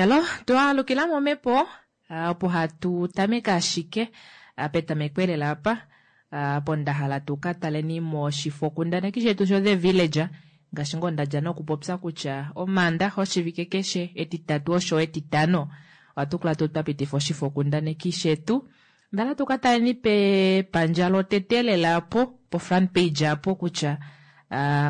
Elo twaalukila momhepo opo hatu tameke ashike petameko elela apa opo nda hala tu ka taleni moshifokundaneki shetu sho The Villager ngaashi ngoo ndadja nokupopya kutya omaandaxa oshivike keshe etitatu osho etitano ohatu kala tuu twapitifa oshifokundaneki shetu. Ndala tu ka taleni pepandja lotete lela apo po front page apo kutya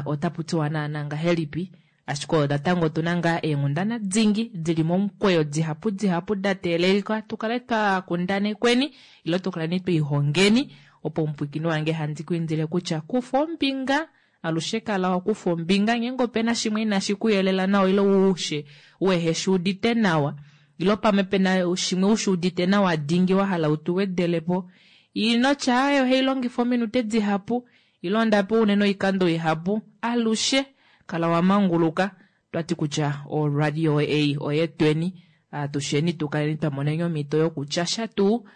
otapu tiwa naana ngahelipi ashike natango otuna ngaa eenghundana dingi dili momukweyo dihapu dihapu da teelelika tukale twa kundanekweni ile tukaleni twiihongeni opo omupwiikini wange handi ku indile kutya kufa ombinga alushe kala wakufa ombinga ngeenge opena shimwe inashi kuyelela nawa ile ushe weheshi udite nawa ile pamwe pena shimwe ushi udite nawa dingi wahala utuwedelepo inotya aaye ohailongifa ominute dihapu ile ondapewa unene oikando ihapu alushe kala wamanguluka twati kutya oradio ei oyetweni atusheni tukaleni twamoneni omhito yokutyasha tuu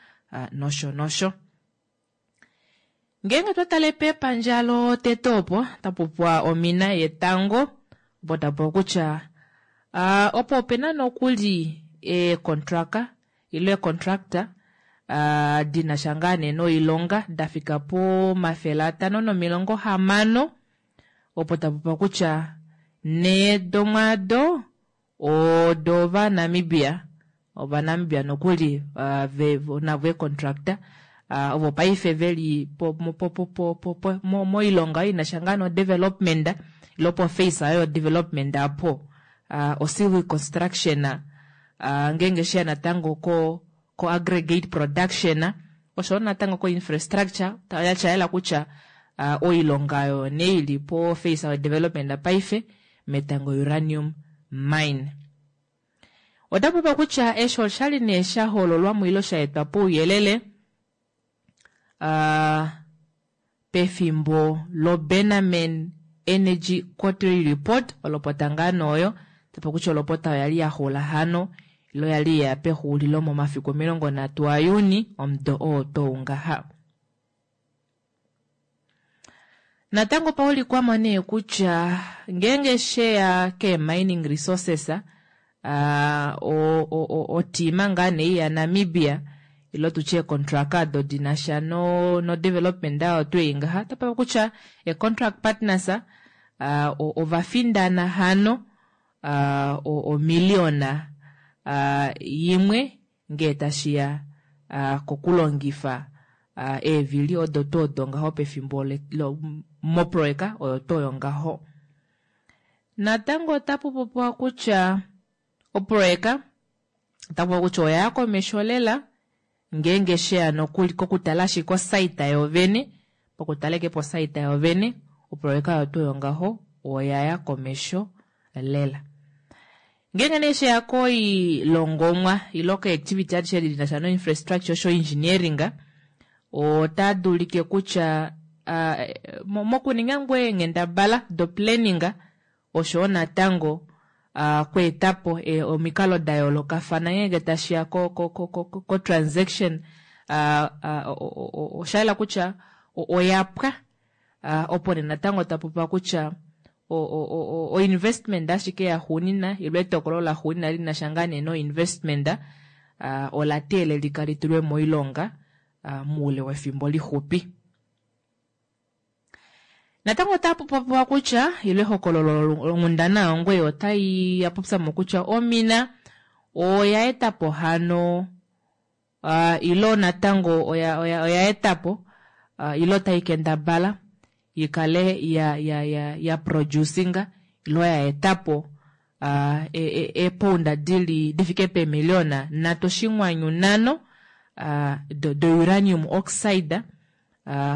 nosho nosho. Ngeenge twatale pepandja lotete opo tapupopiwa omina yetango opo tapupopiwa kutya opo opena nokuli eecontraka ile eecontractor dinasha ngaa nee noilonga dafika pomafele 560 opo tapupopiwa kutya nhee domwaado odo vaNamibia ovanamibia nokuli navo eecontractor ovo paife veli moilonga inasha ngaa no development ile poface ayo development apo o civil construction ngeenge sheya natango ko ko aggregate production oshoyo natango ko infrastructure shayela kutya oilonga oyo nee ili po face ayo development paife metango uranium mine. Otapupopiwa kutya eshi oshali nee shahololwamo ile shaetwa pouyelele pefimbo loBennaman Energy Quarterly Report olopota ngaa nooyo tapo kutya olopota oya li yaxula hano ile oyali yeya pexuulilo momafiku 30 aJuni omudo oo tou ngaha. Natango paulikwamo nee kutya ngeenge sheya keemining resources otima ngaa nee yaNamibia ile tutye eecontract ado dinasha no, no development ayo twei ngaha tapapo kutya eecontract partners ovafindana hano omiliona imwe ngee tashiya kokulongifa eevili odo tuu odo ngaho pefimbo moproyeka oyo tuu oyo ngaho. Natango otapu popiwa kutya oproyeka otapu kutya oyaya komesho lela ngeenge sheya nokuli kokutala ashike osite yovene pokutala eke posite yovene oproyeka oyo tuu oyo ngaho oyaya komesho lela. Ngeenge nee sheya koilongomwa ile koactivity adishe dinasha no infrastructure osho engineering ota dulike kutya mokuninga ngoo eenghendabala do planning oshoyo natango kweetapo omikalo da yoolokafana ngeenge tashiya ko transaction oshayela kutya oyapwa opo nee natango tapopiwa kutya o investment ashike yaxuunina ile etokolo laxuunina linasha ngaa nee no investment ola teelelika litulwe moilonga moule wefimbo lixupi. Natango otapu popiwa kutya ile ehokololo longhundana yongwe otai yapopyamo kutya omina oya etapo hano ilo natango oya, oya, oya etapo ilo tai kendabala ikale ya, ya, ya, ya producinga ilo ya etapo eepounda dili difike peemiliona 3.5 do uranium oxide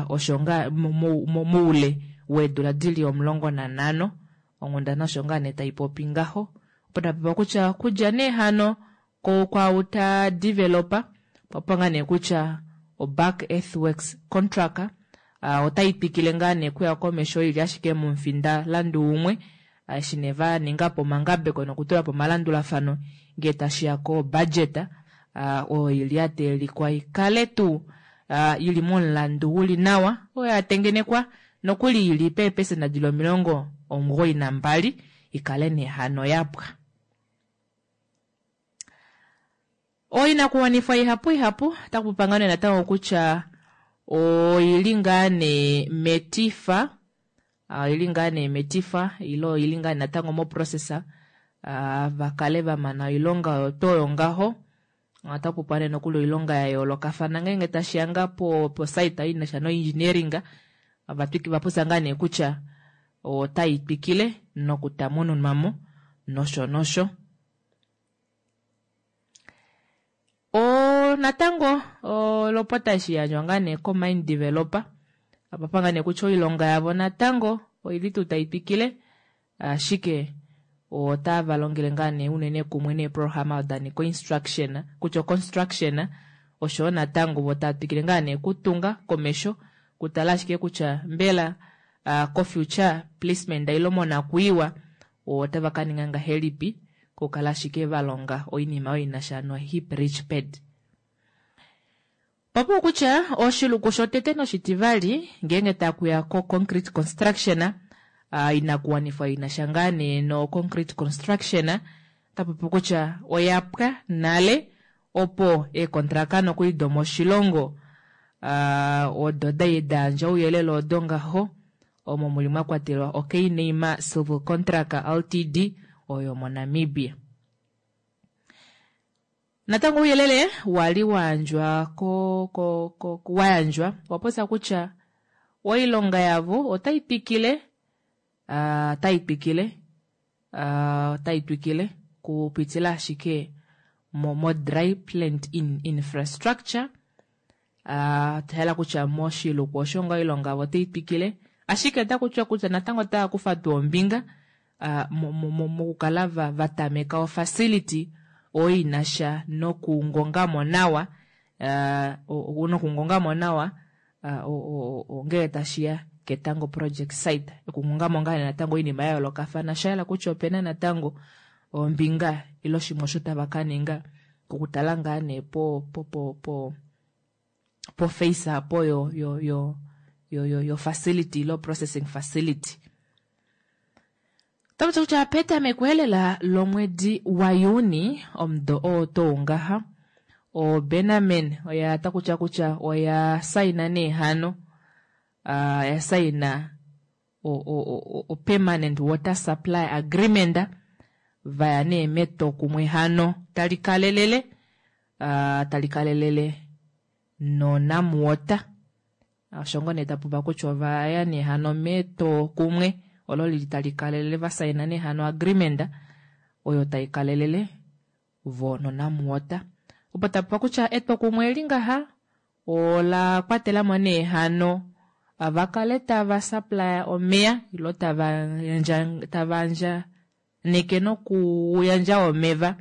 osho nga moule weedula dili 15 onghundana osho ngaa nee taipopi ngaho opo tapopiwa kutya kudja nee hano kwaau ta developer popiwa ngaa nee kutya oBulk Earthworks contract otai twikile ngaa nee kuya komesho ili ashike momufinda landu umwe eshi nee va ningapo omangabeko nokutulapo omalandulafano ngee tashiya ko budget oyo ili yateelikwa ikale tuu ili momulandu uli nawa oyo yatengenekwa nokuli ili peepesenda dili 92 ikale nee hano yapwa. Oinakuwanifwa ihapu ihapu otaku popiwa ngaa nee natango kutya oili ngaa nee metifa, oili ngaa nee metifa ile oili ngaa natango moprocess va kale va mana oilonga oyo tuu oyo ngaho. Otaku popiwa nee nokuli oilonga ya yoolokafana ngeenge tashiya ngaa po site inasha noengineering, va popya ngaa nee kutya otai twikile nokutamununwa mo nosho nosho. Natango olopota eshi yandjwa ngaa nee ko-mine developer apa ngaa nee kutya oilonga yavo natango oili tuu tai twikile, ashike otava longele ngaa nee unene kumwe neeprograma da nika instruction kutya construction oshoyo natango vo tava twikile ngaa nee kutunga komesho kutala ashike kutya mbela ko-future placement ile monakwiiwa otava ka ninga ngahelipi kukala ashike va longa oinima oyo inasha no-heap leach pad. Papo kutya oshiluku shotete noshitivali ngeenge takuya ko-concrete construction, inakuwanifwa inasha ngaa nee no-concrete construction, tapopi kutya oya pwa nale opo eekontraka nokuli domoshilongo odo da yandja ouyelele odo ngaho omo muli mwa kwatelwa oKneima Civil Contract Ltd oyo moNamibia. Natango ouyelele wali wayandjwa ko wayandjwa wapopya kutya oilonga yavo otai twikile, otai twikile, otai twikile kupitila ashike mo dry plant infrastructure. Hela kutya moshiluku osho nga oilonga yavo otai twikile, ashike otaku tiwa kutya natango otava kufa tuu ombinga mokukala va tameka ofacility oyo inasha nokungongamo nawa, nokungongamo nawa ngele tashiya ketango project site, okungongamo ngaa natango oinima ya yoolokafana. Shayela kutya opena natango ombinga ile oshimwe osho tava ka ninga okutala ngaa nee po po po po po face apo yo yo yo yo yo yo facility ilo processing facility. Otaku kutya petameko elela lomwedi waJuni omudo oo tuu ngaha, oBennaman oya takutya kutya oya saina nee hano, ya saina o permanent water supply agreement, vaya nee metwokumwe hano tali kalelele, tali kalelele noNamwater. Osho ngoo nee tapupa kutya ovaya nee hano metwokumwe olo lili tali kalelele, va saina nee hano agreement oyo tai kalelele vo noNamwater. Opo tapupa kutya etwokumwe eli ngaha ola kwatelamo nee hano vakale tava supply omeya ilo tava andjaneke nokuyandja omeva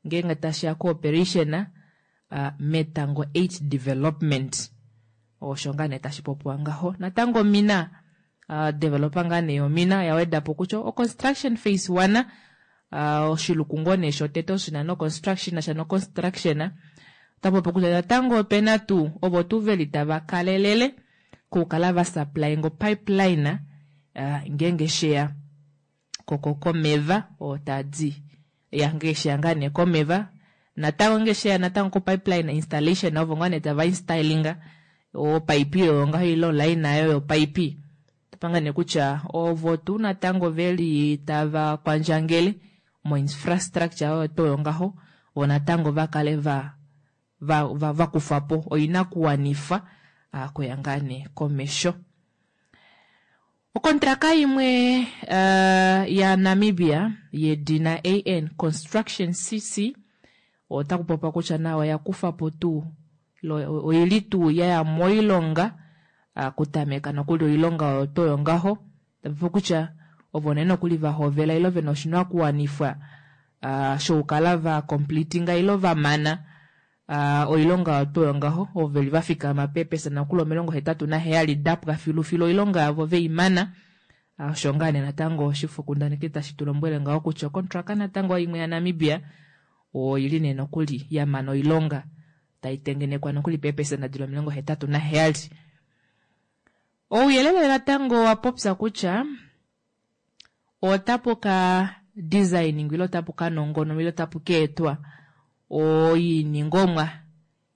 ngeenge tashiya cooperation Metango 8 development. Osho ngaa nee tashi popiwa ngaho. Natango mina developer ngaa nee yomina oya wedapo kutya o construction phase 1, oshiluku ngoo nee shotete oshina no construction sha no construction, otapopi kutya natango opena tuu ovo tuu veli tava kalelele kukala va supplying pipeline ngeenge sheya komeva oo tadi ya ngeenge sheya ngaa nee komeva, natango ngeenge sheya natango ko pipeline installation ovo ngaa nee tava installinga o pipe oyo ngaho ile line ayo yo pipe. Topanga nee kutya ovo tuu natango veli tava kwandjangele mo infrastructure oyo tuu oyo ngaho, vo natango va kale va kufa po oinakuwanifwa kuya ngaa nee komesho. Okontraka imwe ya Namibia yedina AN Construction CC otaku popiwa kutya nayo oya kufa po tuu oili tuu yaya moilonga, kutameka nokuli oilonga oyo tuu oyo ngaho. Tapopi kutya ovo nee nokuli va hovela ile vena oshinakuwanifwa shokukala va completinga ile va mana oilonga oyo tuu oyo ngaho, ovo veli va fikama peepesa nokuli 87 dapwa filufilu oilonga yavo veimana. Osho ngaa nee natango oshifokundaneki tashi tu lombwele ngaho kutya okontraka natango imwe ya Namibia oili nee nokuli ya mana oilonga tai tengenekwa nokuli peepesa dili 87. Ouyelele natango wa popya kutya otapu ka designing ile otapu ka nongononwa ile otapu ka etwa oiningomwa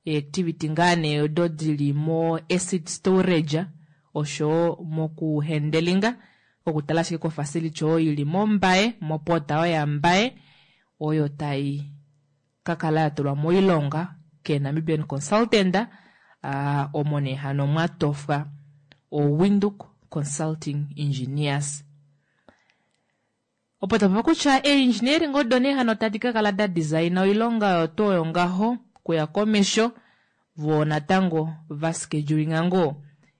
eactivity ngaa nee odo dili mo acid storage oshoyo moku hendelinga kokutala ashike ko facility oyo ili moMbaye mo port oyo yaMbaye oyo tai kakala yatulwa moilonga kee Namibian consultant omo nee hano mwatofwa o Windhoek Consulting Engineers. Opo tapopi kutya eengineering odo nee hano tadi kakala da designa oilonga oyo tuu oyo ngaho kuya komesho voo natango va schedulinga ngoo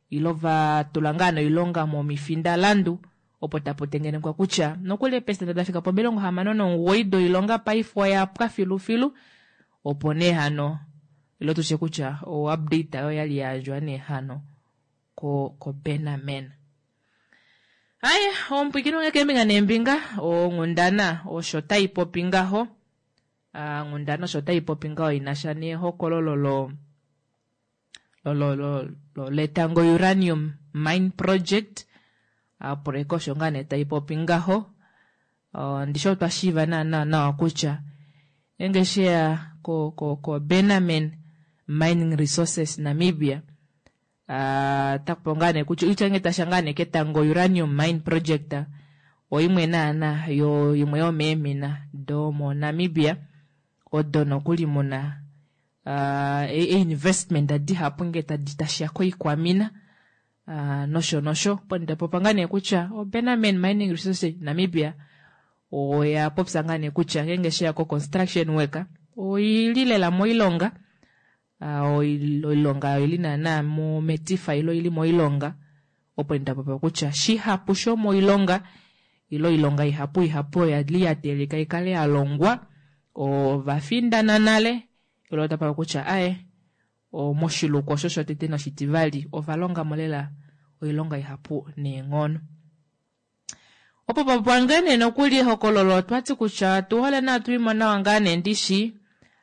ilo va tula ngaa noilonga momifindalandu opo tapu tengenekwa kutya nokuli eepesenda da fika pomilongo 69 doilonga paife oya pwa filufilu opo nee hano ilo tushe kutya o update oyo yali yayandjwa nee hano ko ko Bennaman. Aye, omupwikini wange keembinga neembinga, onghundana osho tai popi ngaho. Ah, onghundana osho tai popi ngaho ina sha nehokololo lo lo lo lo letango uranium mine project. Oproyeka osho ngaa nee tai popi ngaho. Ndishi otwa shiiva naana nawa kutya ngeenge sheya ko ko ko Bennaman Mining Resources Namibia Otaku ngaa nee kutya oitya ngee tasha ngaa nee ketango Uranium Mine Project oimwe naana yo imwe yomeemina domoNamibia odo nokuli muna einvestment dihapu ngee tadi tashiya koikwamina nosho nosho. Opo ndapopa ngaa nee kutya oBennaman Mining Resources Namibia oya popya ngaa nee kutya ngeenge sheya ko construction work oili lela moilonga Oilonga oyo oili naana metifa ile oili moilonga opo nda popya kutya shihapu shomoilonga ile oilonga ihapu ihapu oyo yali ya teelelika ikale ya longwa ova findana nale ile ota popya kutya aye moshiluku osho shotete noshitivali ova longa mo lela oilonga ihapu neenghono. Opo popwa ngaa nee nokuli ehokololo otwati kutya otu hole nawa tuimo nawa ngaa nee ndishi,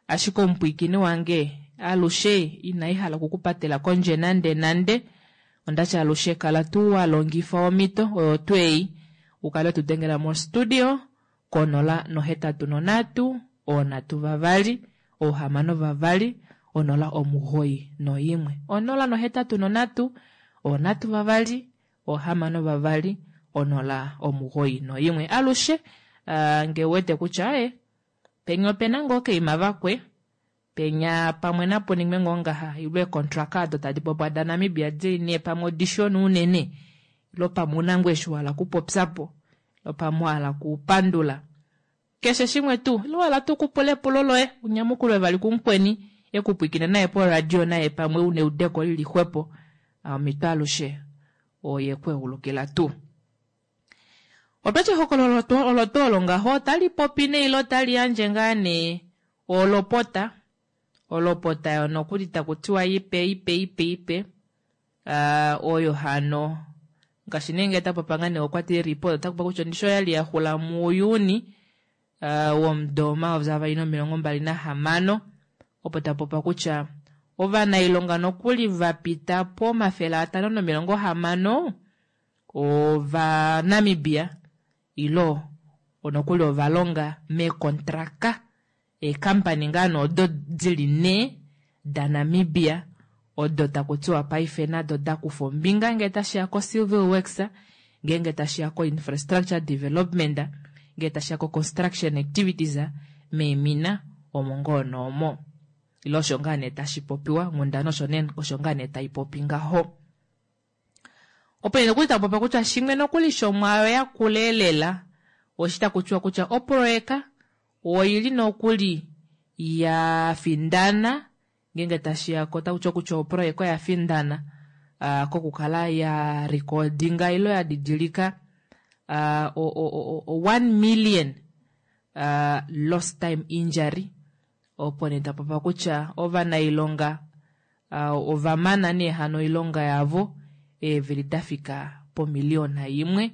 ashike omupwiikini wange alushe inai hala oku ku patela kondje nande nande. Ondati alushe kala tuu wa longifa omhito oyo tuu ei u kale wetu dengela mo studio konola nohetatu nonhatu oonhatu vavali oohamano vavali 091. 083 3 6 2 0 91 alushe ngee uwete kutya aye penya opena ngoo okaima vakwe penya pamwe napu ningwe ngoo ngaha ile eecontraka odo tadi popiwa daNamibia dili nee pamwe odishona unene ile pamwe una ngoo eshi wahala okupopyapo ile pamwe wahala okupandula Keshe shimwe tuu, ile wa hala tuu okupula epulo loye, u nyamukulwe vali kumukweni e ku pwiikine naye poradio naye pamwe u na eudeko li li xwepo, omhito alushe oye ku egulukila tuu. Otwa ti ehokololo olo tuu olo ngaho otali popi nee ile otali yandje ngaa nee olopota, olopota yo nokuli taku tiwa ipe ipe ipe ipe, oyo hano ngaashi nee ngee tapopa ngaa nee okwa ti report ota kupa kutya ondisho oyali ya xula muJuni womudo 2026 opo tapopa kutya ovanailonga nokuli vapita po 560 ova Namibia ilo nokuli ovalonga meekontraka Eekampani ngaa nee odo di li nhee daNamibia odo taku tiwa paife nado da kufa ombinga ngee tashi ya koCivil Works, ngeenge tashi ya koInfrastructure Development, ngee tashi ya koConstruction Activities meemina omo ngoo noomo. Ile osho ngaa nee tashi popiwa, onghundana osho ngaa nee tai popi ngaho. Opo nee nokuli taku popiwa kutya shimwe nokuli shomwaayo ya kula elela oshi taku tiwa kutya oproyeka oi li nokuli ya findana ngeenge tashi ya ko taku tiwa kutya oproyeka oya findana uh, kokukala ya recordinga ilo ya didilika uh, o, o, o, o 1 million uh, lost time injury opo nee tapopiwa kutya ovanailonga Ova mana nee hano oilonga yavo eevili da fika pomiliyona imwe.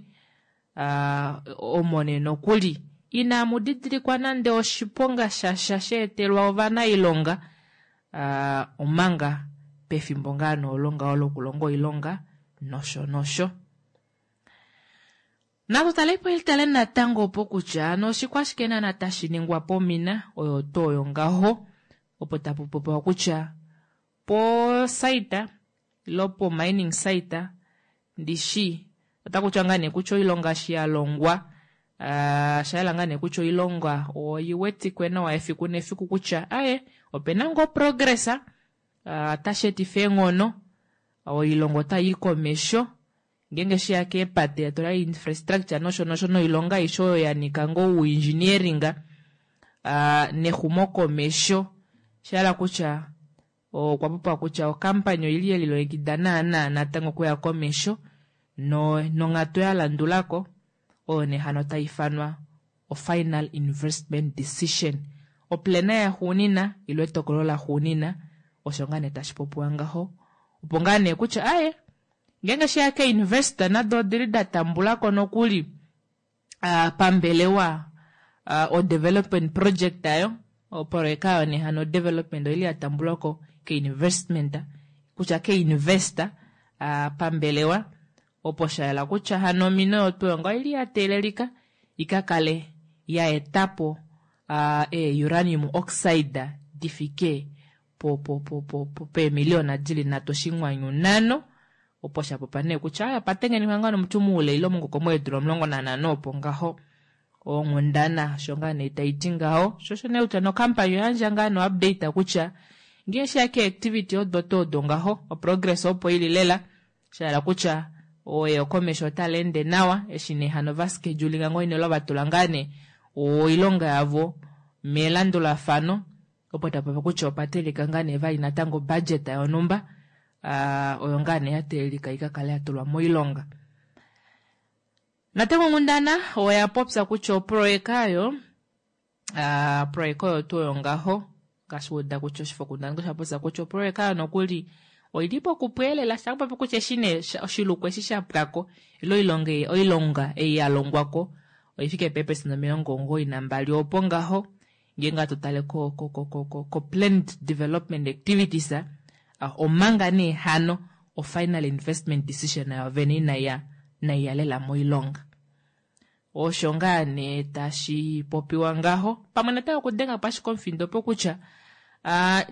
Omo nee nokuli inamu didilikwa nande oshiponga shasha sha etelwa ovanailonga omanga pefimbo ngaa nee olo ngaho lokulonga oilonga nosho nosho. Natu tale po tale natango opo kutya ano oshikwashike naana tashi ningwa pomina oyo tuu oyo ngaho opo tapu popiwa kutya po site ilo po mining site ndishi otaku tiwa ngaa nee kutya oilonga eshi ya longwa osha yela ngaa nee kutya oilonga oi wetikwe nawa efiku nefiku kutya aye opena ngoo progress otashi etifa eenghono oilonga otai i komesho ngeenge sheya keepate ya tula infrastructure nosho nosho noilonga aishe oyo ya nyika ngoo ouengineering nexumokomesho osha hala kutya okwa popiwa kutya okampani oili yelilongekida naana natango okuya komesho no nonghatu ya landulako oyo nee hano tai ifanwa ofinal investment decision oplana yaxuunina ile etokolo laxuunina osho ngaa nee tashi popiwa ngaho opo ngaa nee kutya aye ngeenge sheya keinvestor nado odili da tambulako nokuli pambelewa o development project ayo oproyeka ayo nee hano development oili ya tambulwako keinvestment kutya keinvestor pambelewa opo sha yela kutya hano omino oyo tuu oyo oili ya teelelika ikakale ya etapo ee uranium oxide difike po po po po peemiliona dili nhatu oshinghwanyu nhano opo sha popya nee kutya aya patengenekwa ngaa nomuti muule ile omungokomo weedula 15 opo ngaho onghundana osho ngaa nee taiti ngaho sho osho nee kutya nokampani oyandja ngaa no update kutya ngee sheya ke activity odo tuu odo ngaho oprogress opo ili lela shahala kutya eyokomesho otali ende nawa eshi nee hano va schedulinga ngoo ine va tula ngaa nee oilonga yavo melandulafano opo tapopi kutya opa teelelika ngaa nee vali natango budget yonhumba oyo ngaa nee ya teelelika ikakale ya tulwa moilonga. Natango onghundana oya popya kutya oproyeka oyo oproyeka oyo tuu oyo ngaho ngaashi uda kutya oshifokundaneki osha popya kutya oproyeka oyo nokuli oili pokupweelela shapopi kutya eshi nee oshiluku eshi sha pwako ile oilonga oilonga ei ya longwako oifike peepesenda 92 opo ngaho ngeenge hatu tale ko ko ko ko ko ko planned development activities omanga nee hano o final investment decision nayo vene inaiya inaiya lela moilonga. Osho ngaa nee tashi popiwa ngaho pamwe natango okudenga po ashike omufindo opo kutya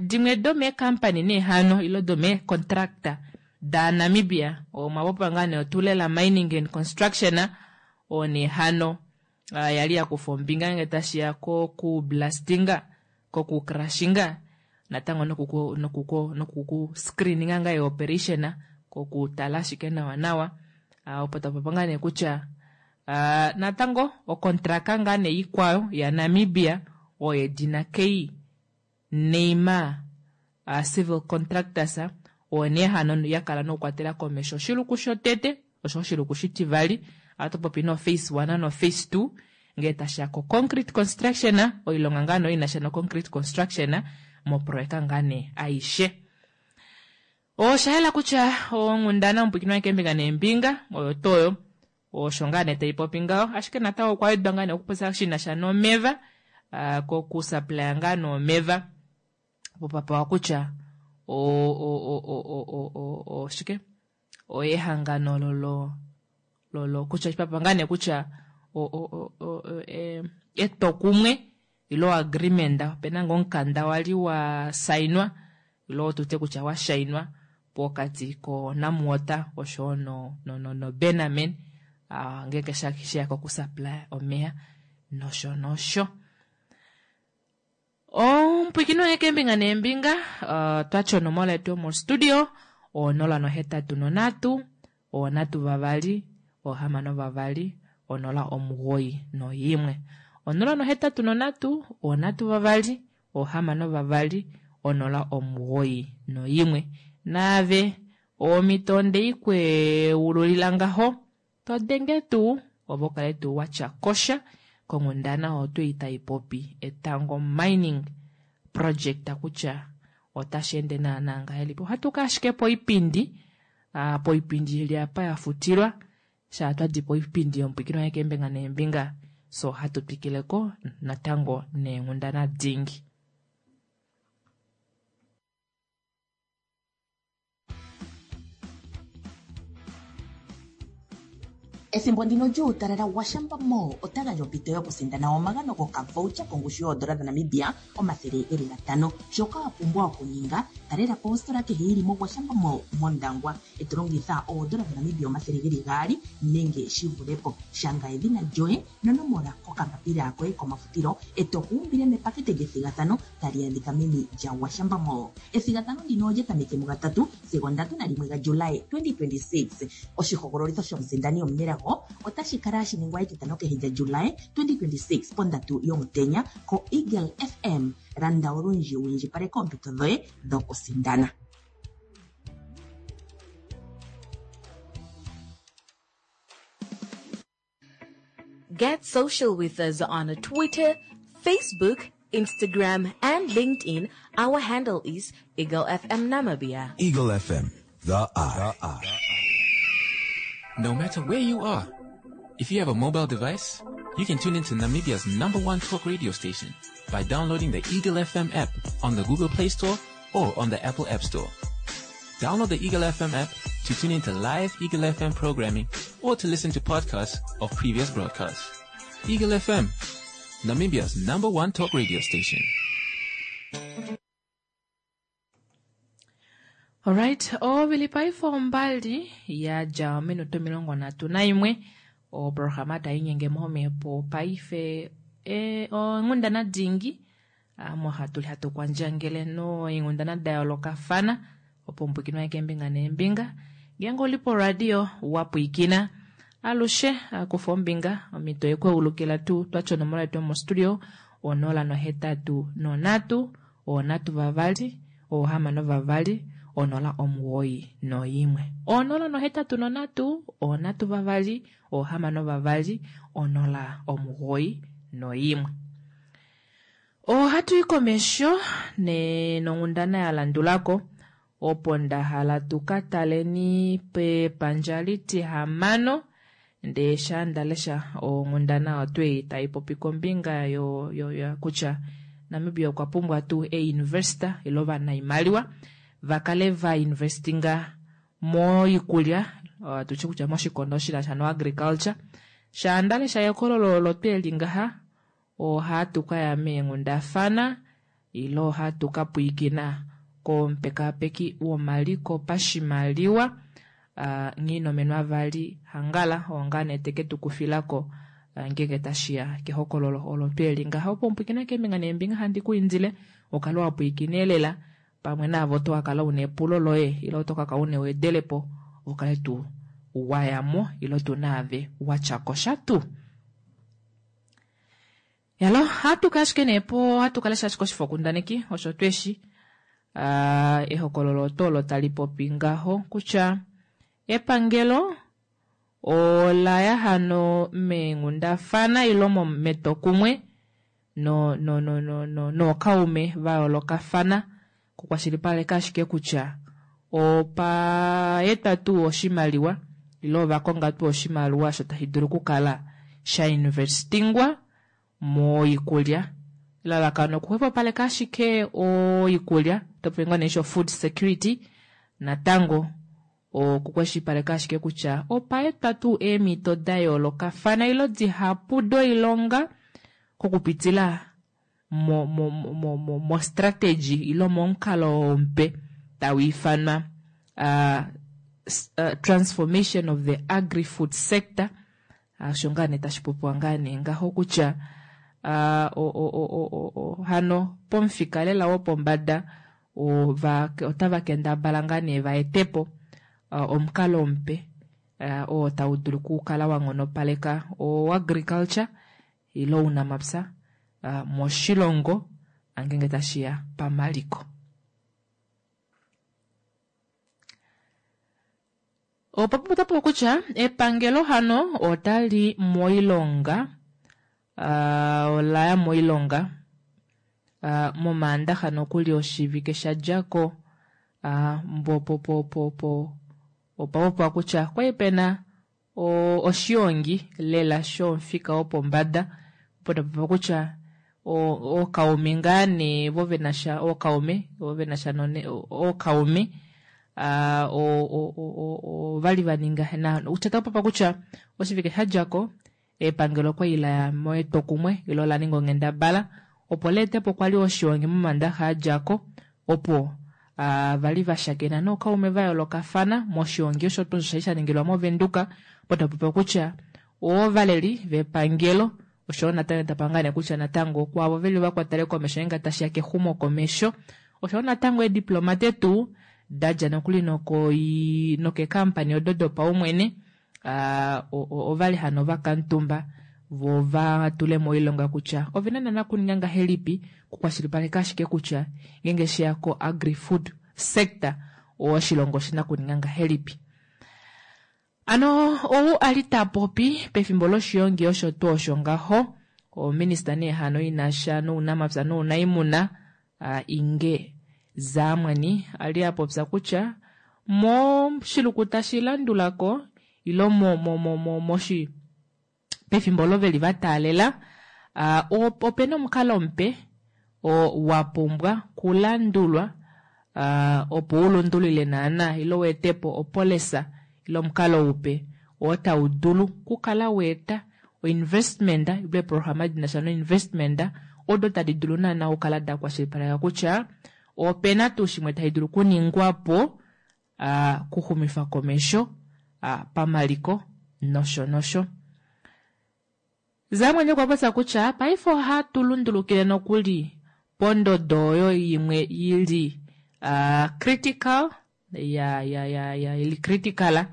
dimwe domeekampani nee hano ile domeecontractor daNamibia omwa popiwa ngaa nee oTulela Mining and Construction oo nee hano yali ya kufa ombinga ngee tashiya koku blastinga koku crushinga natango nokuku nokuku nokuku screeninga ngaa eoperation kokutala ashike nawa nawa opo tapopi ngaa nee kutya natango okontraka ngaa nee ikwayo yaNamibia oyo yedina K Neymar Civil Contractors oyo nee hano ya kala nokukwatela komesho oshiluku shotete osho oshiluku shitivali ohatu popi no phase 1 no phase 2 ngee tashiya ko concrete construction oilonga ngaa nee inasha no concrete construction moproyeka ngaa nee aishe. Osha yela kutya onghundana omupwikinwa keembinga neembinga oyo tuu oyo osho ngaa nee taipopi ngaho ashike natango okwa wedwa ngaa nee okupopya shinasha nomeva kokusuplya ngaa nomeva opo papewa kutya oshike ehangano lolo lolo kutya papa ngaa nee kutya etwokumwe ile agreement opena ngoo omukanda wali wa sainwa ile tutye kutya wa shainwa pokati ko Namwater oshowo no no no Bennaman ngeenge sheya kokusupply omeya nosho nosho. Omupwiikini wange keembinga neembinga twati onomola yetu yomostudio 083 3 62 091 083 3 62 091 naave omhito ondeikweululila ngaho todenge tuu ove ukale tuu watya kosha konghundana oyo tuu taipopi Etango Mining Project kutya otashi ende naana ngahelipi. Ohatu ka ashike poipindi poipindi ili apa ya futilwa shaa twadi poipindi yomupwiikini wange keembinga neembinga so ohatu twikileko natango neenghundana dingi. Ethimbo ndino lyuutalala Gwashamba Mall ota gandja ompito yokusindana omagano gokavoucher kongushu yoodola dhaNamibia 500. Shoka wa pumbwa okuninga, talela po ositola kehe yi li moGwashamba Mall mOndangwa, e to longitha oodola dhaNamibia 200 nenge shi vule po. Shanga edhina lyoye nonomola kokambapila koye komafutilo e to ku umbile mepakete lyethigathano tali adhika meni lyaGwashamba Mall. Ethigathano ndino olya tameke mugatatu sigo 31 gaJuly 2026. Oshihogololitho shomusindani omunelago otashi kala hashi ningwa etitano kehe lyaJuly 2026 pondatu yomutenya koEagle FM. Landa olundji wu indjipaleke oompito dhoye dhokusindana. Get social with us on Twitter, Facebook, Instagram, and LinkedIn. Our handle is Eagle FM Namibia. Eagle FM, the eye. No matter where you are, if you have a mobile device, you can tune into Namibia's number one talk radio station by downloading the Eagle FM app on the Google Play Store or on the Apple App Store. Download the Eagle FM app to tune into live Eagle FM programming or to listen to podcasts of previous broadcasts. Eagle FM, Namibia's number one talk radio station. Alright, ovili paife ombali ya dja ominute 31 oprograma tai nyenge momhepo paife e, onghundana dingi omo hatu li hatu kwandjangele noinghundana da yoolokafana opo mupwikinwa keembinga neembinga ngeenge oli poradio wa pwiikina alushe kufa ombinga omhito yekweulukila tuu twatya onomola yetu yomostudio 083 3 6 2 091 083 3 6 2 091. Ohatu i komesho nonghundana ya landulako opo nda hala tu ka taleni pepandja litihamano ndee sha nda lesha onghundana otwei tai popi kombinga yo, yo, yo kutya Namibia okwa pumbwa tuu einvesta ile ovanaimaliwa va kale va investinga moikulya tutye kutya moshikondo shi sha no agriculture. Sha nda lesha ekololo olo tweli ngaha ohatu kaya meenghundafana ile ohatu ka pwiikina komupekapeki womaliko pashimaliwa uh, Nghinomenwa vali Hangala oo nee teke tu kufilako ngeenge tashiya kehokololo olo tweli ngaha opo mupwiikina keembinga neembinga handi ku indile ukale wa pwiikina elela pamwe naavo to kakala una epulo loye ile oto kaka una ewedelepo ukale tuu wayamo ile tu naave watyako sha tuu. Yalo, hatu ashike nee po hatu kala ashike oshifokundaneki osho tweshi uh, ehokololo oto olo tali popi ngaho kutya epangelo ola ya hano meenghundafana ilo metokumwe no no no no no nookaume va yoolokafana kukwashilipaleka ashike kutya opa etwa tuu oshimaliwa ile ova konga tuu oshimaliwa osho tashi dulu okukala sha investingwa moikulya elalakano okuxwepopaleka ashike oikulya topopi ngoo nee sho food security natango okukwashilipaleka ashike kutya opa etwa tuu eemhito da yoolokafana ilo dihapu doilonga kokupitila mo, mo, mo, mo, mo strategy ilo momukalo mupe tau ifanwa uh, uh, transformation of the agri-food sector. Osho ngaa nee tashi popiwa ngaa nee ngaho kutya uh, o, o, o, o, o, hano pomufika lela wopombada otava kendabala ngaa nee va etepo uh, omukalo mupe uh, oo tau dulu okukala wa nghonopaleka o agriculture ile ounamapya uh, moshilongo angenge tashiya pamaliko. Opo popo kutya epangelo hano otali moilonga uh, olaya moilonga uh, momaandaxa nokuli oshivike sha djako uh, mbopopopopo opa popiwa kutya kwali pena oshiongi lela shomufika wopombada opo tapopiwa kutya ookaume ngaa nee vo venasha ookaume vo venasha ookaume. Ovali va ninga na kutya taku kutya oshivike sha dja ko epangelo okwali la ya metwokumwe ilo la ninga onghendabala opo leetepo kwali oshiongi momandaxa a dja ko opo vali va shakena nookaume va yoolokafana moshiongi osho tuu osho shali sha ningilwa movenduka opo tapopiwa kutya ovaleli vepangelo oshoyo natango tapangane kutya natango kwaavo veli vakwatele komesho ngeenge tashiya kexumo komesho oshoyo natango eediplomate tuu dadja nokuli nokeekampani odo dopaumwene ovali hano vakamutumba vo va tule moilonga kutya ovena nana kuninga ngahelipi kukwashilipaleka ashike kutya ngeenge sheya ko agri-food sector oshilongo oshina kuninga ngahelipi. Ano ou ali tapopi pefimbo loshiongi osho tuu osho ngaho ominista nee hano inasha nounamapya nounaimuna Inge Zaamwani ali apopya kutya moshiluku tashi landulako ilo moshi pefimbo olo veli vataalela opena omukalo mupe oo wapumbwa kulandulwa opo ulundulule naana ilo weetepo opolisa ile omukalo upe oo tau dulu kukala weeta oinvestment ile eeprograma dinasha noinvestment odo tadi dulu naana okukala da kwashilipaleka kutya opena tuu shimwe tashi dulu okuningwapo kuxumifa komesho pamaliko nosho nosho. Zaamwani okwa popya kutya paife ohatu lundulukile nokuli pondodo oyo imwe ili critical ya ya ya ya ili critical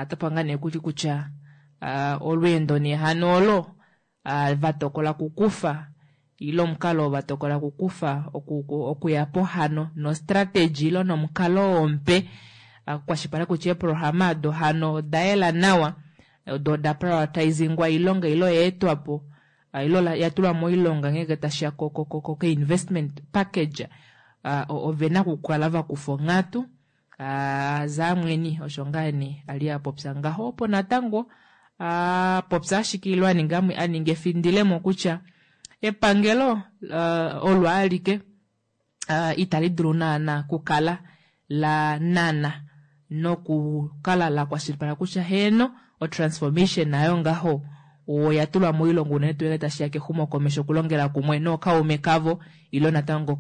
topanga nee kuli kutya olweendo nee hano olo va tokola kukufa ile omukalo oo va tokola kukufa okuya po hano nostrategy ilo nomukalo oo mupe kukwashilipaleka kutya eeprograma odo hano oda yela nawa odo oda prioritizingwa oilonga ilo oyaetwapo ilo yatulwa moilonga ngeenge tashiya ko investment package ovena okukala vakufa onghatu. Zaamweni osho ngaa nee ali apopya ngaho opo natango apopya ashike ilo aninga aninga efindilemo kutya epangelo olo alike itali dulu naana kukala la nana nokukala la kwashilipaleka kutya heeno otransformation nayo ngaho oya tulwa moilonga unene tuu ngenge tashiya kexumokomesho okulongela kumwe nookaume kavo ilo natango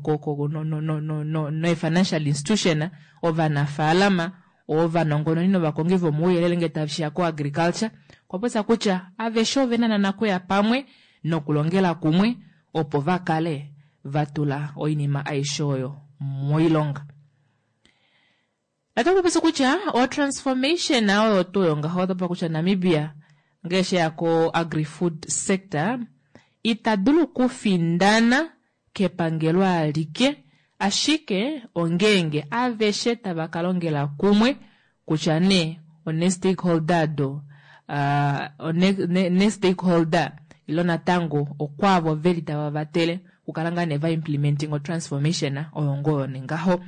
nee-financial institution ovanafaalama ovanongononi novakongi vomauyelele ngee tashiya ko-agriculture okwa popya kutya aveshe ovena nana okuya pamwe nokulongela kumwe opo vakale vatula oinima aishe oyo moilonga. Otaku popi kutya o transformation oyo tuu oyo ngaho otaku popi kutya Namibia ngee sheya ko agri-food sector ita dulu okufindana kepangelo alike ashike ongeenge aveshe tava ka longela kumwe kutya nee one-stakeholder do ne-stakeholder ilo natango okwaavo veli tava vatele okukala ngaa nee va implementing o transformation oyo ngoo oyo nengaho.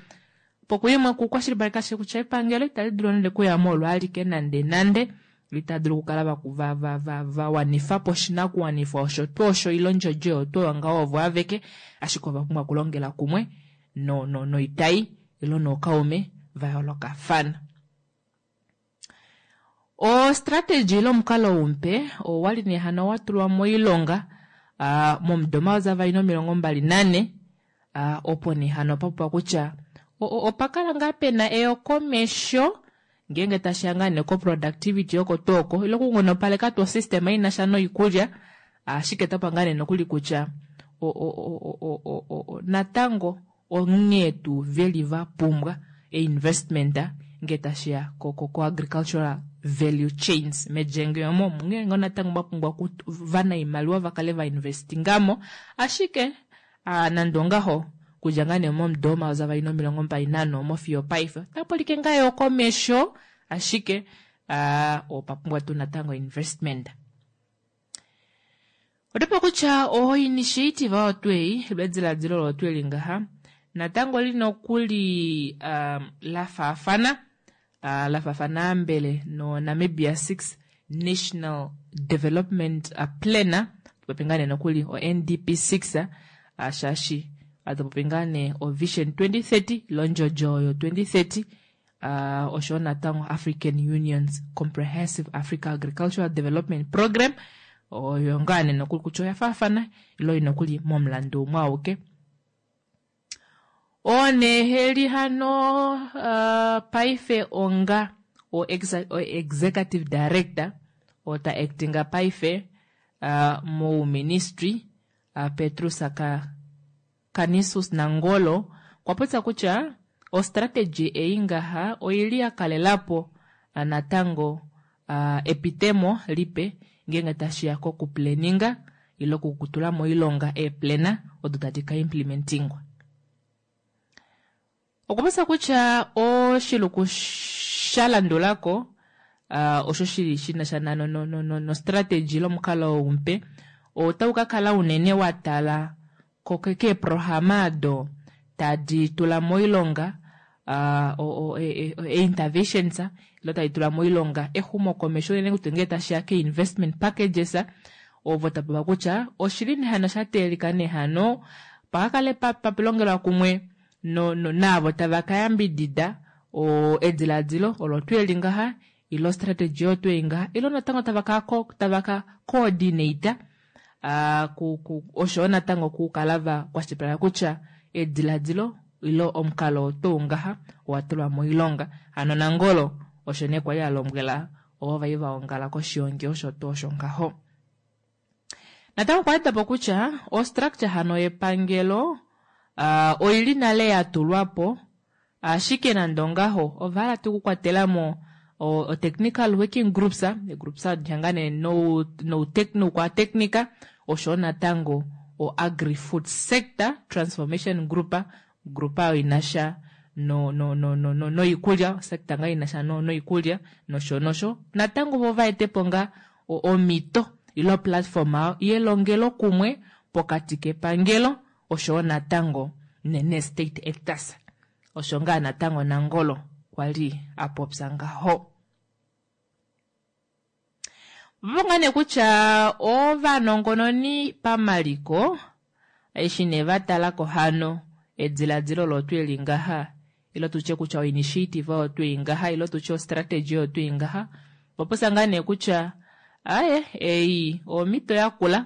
Pokuyimwe kukwashilipaleka ashike kutya epangelo itali dulu nande okuya mo olo alike nande nande itali dulu okukala va wanifa po oshinakuwanifwa osho tuu osho ile ondjodjo oyo tuu oyo ngaho ovo aveke ashike ova pumbwa okulongela kumwe noitai ilo nookaume va yoolokafana. Ostrategy ile omukalo umupe owali nee hano wa tulwa moilonga momudo 2024 opo nee hano papopiwa kutya opa kala ngaa pena eyokomesho ngeenge tashiya ngaa nee ko productivity oko tuu oko ile okunghonopaleka tuu osystem inasha noikulya ashike otapa ngaa nee nokuli kutya natango onghee tuu veli va pumbwa einvestment ngee tashiya ko agricultural value chains medjenge omo onghee ngoo natango va pumbwa vanaimaliwa vakale va investingamo ashike nande ongaho okudja ngaa nee momudo 2024 omo fiyo paife otapa ulike ngaa eyokomesho ashike opa pumbwa tuu natango investment. Otopa kutya oinitiative oyo tuu ei ediladilo olo tuu eli ngaha natango oli nokuli la faafana la faafana ambele no Namibia 6 National Development Plan topopi ngaa nee nokuli o NDP 6 shaashi atopopi ngaa nee o Vision 2030 ilo ondjodjo oyo 2030. Oshoyo natango African Union's Comprehensive Africa Agricultural Development Program oyo ngaa nee nokuli kutya oya faafana ile oi nokuli momulandu umwe auke. Oo nee heli hano paife onga o executive director oo ta actinga paife mouministry Petrus Canisius Nangolo okwa popya kutya ostrategy ei ngaha oili ya kalelapo natango epitemo lipe ngeenge tashiya koku planninga ile okutula moilonga eeplana odo tadi ka implementingwa. Okwa popya kutya oshiluku sha landulako osho shili shinasha nostrategy ile omukalo ou mupe otau ka kala unene wa tala keeprograma odo tadi tula moilonga einterventions ile tadi tula moilonga exumokomesho unene tuu ngee tashiya keinvestment packages ovo tapopiwa kutya oshili nee hano sha teelelika nee hano pakakale papilongelwa kumwe naavo tava ka yambidida edilaadilo olo tuu eli ngaha ile ostrategy oyo tuu ei ngaha ile natango tava ka coordinate oshoyo natango okukala va kwashilipaleka kutya ediladilo ile omukalo oo tuu ngaha owa tulwa moilonga. Hano Nangolo osho nee kwali a lombwela ovo vai va ongala koshiongi osho tuu osho ngaho. Natango okwa weda po kutya ostructure hano yepangelo oili nale ya tulwa po Ashike nande ongaho, ova hala tuu okukwatela mo o-technical working groups, eegroups adi hangane noukwateknika, oshoyo natango o-agri-food sector transformation group, group oyo i na sha noikulya, osector ngaa i na sha noikulya nosho nosho. Natango vo va ete po ngaa omhito ile oplatform yelongelokumwe pokati kepangelo oshowo natango nee-state actors, osho ngaa natango Nangolo kwa li a popya ngaho. Opo ngaa nee kutya ovanongononi pamaliko eshi nee va tala ko hano ediladilo olo tuu eli ngaha ile tutye kutya oinitiative oyo tuu ei ngaha ile tutye ostrategy oyo tuu ei ngaha, ova popya ngaa nee kutya aaye ei omhito yakula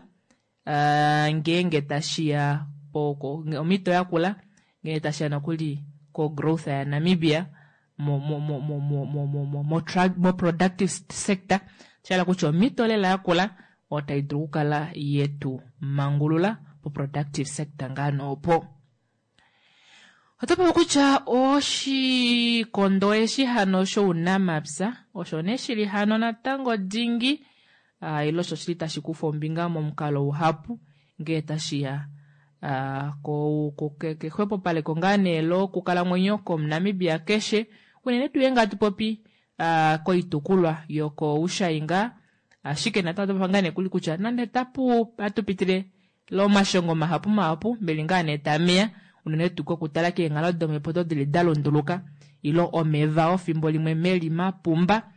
ngeenge tashi ya omhito yakula ngeenge tashi ya nokuli ko-growth yaNamibia mo-productive sector, sha hala kutya omhito lela yakula oyo tai dulu okukala yetu mangulula po-productive sector ngaa nee opo. Oto popi kutya oshikondo eshi hano shounamapya osho nee shili hano natango dingi ile osho shili tashi kufa ombinga momukalo uhapu ngee tashi ya kexwepopaleko ngaa nee lokukalamwenyo kOmunamibia keshe, unene tuu ngeenge hatu popi koitukulwa yokoushai ngaa. Ashike natango oto popi ngaa nee kuli kutya nande tapu hatu pitile Omashongo mahapu mahapu meli ngaa nee tameya unene tuu kokutala keenghalo domhepo odo dili da lunduluka ilo omeva ofimbo limwe meli mapumba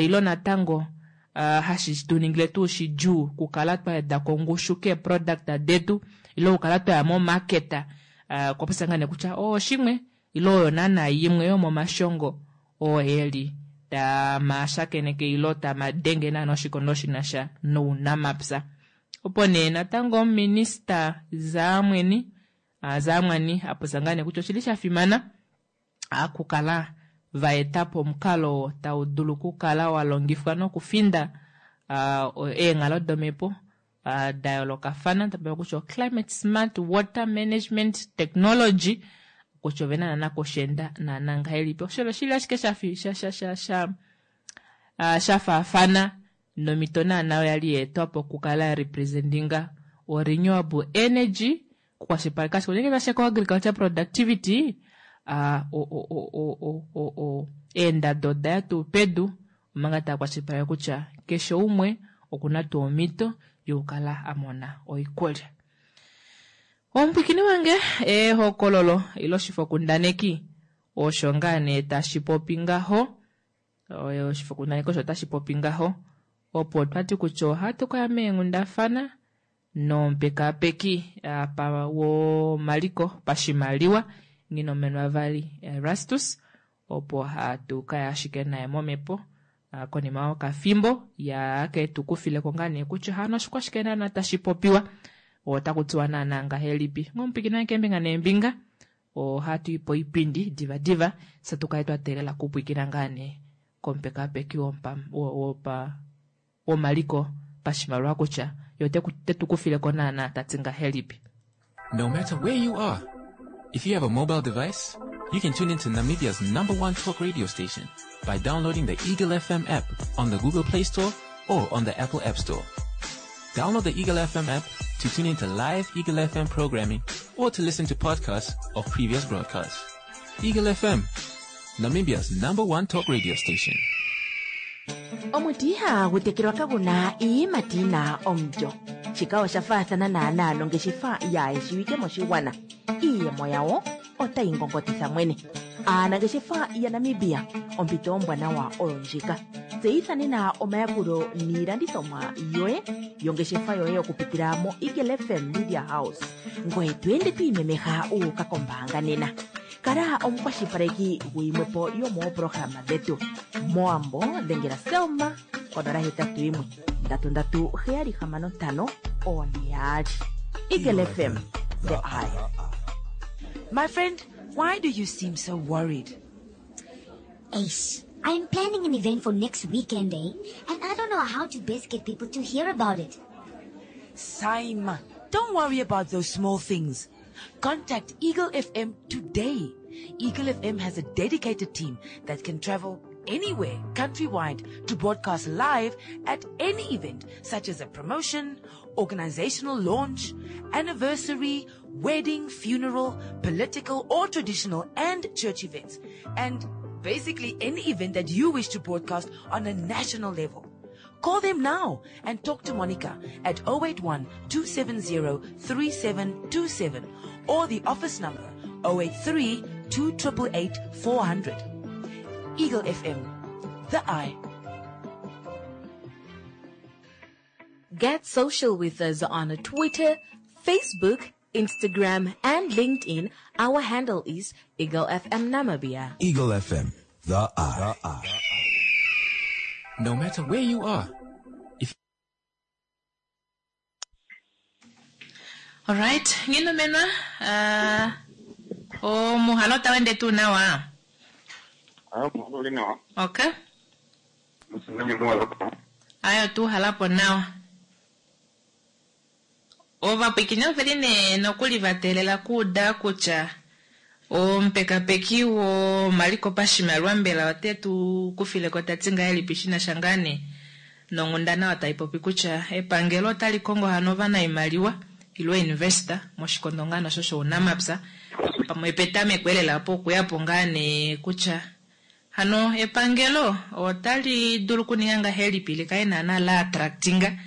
ilo natango hashi tu ningile tuu shidjuu kukala twa weda ko ongushu keeproduct detu ilo kukala twaya momarket. Okwa popya ngaa nee kutya oo oshimwe ilo oyo naana yimwe yomomashongo oo eli tama shakeneke ilo tama denge naana oshikondo shinasha nounamapya. Opo nee natango ominista Zaamweni Zaamwani a popya ngaa nee kutya oshili sha fimana okukala va eta po omukalo oo tau dulu okukala wa longifwa nokufinda eenghalo domhepo da yoolokafana, ta popiwa kutya oclimate smart water management technology, kutya ove na naana kusheenda naana ngahelipi. Osho oshili ashike sha faafana nomhito naana oyo yali ya etwa po okukala ya representinga o renewable energy okukwashilipaleka ashike ngeenge tashiya ko agriculture productivity eendado oda ya tuu pedu omanga tava kwashilipaleke kutya keshe umwe okuna tuu omhito yokukala a mona oikulya. Omupwiikini wange, ehokololo ile oshifokundaneki osho ngaa nee tashi popi ngaho. Oshifokundaneki osho tashi popi ngaho. Opo twa ti kutya ohatu ka ya meenghundafana nomupekaapeki apa womaliko pashimaliwa Nghinomenwa Vali Erastus. Opo hatu kaya ashike naye momhepo konima yokafimbo ya ke tu kufileko ngaa nee kutya hano oshikwashike naana tashi popiwa otaku tiwa naana ngahelipi. Ngomupikina keembinga neembinga ohatu i poipindi diva diva fye tu kale twa teelela kupwikina ngaa nee komupekapeki womaliko pashimaliwa kutya ye ote tu kufileko naana tati ngahelipi. No matter where you are, if you have a mobile device, you can tune into Namibia's number one talk radio station by downloading the Eagle FM app on the Google Play Store or on the Apple App Store. Download the Eagle FM app to tune into live Eagle FM programming or to listen to podcasts of previous broadcasts. Eagle FM, Namibia's number one talk radio station. Omuti ihagu tekelwa kagu na iiyimati yi na omulyo. Shika osha faathana naanaa nongeshefa yaayeshiwike moshigwana. Iiyemo yawo otayi ngongotitha mwene. Aanangeshefa yaNamibia, ompito ombwanawa oyo ndjika. Tseyitha nena omayakulo niilandithomwa yoye yongeshefa yoye okupitila moEagle FM Media House. Ngoye to ende to imemeha wu uka kombaanga nena. Kala omukwashilipaleki guyimwe po yomooprograma dhetu. Mowambo dhengela Selma konola hetatu yimwe ndatu ndatu heyali hamano ntano one yaali. Eagle FM, the eye. My friend, why do you seem so worried? Ace, I'm planning an event for next weekend, eh? And I don't know how to best get people to hear about it. Saima, don't worry about those small things. Contact Eagle FM today. Eagle FM has a dedicated team that can travel anywhere countrywide to broadcast live at any event, such as a promotion, organizational launch, anniversary, wedding, funeral, political or traditional and church events, and basically any event that you wish to broadcast on a national level. Call them now and talk to Monica at 081 270 3727 or the office number 083 288 400. Eagle FM, the eye. Get social with us on Twitter, Facebook, Instagram, and LinkedIn. Our handle is Eagle FM Namibia. Eagle FM, the eye. The eye. No matter where you are, if Alright, nginomenwa omuhalo otawu ende tuu nawa? Ah, muhalo uli nawa. Okay. Musinami muhalo. Ayo tu halapo nawa. Ovapwikini oveli nee nokuli va teelela kuuda kutya omupekapeki womaliko pashimaliwa mbela ote tu kufileko ta ti ngahelipi shi na sha ngaa nee nonghundana oyo tai popi kutya epangelo otali kongo hano ovanaimaliwa ile investor moshikondo ngaa nosho shounamapya pamwe petameko elela opo okuya po ngaa nee kutya hano epangelo otali dulu okuninga ngahelipi li kale naana la attractinga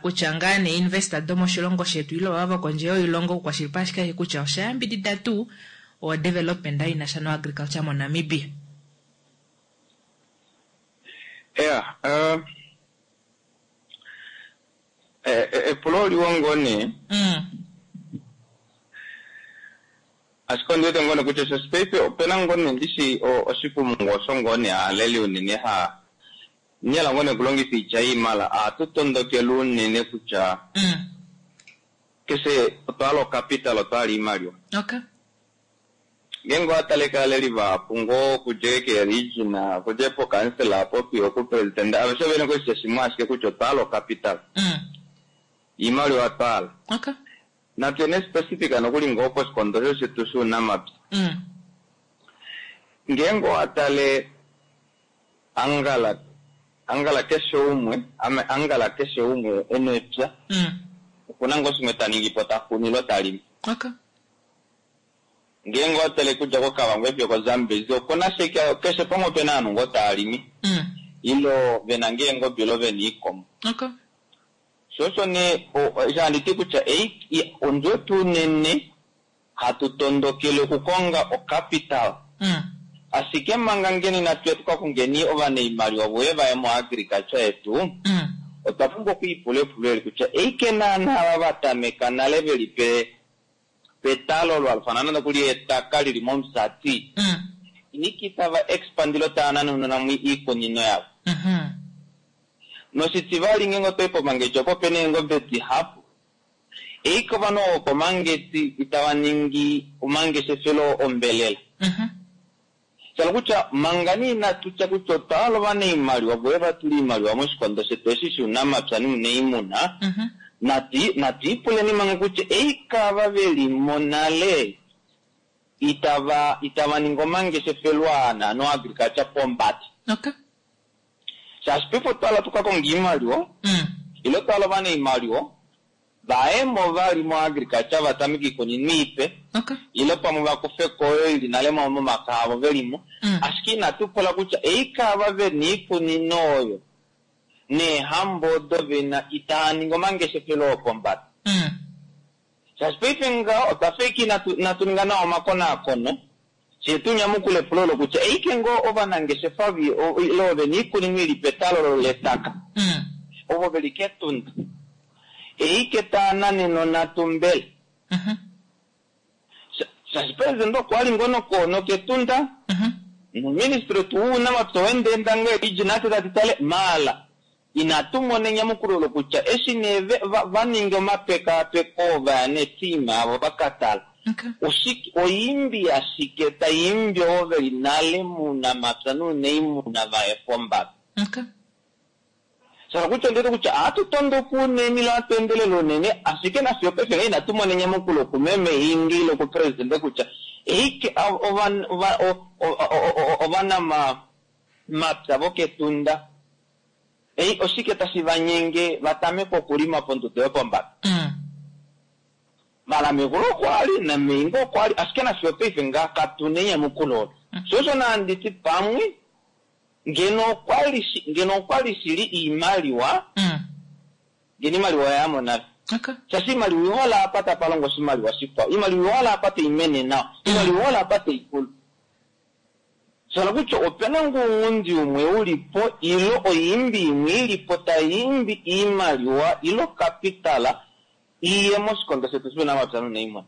kutya ngaa nee investor domoshilongo shetu ile ovava vokondje yoilongo okukwashilipaleka ashike kutya osha yambidida tuu o development ina sha no agriculture mo Namibia. Yeah, epulo oliwa ngoo nee. Ashike ondi wete ngoo nee kutya shaashi paife opena ngoo nee ndishi oshikumungu osho ngoo nee aaleli unene ha nyela ngoo nee okulongifa oitya iimala ohatu tondokele unene kutya keshe otwa hala ocapital, otwa hala iimaliwa. Okay. Ngeenge owa tale kaaleli vahapu ngoo okudja keeregion, okudja pokansela apo fiyo okupresident, aveshe ovene koshitya shimwe ashike kutya otwa hala ocapital. Iimaliwa twa hala. Okay. Natu ene specific nokuli ngoo poshikondo osho shetu shounamapya. Ngeenge owa tale angala, angala keshe umwe, ame angala keshe umwe ena epya. Okuna ngoo shimwe ta ningi po, ta kunu ile ta limi. Okay. Ngeenge owa tale kudja koKavango fiyo koZambezi, okuna shike, keshe pamwe opena ovanhu ngoo tava limi. Ile vena ngoo eengobe ile vena oikombo. Okay. Sho osho nee, eshi handi ti kutya ei, ondjo yetu unene hatu tondokele okukonga ocapital. Ashike manga ngeno inatu ya tuka kongeni ovanaimaliwa voye vaye moagriculture yetu, otwa pumbwa okwiipula epulo eli kutya eike naana ava va tameka nale veli petalo lwalufana nande kuli etaka lili momusati. Eike itava expand ile tava nanununa mo iikunino yavo. Noshitivali ngeenge otoyi poMangetti opo pena eengobe dihapu, eike ovanhu ovo vokoMangetti itava ningi omangeshefelo ombelela. Shala kutya manga nee inatu tya kutya otwa hala ovanaimaliwa voye va tule oimaliwa moshikondo shetu eshi shounamapya nounaimuna, natu ipuleni manga kutya eike ava ve li mo nale itava itava ningi omangeshefelo aa naano agriculture pombada. Shaashi paife otwa hala tu ka konge oimaliwa ile otwa hala ovanaimaliwa vaye mo vali moagriculture va tameke oikunino ipe ile pamwe va kufe ko oyo ili nale momaka avo ve li mo. Ashike inatu pula kutya eike ava ve na oikunino oyo neehambo odo ve na itaa ningi omangeshefelo opombada. Shaashi paife ngaho otwa fa ashike inatu ninga nawa omakonaakono fye tu nyamukule epulo olo kutya eike ngoo ovanangeshefa ile ove na oikunino ili petalolo letaka ovo ve li kEtunda eike taa nanene onhatu mbela. Shaashi president okwa li ngoo nokEtunda noministry wetu wounamapya owendeenda ngoo Elijah Nate tati tale maala inatu mona enyamukulo olo kutya eshi nee va ninga omapekaapeko va ya neteam avo va ka tala oshike oimbi ashike tai imbi ovo ve li nale mounamapya nounaimuna va ye pombada. Shala kutya ondiwete kutya ohatu tondoka unene ile ohatu endelele unene, ashike nafiyo opaife ngee inatu mona enyamukulo kumeme Hingi ile kupresidente kutya eike ovanamapya vokEtunda ei oshike tashi va nyenge va tameke okulima pondodo yopombada. Mala megulu okwa li nameingo okwa li, ashike nafiyo opaife ngaa katu na enyamukulo olo. Sho osho nandi ti pamwe ngeno okwa li ngeno okwa li shili iimaliwa, ngeno iimaliwa oya yamo nale. Shaashi iimaliwa ihola apa tapa longo oshimaliwa shikwao, iimaliwa ihola apa tai mene nawa, iimaliwa ihola apa tai kulu. Shala kutya opena ngoo ounghundi umwe u li po ile oiimbi imwe i li po tai imbi iimaliwa ile okapitala iye moshikondo shetu shuunamapya nuunaimuna.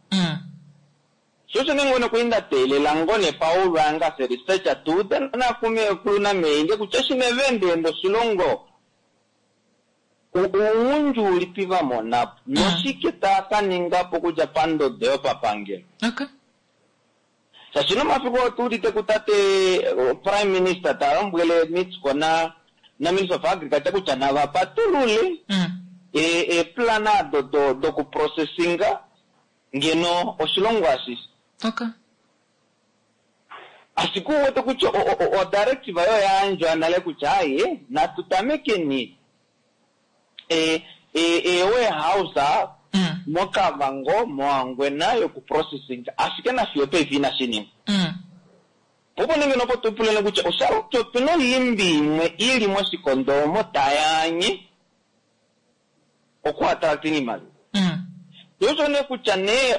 Sho osho nee ngoo nee nda teelela ngoo nee Paul anga se researcher tu ude nakumekulu nameinge kutya eshi nee va endeenda oshilongo ounghundi ulipi va mona po noshike taa ka ninga po okudja pandodo yopapangelo. Shaashi nomafiku otu udite kutate Prime Minister ta lombwele Meatco na na Minister of Agriculture kutya nava patulule eeplan ado dokuprocessinga ngeno oshilongo ashishe. Ashike u wete kutya odirective oyo oya yandjwa nale kutya aye natu tamekeni eewarehouse moKavango, moHangwena yokuprocessing, ashike nafiyo paife inashi ningwa. Opo nee ngeno opo tu puleni kutya osha kutya opena oiimbi imwe i li moshikondo omo tai anye okuattracting iimaliwa. Osho nee kutya nee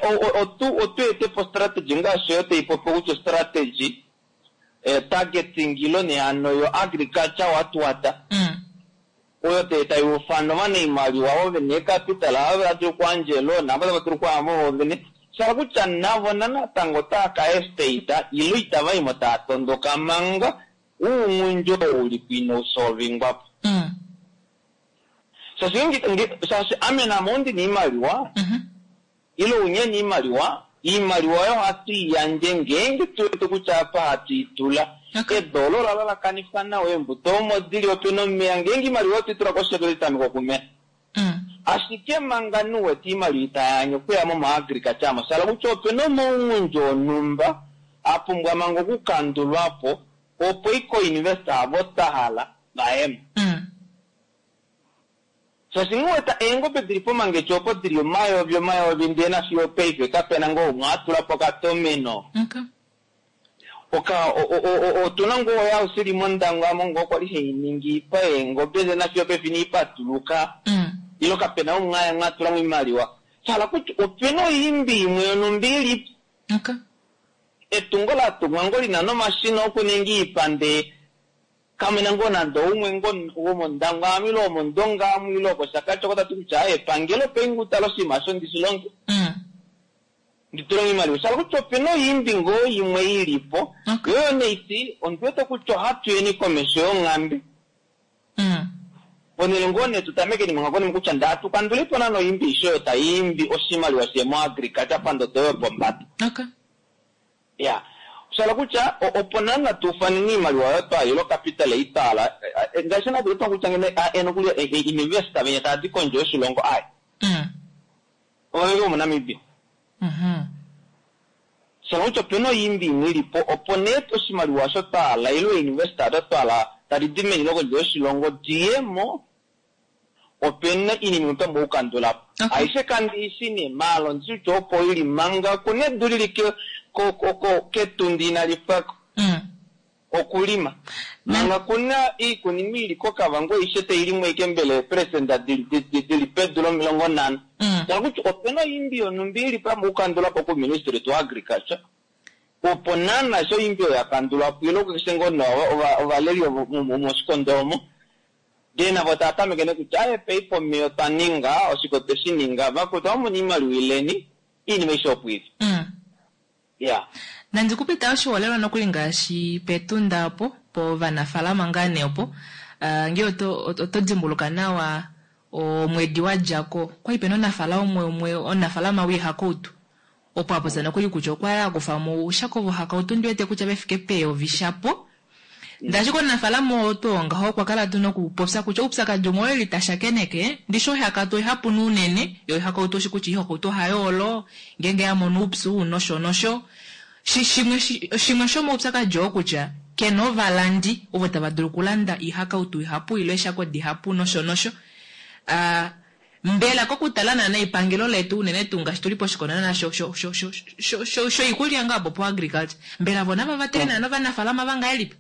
otu ete po strategy ngaashi oyo tai popi kutya strategy targeting ilo nee hano yo agriculture watuwata oyo tai ufana ovanaimaliwa ovo vena eecapital ava tava dulu okuyandja eloan ava tava dulu okuyama ovo vene shala kutya navo natango otava ka estate ile itava imo tava tondoka manga ounghundi oo uli po inau solvingwa po. Shaashi ame name ondi na oimaliwa ile unye na oimaliwa, oimaliwa oyo ohatu i yandje ngeenge tu wete kutya apa hatu i tula edu olo ola lalakanifwa nawa, eembuto omo di li opena omeya, ngeenge oimaliwa otwe i tula koshi yedu otai tameke okumena. Ashike manga nu wete oimaliwa itai anye okuya mo moagriculture amo, shala kutya opena omaunghundi onhumba a pumbwa manga okukandulwa po opo iko-invest avo twa hala va ye mo. Shaashi nghi wete eengobe dili pomangecho opo dili omayovi omayovi ndee nafiyo opaife kapena ngoo umwe a tula po okatomeno. Oka otuna ngoo oya sili mOndangwa amo ngoo kwali hei ningi ipa eengobe ndee nafiyo opaife inai patuluka. Ilo kapena umwe a tula mo oimaliwa. Sha hala kutya opena oiimbi imwe yonhumba ilipo. Etungo la tungwa ngoo lina nomashina okuninga iipande kamuna ngoo nande oumwe ngoo womOndangwa amu ile womOndonga amu ile wokOshakati oko tati kutya epangelo peinge utale oshinima osho ndi shi longe. Ndi tule mo iimaliwa. Sha hala kutya ope na oyiimbi ngoo yimwe i li po. Yo yo neiti ondi wete kutya ohatu yeni komesho yonghambe. Ponhele ngoo nee tu tamekeni manga konima kutya nda tu kandule po naana oyiimbi aishe oyo tai imbi oshimaliwa shiye moagriculture pandodo yopombada. Ya. Sha hala kutya opo naana tu ufaneni iimaliwa oyo twa ilo capital ei twa hala ngaashi naana twa kutya ngeno nokuli investor venya tava di kondje yoshilongo ai. Ovaveke vomoNamibia. Sha hala kutya opena oyiimbi imwe ili po opo nee oshimaliwa osho twa hala ile ooinvestor odo twa hala tadi di meni lokondje yoshilongo di ye mo, opena iinima imwe twa pumbwa okukandula po. Aishe kandi i shi nee, maala ondi shi kutya opo ili manga kuna edu lili ketundi inali pwa ko. Okulima. Manga kuna iikunino ili koKavango aishe tayi limwa ashike mbela eeperesenda dili pedu lomilongo nhano. Sha hala kutya opena oyiimbi yonhumba ili pamwe okukandulwa po kuuministry wetu wa agriculture opo naana sho oyiimbi oyo ya kandulwa po ile keshe ngoo nee ovaleli moshikondo omo ndee navo tava tameke nee kutya aaye paife omeya otwa ninga, oshike otwe shi ninga, vakwetu ohamu mono iimaliwa ileni, iinima aishe opo ili. Yeah. Nandi ku pita oshiholelwa nokuli ngaashi pEtunda opo, povanafalama ngaa nee opo. Uh, ngee oto, oto dimbuluka nawa omwedi wa dja ko, kwa li pena omunafala umwe umwe omunafalama woihakautu. Opo a popya nokuli kutya okwa li a kufa mo oushako vohakautu ndi wete kutya ve fike peyovi shapo. Ndele ashike omunafalama oo tuu ngaho okwa kala tuu nokupopya kutya oupyakadi umwe oo eli ta shakeneke, ndishi oihakautu oihapu unene, yo oihakautu oshi kutya oihakautu ohai olo ngeenge ya mono oupyu nosho nosho. Shi, shimwe, shimwe shomoupyakadi oo kutya ke na ovalandi ovo tava dulu okulanda oihakautu ihapu ile eeshako dihapu nosho nosho. Ah, Mbela kokutala naana epangelo letu unene tuu ngaashi tuli poshikondo naana sho sho sho sho sho sho shoikulya ngaa opo po agriculture mbela vo nava vatele naana ovanafalama vangahelipi?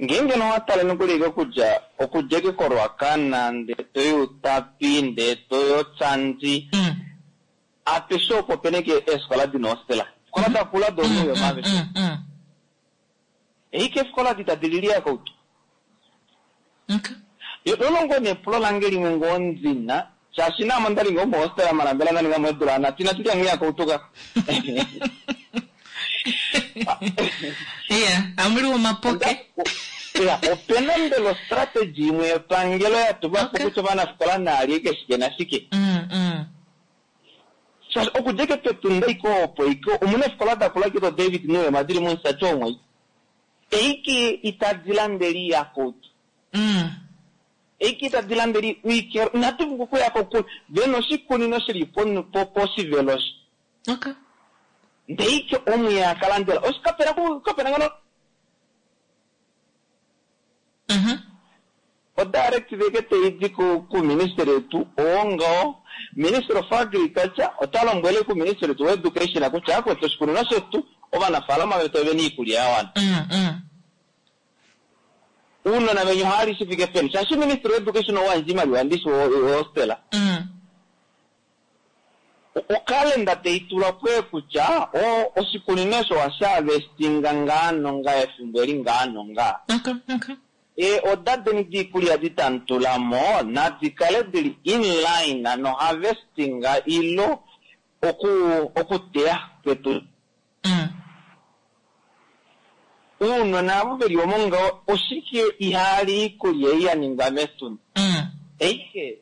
Ngeenge nee owa tale nokuli eke okudja okudja eke koRuacana ndee toyi Outapi ndee toyi Otsandi apeshe opo opena eke eefikola dina ohostela efikola dakula dooNuuyoma aveshe Eike efikola adi tadi lili yakautu. Okay. Olo ngoo nee epulo lange limwe ngoo ndina, shaashi naame onda li ngoo mohostela mala mbela nda ninga mo eedula nhatu inatu lya nghiyakautu ka. Yeah, amu li omapoke. Ya, opena mbela ostrategy imwe yepangelo ya tulwa po kutya ovanafikola naa lye ike shike nashike? Shaashi okudja ike pEtunda ike opo ike omuna eefikola dakula ike do David Nuyoma dili mOmusati omo ike. Eike itadi landele iiyakutu. Eike itadi landele iikelo. Inatu vulu okuya kokule. Vena oshikunino shili po, po, poshivelo osho. Okay. Ndee ike omu ya ka landela. Osho kapena ku, kapena ngano. O directive eke tayi di kuuministeli wetu owo ngawo, Ministry of Agriculture ota lombwele kuuministeli wetu woEducation kutya akwetu oshikunino shetu ovanafaalama vetu ovena iikulya ya wana. Uunona veni ohaya li shi fike peni? Shaashi Ministry woEducation owa yandja iimaliwa ndishi wohostela. Okalenda tayi tulwa po kutya oshikunino osho ohashi harvestinga ngaa nongaa efimbo eli ngaa nongaa. Ee oda deni diikulya di tamu tula mo nadi kale dili in line no harvesting ilo oku okuteya kwetu. Uunona avo veli omo ngaho oshike ihaali iikulya ei ya ningwa mEtunda? Eike.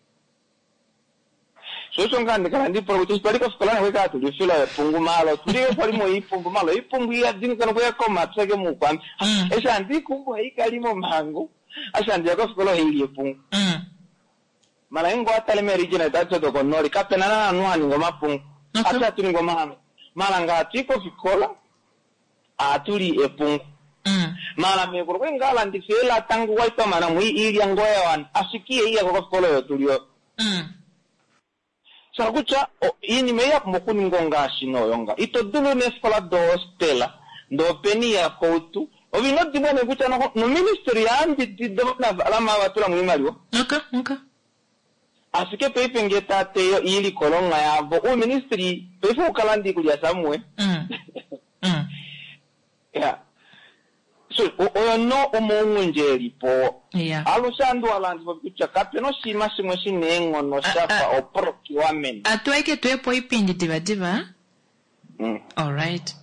Sho osho ngaa handi kala handi ipula kutya eshi twali kofikola nokwe kala tuli ofila yepungu maala otuli yo kwali moipungu maala oipungu iyadi nokuya komapya ke muukwambi. Eshi handi ikumbu ohai kala momahangu, eshi handi ya kofikola ohai li epungu. Maala ngeenge owa tale meeregion detu adishe dokonooli kapena naana omunhu ha ningi omapungu. Atuhe ohatu ningi omahangu. Maala ngee hatu i kofikola ohatu li epungu. Maala meekulu okwali ngaa alandifa eelata ngu kwali twa mana mo iilya ngoo ya wana ashike ihai yako kofikola oyo tuli oyo. Sha hala kutya iinima ei ya pumbwa okuningwa ongaashi nee oyo nga. Ito dulu neefikola dohostela ndee opena iyakoutu. Ove ino dimbwa nee kutya noho noministry oya yambidida ovanafalama ava tula mo oimaliwa. Ashike paife ngee taa teya oilikolomwa yavo, uuministry paife ou ka landa iikulya somewhere. Yeah. So, oyo no omaunghundi e li po. Alushe ohandi wa landifa kutya kape na oshinima shimwe shi na eenghono sha fa oprocurement. Atu aike tuye po oipindi divadiva. Alright.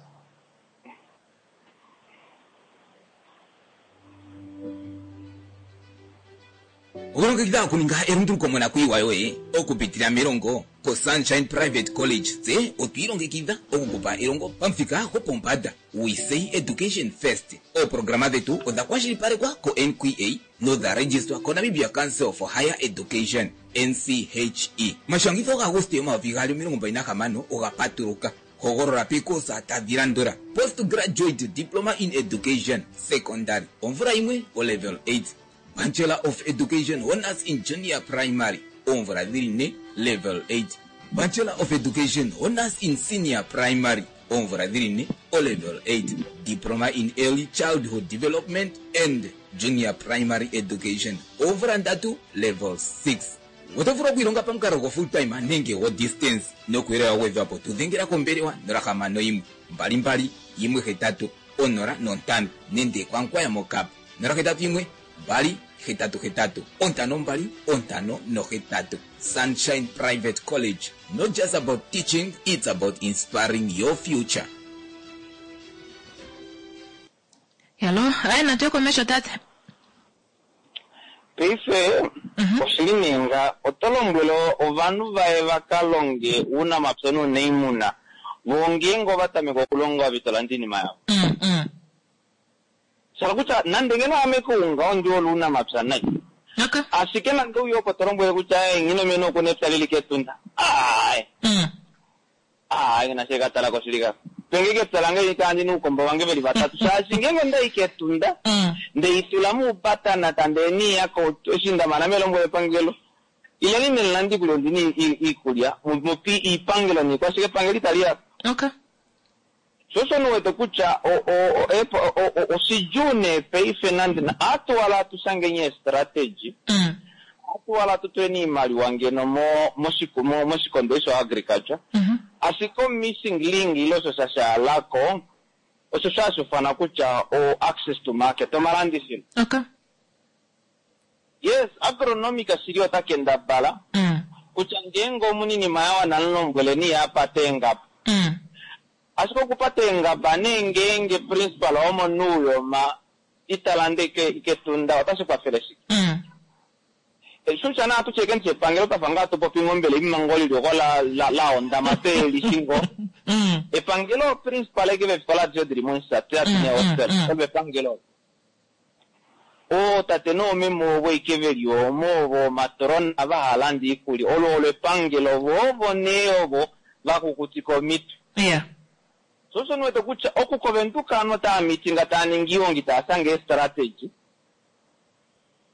Okulongekidha okuninga elunduluko monakuyiwa yoye okupitila melongo koSunshine Private College tse otwi ilongekidha okukupa elongo pamuthika gwopombanda. We say education first. Ooprograma dhetu odha kwashilipalekwa koNQA nodha registwa koNamibia Council for Higher Education, NCHE. Omashangitho gaAguste 2026 oga patuluka. Hogolola peekosa tadhi landula, Post Graduate Diploma in Education, Secondary, omvula yimwe, oLevel 8, Bachelor of Education Honours in Junior Primary, oomvula dhili ne, Level 8, Bachelor of Education Honours in Senior Primary, oomvula dhili ne, oLevel 8, Diploma in Early Childhood Development and Junior Primary Education, oomvula ndatu, Level 6. Oto vulu okwiilonga pamukalo go full time nenge go distance. Nokuuyelele wa gwedhwapo tu dhengela kombelewa 061 22 18 05 nenge kwaNkwaya moKaap 081 2 88 52 58. Sunshine Private College, not just about teaching, it's about inspiring your future. Hello, aye natu ye komesho tate. Paife oshili nee nga oto lombwele ovanhu vaye va ka longe uunamapya nuunaimuna, voo ngeenge ova tameke okulonga ove ito landa iinima yavo. Sha hala kutya nande ngeno ame kounga ondi hole uunamapya nai, ashike nande ouye opo to lombwele kutya aye Nghinomeni oku na epya lili kEtunda, aaye. Aa, nghi na shi ka tala ko shili ka. Penge kepya lange li tandi nuukombo vange veli vatatu shaashi ngeenge onda i kEtunda nde i tula muubatana tande ni ya ko eshi nda mana melombwelo epangelo ileni ne lande iikulya ondi na iikulya mu pi iipangelo niikwashike epangelo itali ya Okay. Sho osho ni wete kutya oshidjuu nee paife nande atu wala atu shangeni eestrategy atu wala atu tuleni iimaliwa ngeno moshikondo eshi sho agriculture ashike o missing link ile osho sha shaalako osho sho hashi ufanwa kutya o access to market omalandifilo. Okay. Yes, agronomic shili ota kendabala kutya ngeenge omuninima ya wana mulombweleni ye a pate eengaba. Ashike okupata eengaba nee ngeenge principal womoNuuyoma ita lande kEtunda otashi kwafele shike? Shusha naa tu tye ke epangelo twafa ngaa tu popi ngombele imanga oli oko la la la hondama twe lishi ngoo. Epangelo principal eke veefikola adishe dili mOmusati adi neehostel olo epangelo olo. Ootate noomeme ovo ike veli omo ovo omatrona va ha landa iikulya olo olo epangelo vo ovo nee ovo va kukutika omitwe. Yeah. So osho niwete kutya oku koVenduka ovanhu otava meetinga tava ningi iihongi tava shange eestrategy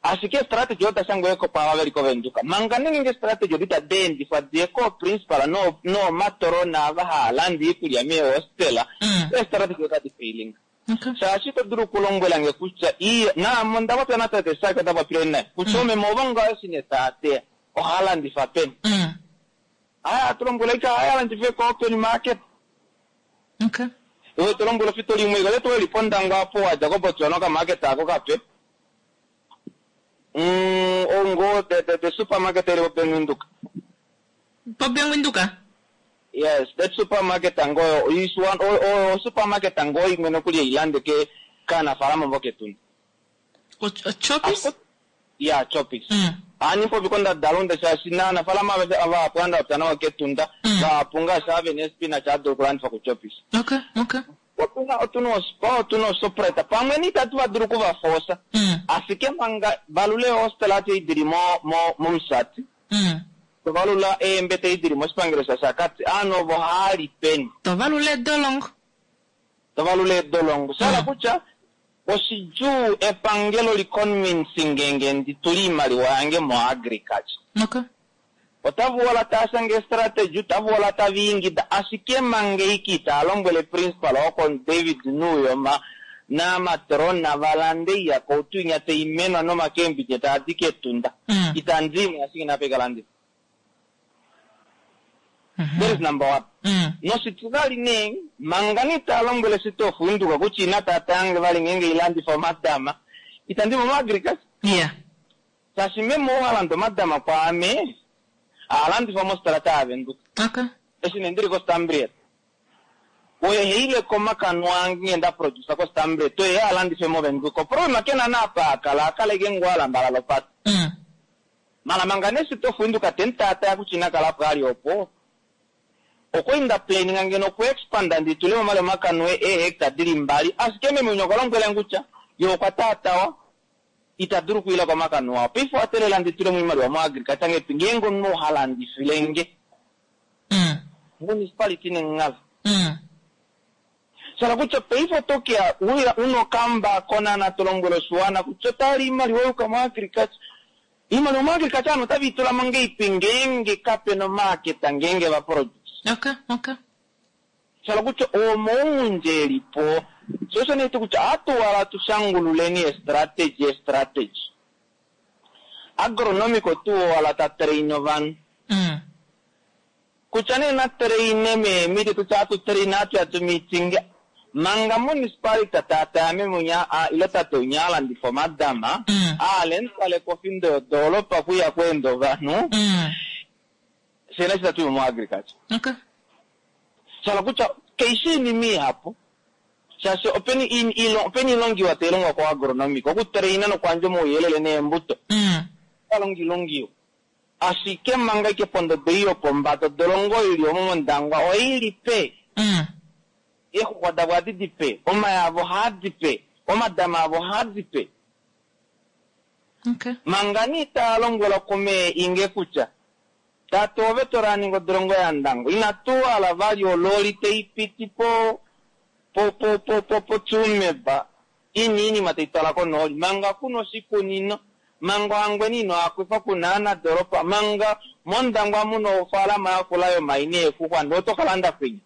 ashike eestrategy odo da shangwa kwaava veli koVenduka manga nenge eestrategy odo itadi endifwa diye kooprincipal noomatrona ava hava landa iikulya meehostela eestrategy otadi failinga. Shaashi ito dulu okulombwela nge kutya iya naame onda popya natate Saki onda popile naye kutya oomeme ovo ngaho eshi nee tava teya ohava landifa peni? Aya atu lombwela ike ohaya landifa ko-open market. Iwe to lombwela ofito limwe ike ote weli pOndangwa apo wadja koBotswana okamarket ako kape. Mm, ongo the, the, the supermarket eli poBank Windhoek. PoBank Windhoek? Yes, that supermarket ngoyo is one o, o supermarket ngo imwe nokuli eilande ke kaanafaalama mboka Etunda. Choppies? Ya, Choppies. Ohandi popi kondadalunde shaashi naanafaalama aveshe ava vahapu anda nawa kEtunda, vahapu ngaashi ava vena eespinach ohava dulu okulandifwa kuChoppies. Okay, okay. Otuna otuna oSpar, otuna oShoprite, pamwe ni itatu va dulu okuvafosa. Ashike manga valula eehostela adi dili mo mo mOmusati, to valula eembete edi dili moshipangelo shaShakati, ovanhu ovo ohava li peni? To valula eedolongo. To valula eedolongo. Sha hala kutya oshidjuu epangelo li convince nge ndi tule iimaliwa yange moagriculture. Okay. Otava uhala tava shange eestrategy, otava uhala tava ingida, ashike manga eike itava lombwele principal woko David Nuuyoma namatrona va lande iiyakautu inya tai menwa nomakembidje taa di kEtunda. Itandi i mo ashike napa ika landifa. That is number one. Noshitivali nee, manga nee itava lombwele City of Windhoek kutya ina tata yange vali ngeenge ilandifa omatama, itandi mo moagriculture. Yeah. Shaashi meme ou ha landa omatama kwaame, aha landifwa mositola yaVenduka. Okay. Eshi nee ndili koStampriet. Oye heile komakanwa ange ngee nda producer koStambre oye a landife moVenduka. Oproblema kena na apa a kala, a kala ike ngoo a lambalala opate. Mala manga nee City of Windhoek te mu taataya kutya ina kala apo a li opo, okwali nda planninga ngeno oku expanda ndi tule mo vali omakanue eehecta dili mbali, ashike meme winya okwa lombwela nge kutya ye okwa taatawa, ita dulu okwiila komakanue ao. Paife owa teelela ndi tule mo oimaliwa mo agriculture ngeipi ngeenge omunhu oo ha landifile nge? Municipality nenghala. Sha hala kutya paife oto ke ya una okamba konana to lombwele oshiwana kutya ota li iimaliwa yuka mo agriculture. Iimaliwa mo agriculture ovanhu otave i tula mo ngeipi ngeenge kape na omaaketa ngeenge va produce. Okay, okay. Sha hala kutya omoungundje e li po. Sho osho nee kutya ohatu wala tu shangululeni estrategy estrategy. Agronomic otu owala ta train ovanhu. Kutya nee na traine meemiti tutya atu train atu ya tu meeting manga municipality taataya meme unya a ile tate unya a landifa omadama aale mutwale kofindo yodoolopa kwiya kweenda ovanhu fyena eshi tatu i mo agriculture. Okay. Sha hala kutya kaishi iinima ihapu shaashi openi openi iilongiwa tayi longwa ko agronomic okutraina nokuyandja omauyelele neembuto otalongilongiwa. Ashike manga ike pondodo ei yopombada odolongo ili omo mOndangwa oi li pe. Eexuxwa davo ohadi di pe, omaya avo ohaa di pe, omadama avo ohaa di pe. Okay. Manga nee itaa lombwelwa kumee Inge kutya, Tate ove to raninga odolongo yaNdangwa, inatu hala vali ololi tai piti po po po po po poTsumeb ina iinima tai twala konooli, manga kuna oshikunino, manga Ohangwena ino akwifwa kuna aanadoropa, manga mOndangwa muna ofaalama yakula yomayi neexuxwa ndee oto ka landa kwinya.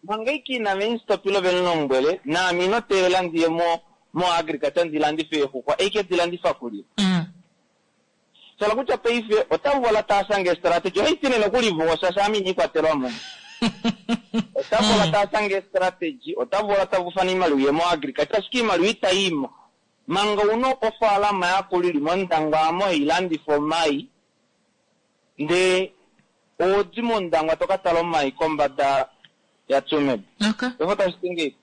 Manga ike ina venstopile ovemulombwele, naame ino teelela ndiye mo mo agriculture ndi landife eexuxwa, eike di landifa kulye. Shala kutya paife ota vola taa shange estrategy, ohai ti nee nokuli voo shaashi ame ina ikwatelwa mo. Ota vola taa shange estrategy, ota vola ta ufana oimaliwa iye mo agriculture, ashike oimaliwa ita i mo. Manga una ofaalama yakula ili mOndangwa amo hai landifa omai, ndee owodi mOndangwa to ka tala omai kombada yaTsumeb. Okay. Paife otashi ti ngeipi?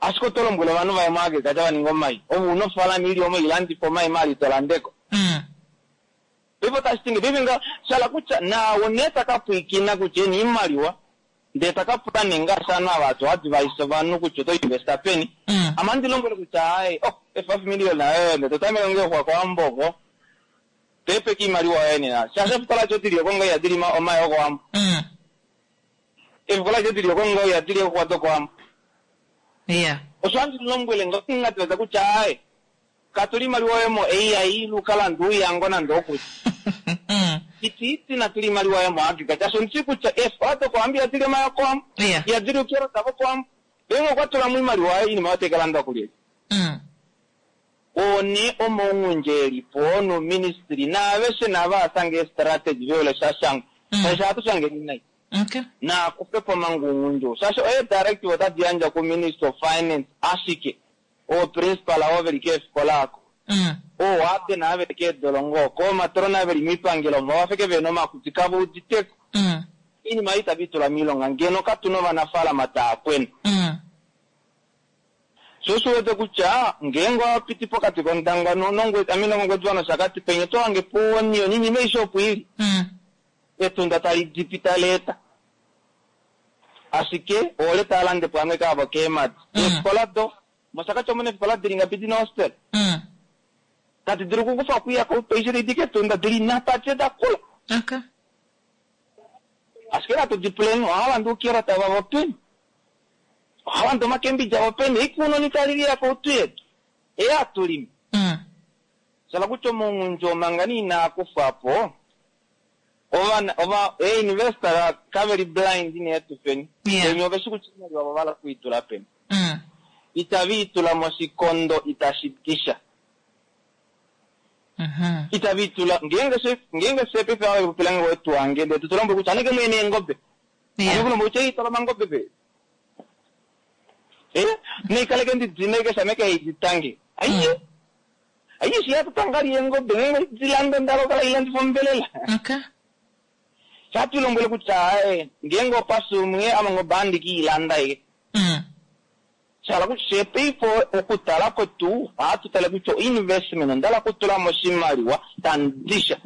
Ashike oto lombwele ovanhu vaye moagriculture va ninge omai. Ove una ofaalama ili omo ilandifa omai maali to landeko. Paife otashi ti ngeipi? Paife nga sha hala kutya naau nee ta ka pwiikina kutya ena oimaliwa ndee ta ka pula nee ngaashi ovanhu ava hatu advise ovanhu kutya oto investa peni. Ame ohandi lombwele kutya aaye oh e 5 million ayo ndee to tameke ngoo okuya kOwambo oko. Peepeka oimaliwa yoye nena. Shaashi efikola edi odi li oko ngoo ihadi li omai okOwambo. Efikola edi odi li oko ngoo ihadi li eexuxwa dokOwambo. Yeah. Osho handi lombwele ngoo ngadivasa kutya aaye katula oimaliwa yoye mo AI ile uka lande ouyango nande okuli. Iti iti natula oimaliwa yoye mo agriculture shaashi ondi shii kutya eefikola dokOwambo ihadi li omai okOwambo. Yeah. Ihadi li oukerota vokOwambo. Ngeenge okwa tula mo oimaliwa yaye oinima oyo otai ka landwa kulyelye? Oo nee omaungundje eli po nouministry naaveshe nava asange eestrategy veule shashangwa shaashi ohatu shangeni nai. Okay. Naa kufe po manga oungundje ou shaashi oye directive otadi yandjwa ku Ministry of Finance ashike oo principal oo veli keefikola oko oo warden ava veli keedolongo oko oomatrona ava veli moipangelo omo ovafeke vehena omakutsi kava uditeko. Oinima ei itave i tula moilonga ngeno katuna ovanafaalama taa kwena. Sho osho u wete kutya ngeenge owa piti pokati kOndangwa nOngwediva nOshakati penya oto hange po onion, oinima aishe opo i li. Etunda tali dipi tali eta. Ashike oole taa lande po amwe kaavo keemadi. Eefikola do, mOshakati omu na eefikola di li ngapi di na hostel? Tadi dulu okukufa okuya koupaishe tadi di kEtunda, di li nhatu adishe da kula. Okay. Ashike natu di puleni, ohava lande oukerota vavo peni? Ohava lande omakembidja avo peni? Eikunoni tali liya koutu yetu, ei hatu limi. Sha hala kutya omaungundja oo manga nee inaa kufwa po, ovana, ova, ee-investor kave li blind nee tufeni. Venya ove shi kutya oimaliwa ova hala oku i tula peni. Itave i tula moshikondo itashi ti sha. Itave i tula, ngeenge she, ngeenge fye paife ava ve popila nge wetu wange, ndee to lombwele kutya aneke mwene eengobe. Ame ku lombwele kutya ei twala omangobe pe. Eh, naikaleke ndi dine keshe ame ke di tange. Aiye. Aiye shi hatu tanga li eengobe, ngeenge di landa ndalo kala ilandifa ombelela. Okay. Shatu lombwele kutya ae, ngeenge opa sumwe amangobe andi ki ilanda ye. Shala kutya she paife okutala kwetu ohatu tale kutya investment ondala kutula mo oshimaliwa tandisha.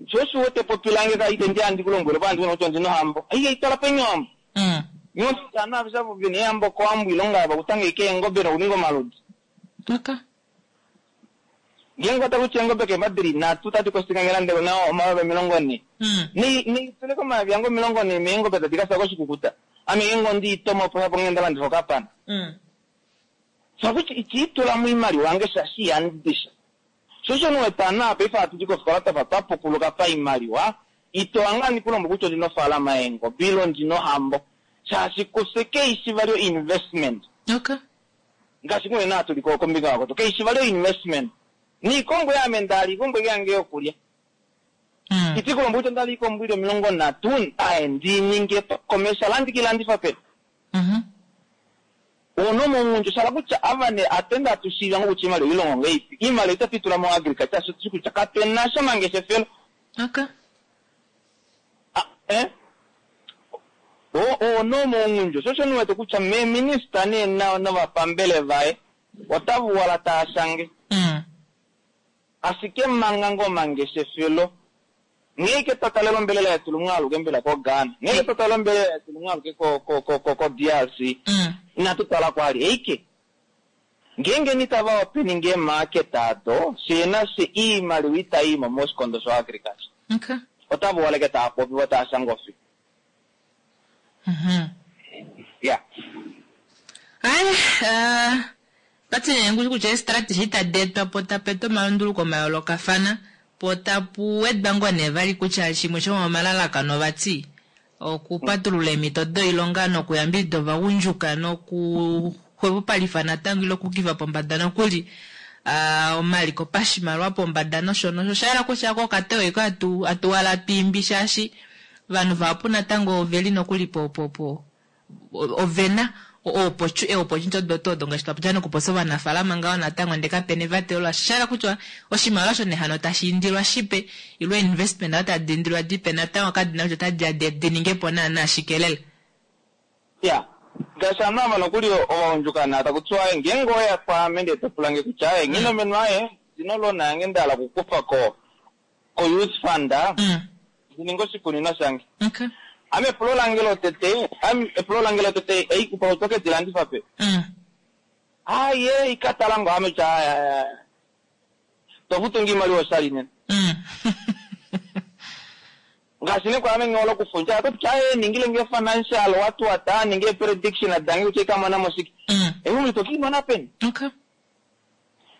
Sho osho wete popilange ka ite ndi andi kulombwele pa andi kutya ondina ohambo. Ai itala peni ohambo. Nyosana aveshe vene ehambo kohambo ilonga yava kutanga ike eengobe nokuninga omaludi. Okay. Ngeenge ota kutya eengobe keema dili nhatu tadi kosika ngelande na omayovi 40. Neitule komayovi ange 40 meengobe tadi kasa koshikukuta. Ame ngeenge ondi itoma opo hapo ngenda landifa okapana. Sha kutya itiitula mo iimaliwa yange shaashi ihandisha. Sho osho nuwetana paife hatu di kofikola twafa twa pukuluka paimaliwa, ito anga ndikulombo kutya ondina ofaalama yeengobe ile ondina ohambo. Shaashi kufye keishi vali investment. Okay. Ngaashi kunene hatu li kombinga yakoto. Keishi vali investment. Niikombo yaame ndali iikombo yange yokulya. Itikulombo kutya ndali iikombo ili 30 aye ndininge commercial andikilandifa pe. Ono mongunju shala kutya avane atenda atushiiva ngokutya iimaliwa ilongo ngeipi. Iimaliwa itatu itula mo agriculture sho tushi kutya kapena sha mangeshefelo. Okay. Ono mongunju sho sho niwete kutya me minister ne na novapambele vaye otavu wala taashange. Ashike manga ngo mangeshefelo ngeike twatalelo ombelela yetu lumwe aluke mbela ko Ghana. Ngeike twatalelo ombelela yetu lumwe aluke ko ko ko ko ko DRC. Inatu tala kwali eike. Ngeenge nitava opening market ado, sena se iimaliwa itayi mo moshikondo sho agriculture. Okay. Otava waleke taa popi vo taa shanga ofi. Yeah. Ai, pati nee kutya strategy tadi etwa po tapetwa omalunduluko mayoolokafana po tapu wedwa ngoo nee vali kutya shimwe shomomalalakano vati okupatulula eemhito doilonga nokuyambidida ovagundjuka nokuxwepopalifa natango ile okukifa pombada nokuli omaliko pashimaliwa pombada nosho nosho. Osha yela kutya ko okatewo eko atuwala atwiimbi shaashi ovanhu vahapu natango oveli nokuli po po po ovena eopportunity odo odo ngaashi twapopya nokupopya ovanafaalama ngaho natango ndee kapena evatelo lasha. Osha yela kutya oshimaliwa shonehano tashi indilwa shipe ile investment ayo tadi indilwa dipe natango kadina kutya otadi ya di ninge po naana shike lela. Ya, ngaashi ovanhu ava nokuli ovagundjuka na taku tiwa ngeenge oya kwaame ndee topulange kutya aye nghi aye ndina olona yange nda hala okukufa ko youth fund ndininge oshikunino shange. Okay. Ame epulo lange lotete, ame epulo lange lotete eikupa otoke dilandifa pe. Aye ikatala ngo ame tya tofutu iimaliwa oshali nena. Ngaashi ne kwaame ngolo kufundja ato tya aye ningile nge financial watu wata ninge prediction dange kutya ikamona mo shike. Ewe tokiimona peni. Okay.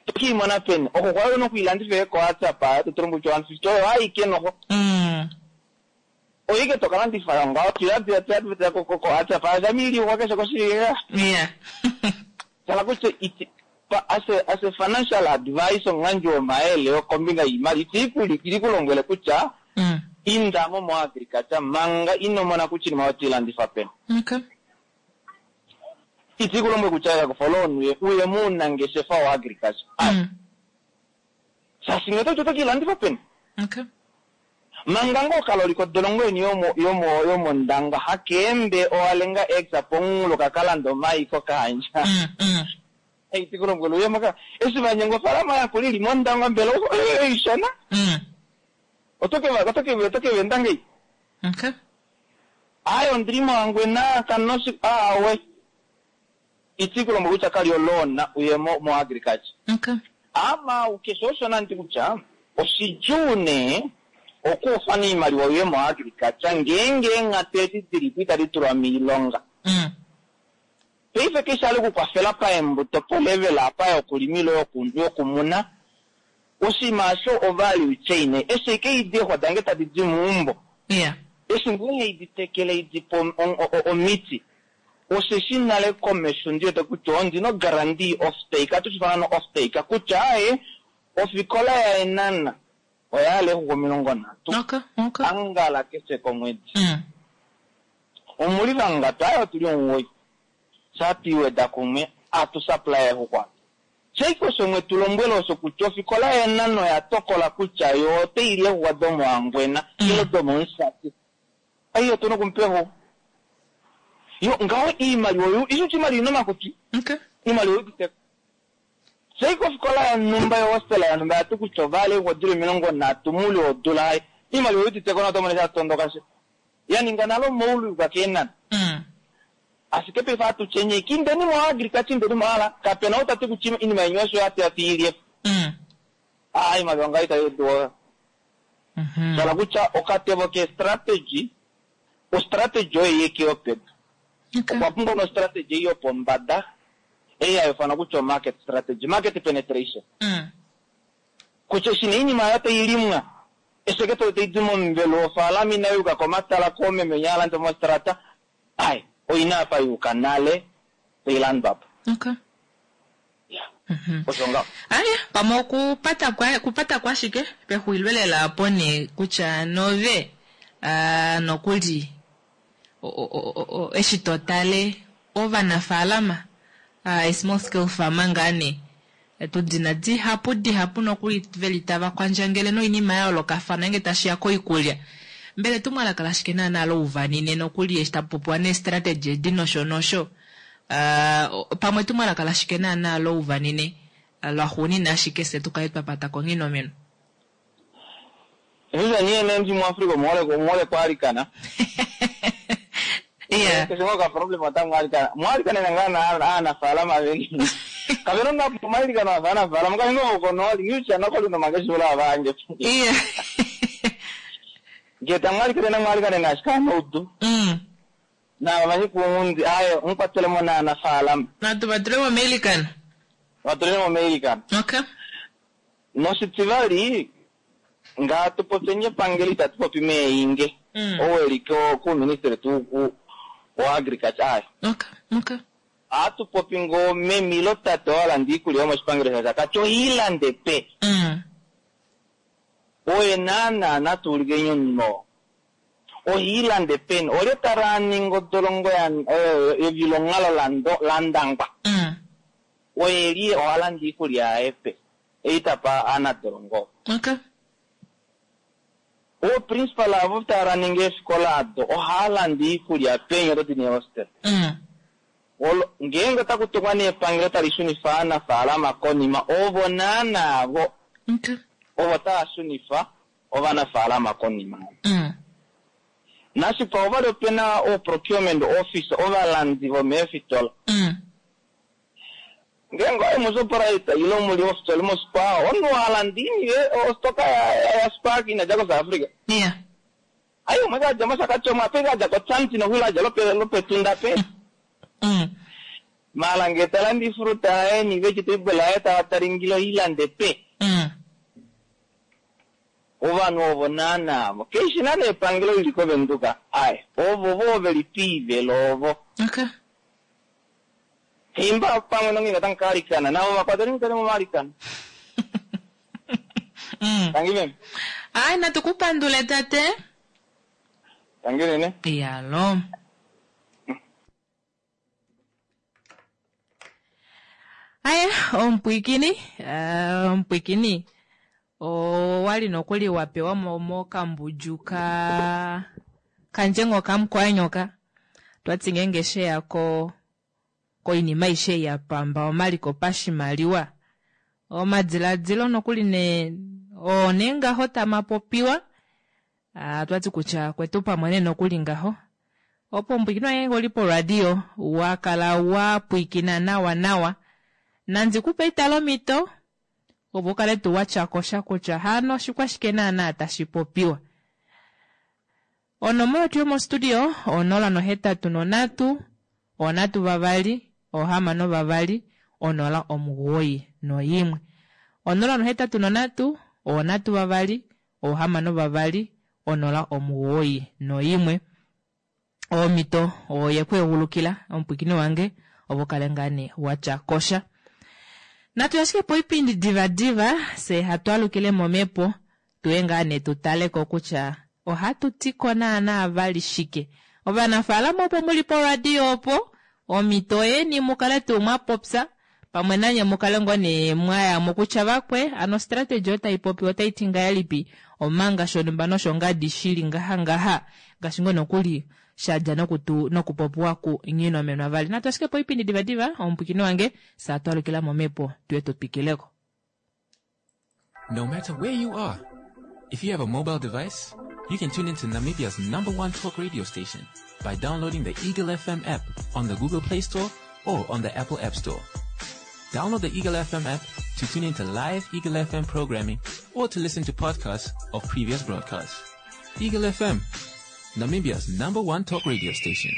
Tokiimona peni. Oko kwali nokuilandifa ko WhatsApp to tulombo kutya 150 oyo aike noho. Oike tokalandifa ngaho tuyadhiya ko ko WhatsApp azamili wakeshe koshika. Yeah. Shala kutya as a financial advisor ngandji omayele kombinga yiimaliwa iti kulombwele kutya indamo mo agriculture manga inomona kutya iinima otiilandifa peni. Okay. Iti kulombwele kutya yakufa loan uye muunangeshefa wa agriculture. Shaashi ngele oto tokiilandifa peni. Okay. Manga ngo kaloli kodolongo yeni yomondangwa hakeembe owalenga exa pongulo kakalanda omayi kokandja. Iti kulombwele uye moka eshi vanyenga ofaalama yakula ili mondangwa mbela ishona. Otoke venda ngei. Okay. Aye ondili moHangwena kanoshi awe. Iti kulombwele kutya kali olona uye mo agriculture. Okay. Ama ukesho oshona nti kutya oshidjuu nee okufa iimaliwa uye mo agriculture ngeenge eenghatu edi dilipo itadi tulwa miilonga. Paife keshe ali okukwafela paembuto po level apa yokulima ile yokumuna oshinima osho o value chain eshi ike idi eexwa dange tadi di meumbo. Yeah. Eshi ngoo idi tekele idi po omiti osheshi nale komesho ndiwete kutya ondina guarantee off take atushifana no off take kutya aye ofikola yaEnana oya hala exuku 30. Okay, okay. Angala keshe komwedi. Omuli vangapi aye otuli 9. Shatwiweda kumwe atu supply exuku atu. Sheiko shomwe tulombwele osho kutya ofikola yaEnana oya tokola kutya yo otaili exuku domoHangwena ile domoMusati. Ai otuna okumupa exuku. Yo ngaho iimaliwa oyo isho iimaliwa ina omakutwi. Okay. Iimaliwa oyo sei kofikola yonhumba yohostela yonhumba yati kutya ovale wodula 30 muule wodula hai iimaliwa oyuditeko na otomone shatondoka she yaninga nalo omaulu keenana. Ashike paife atu tyenye kindeni mo agriculture indeni mo ala kapena ou tati kutya iinima yeni osho yati yati ilye. Ah, iimaliwa ngaho itayi duwa. Shala kutya okatevo ke strategy, o strategy oyo yeke yopedu. Okwa pumbwa no strategy yopombada ei hayi kutya o market strategy, market penetration. Kutya shina iinima yayo tayi limwa esheketo tayi di momuvelo wofaalama inayi yuka komatala koomeme yaalande mostrata ai oyina apa yuka nale tayi landwa po. Okay. Osho ngaho. Aya, pamwe okupata kwa kupata kwashike pexulilo lela apo nee kutya nove nokuli eshi to tale ovanafaalama small scale farmer ngaa nee tudina dihapu dihapu nokuli veli tava kwandjangele noinima ya yoolokafana ngeenge tashiya koikulya. Mbela etumwalaka lashike naana louvanine nokuli eshi tapu popiwa nee-strategy edi nosho nosho pamwe etumwalaka lashike naana louvanine lwaxuunina ashike fye tukale twa pata konghinomeno. Sasa niye nemji muAfrika omuhole kwalikana. Yeah. Kesho ka problem ata mwalikana. Mwalikana nanga aanafaalama veni. Kavero nga mwalikana aanafaalama ka ngo kono ngicha nako lino mageshula abange. Yeah. Ngeta mwalikana na mwalikana na shika noudu. Na bamanyi kuundi ayo nkwatele na aanafaalama. Na tubatulemo mailikana. Batulemo mailikana. Okay. Noshitivali nga tupopye epangelo itatu popi meinge. Oweli ko ministry tu ku wa agriculture ayo. Okay. Okay. Atupopi ngo memilo tate walanda iikulya yomoshipangelo shaShakati oyiilande pe. Oye naana natuulike nyonno. Ohiilande peni olye tala ninga odolongo evilongalo landangwa. Oye li ohalanda iikulya yaye pe. Eitapa aanadolongo. Okay. O principal avo tala ninga eefikola ado ohaalanda iikulya peni oto ti hostel. Ngeenge otaku tukwa nee epangelo tali shunifa aanafaalama konima ovo naana avo Okay. ovo tava shunifa ovanafaalama konima. Nashipa ovali opena o procurement office ovalandi vomeefitola. Ngeenge oye muShoprite ile muli ofitola moSpar omunhu alanda iiniwe ostoka ya Spar inadja koSouth Africa. Yeah. Ayi umwe kadja mOshakati omo ape kadja koTshanti nokwila adja lopetunda pe. Mala ngee talanda ifruta yaye ni-vegetable yaye tava talingile oilande pe. Ovanhu ovo naana avo keishi naana epangelo lili koVenduka aye ovo vo veli piivelo ovo. Okay. Himba pamwe nonginga tankalikana navo vakwateli mutale momalikana. Tangi meme. Ai natukupandule tate. Tangi nene. Yalo. Aya, omupwikini, omupwikini owali nokuli wapewa mokambudju ka kandjengo kamukwanyoka twati ngeenge sheya ko koinima aishe ya pamba omaliko pashimaliwa omadiladilo nokuli ne one ngaho tamapopiwa twati kutya kwetu pamwe ne nokuli ngaho opo omupwikini wange oli poradio wakala wapwikina nawa nawa nandi kupe italomito opo ukale tuu watyakosha kutya hano oshikwashike naana tashi popiwa. Onomola yetu yomostudio 083 3 6 2 0 91. 083 3 6 2 0 91. Omito oyekweegulukila omupwikini wange opo kale ngaa nee watyakosha. Natu ashike po oipindi divadiva se hatu alukile momhepo tuye ngaa nee tutaleko kutya ohatu tiko naana vali shike. Ovanafaalama opo muli poradio opo omito yeni mukale tuu mwapopya pamwe nanye mukale ngoo nee mwayamo kutya vakwe ano strategy otai popiwa otai ti ngahelipi omanga shonumba noshongadi shili ngaha ngaha ngaashi ngoo nokuli. sha dja nokutu nokupopiwa ku Nghinomenwa vali. Natu ashike poipindi divadiva omupwikini wange saa twalukila momhepo tuye tu twikileko. No matter where you are, if you have a mobile device, you can tune into Namibia's number one talk radio station by downloading the Eagle FM app on the Google Play Store or on the Apple App Store. Download the Eagle FM app to tune into live Eagle FM programming or to listen to podcasts of previous broadcasts. Eagle FM, Namibia's number one talk radio station.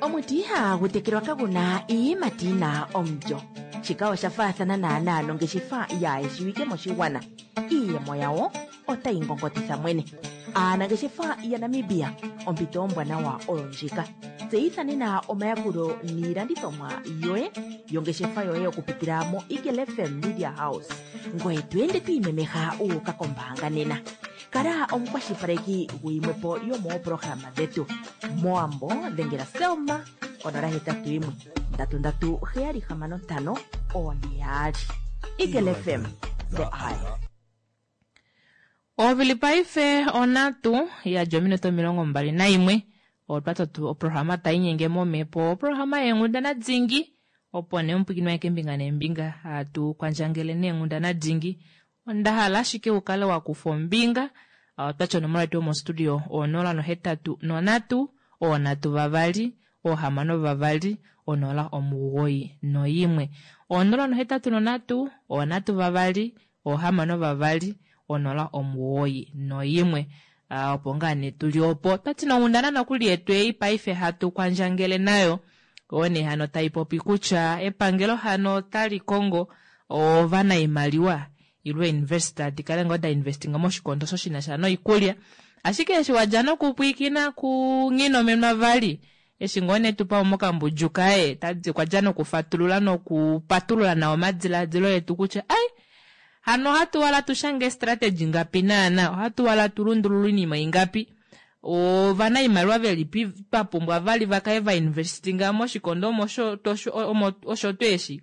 Omuti ihagu tekelwa kagu na iiyimati yi na omulyo. Shika osha faathana naanaa nongeshefa yaa shiwike moshigwana. Iiyemo yawo otayi ngongotitha mwene. Aanangeshefa yaNamibia, ompito ombwanawa oyo ndjika. Tseyitha nena omayakulo niilandithomwa yoye yongeshefa yoye okupitila moEagle FM Media House. Ngoye to ende to imemeha wu uka kombaanga nena. Kala omukwashilipaleki guyimwe po yomoopolohalama dhetu. MOwambo dhengela Selma konola hetatu yimwe ndatu ndatu heyali hamano ntano oone yaali. Eagle FM, the eye. Ovili paife onhatu yadja ominute 21 otwa totu oprograma tai inyenge momhepo oprograma yeenghundana dingi opo nee omupwiikini waye keembinga neembinga hatu kwandjangele neenghundana dingi Onda hala ashike u kale wa kufa ombinga. Otwa ti onomola yetu yomostudio o083 3 2 6 0 91. 083 3 2 6 091. Opo ngaa nee tu li opo. Otwa ti nonghundana nokuli yetu ei paife hatu kwandjangele nayo oyo nee hano tai popi kutya epangelo hano otali kongo ovanaimaliwa ile investor di kale ngoo da investinga moshikondo osho shi na sha noikulya. Ashike eshi wa dja nokupwiikina kuNghinomenwa vali, eshi ngoo nee tupa mokambudju kaye, tadi okwa dja nokufatulula nokupatulula nawa omadilaadilo etu kutya ai, hano ohatu wala tu shange strategy ngapi naana, ohatu wala tu lundulule oinima ingapi, ovanaimaliwa velipi twa pumbwa vali va kale va investinga moshikondo omo omo osho tuu eshi,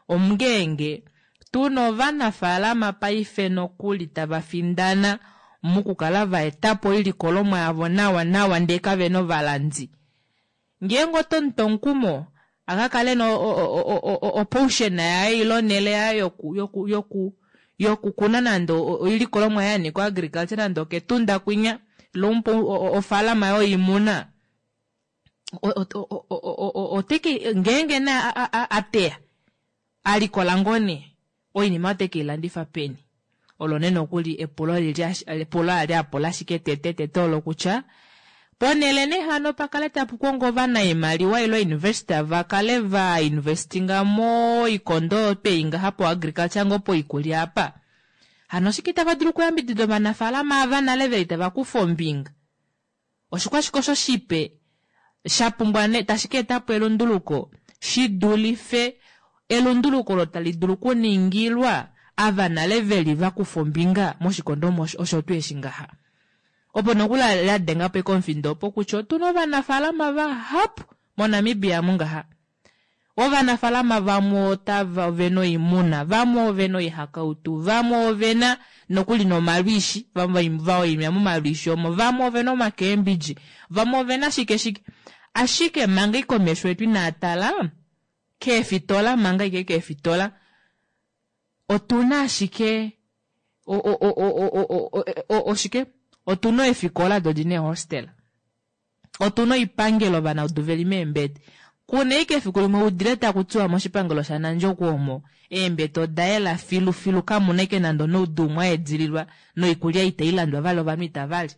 ongeenge Tu na ovanafaalama paife nokuli tava findana mokukala va eta po oilikolomwa yavo nawa nawa ndee kave na ovalandi. Ngeenge oto mu tu omukumo a ka kale ena opotion yaye ile onhele yaye yoku yoku yoku yokukuna nande oilikolomwa yaye ya nyika oagriculture nande okEtunda kwinya ile umupe ofaalama yoimuna, oteke ngeenge nee a teya a likola ngoo nee oinima ote ke i landifa peni? Olo nee nokuli epulo lili epulo ali a pula ashike tete tete olo kutya ponhele nee hano pa kale tapu kongo ovanaimaliwa ile oinvestor va kale va investinga moikondo oyo twei ngaha po agriculture ngoo poikulya apa hano oshike itava dulu okuyambidida ovanafaalama ava nale veli tava kufa ombinga Oshikwashike osho shipe sha pumbwa ne tashi ka eta po elunduluko shi dulife elunduluko olo tali dulu okuningilwa ava nale ve li va kufa ombinga moshikondo omo osho tuu eshi ngaha? Opo nokuli la denga po eke omufindo opo kutya otu na ovanafaalama vahapu moNamibia amu ngaha. Ovanafalama vamwe otava ove na oimuna, vamwe ove na oihakautu, vamwe ove na nokuli nomalwiishi, vamwe va waimina momalwiishi omo, vamwe ove na omakeembidji, vamwe ove na shike shike. Ashike manga ike omesho etu inaa tala keefitola, manga ike keefitola, otu na ashike oshike? Otu na eefikola do di na eehostela. Otu na oipangelo ovanaudu ve li meembete. Ku na ashike efiku limwe udile taku tiwa moshipangelo shaNandjokwe omo eembete oda yela filufilu kamu na ashike nande onaudu umwe a edililwa noikulya itai landwa vali ovanhu itava li.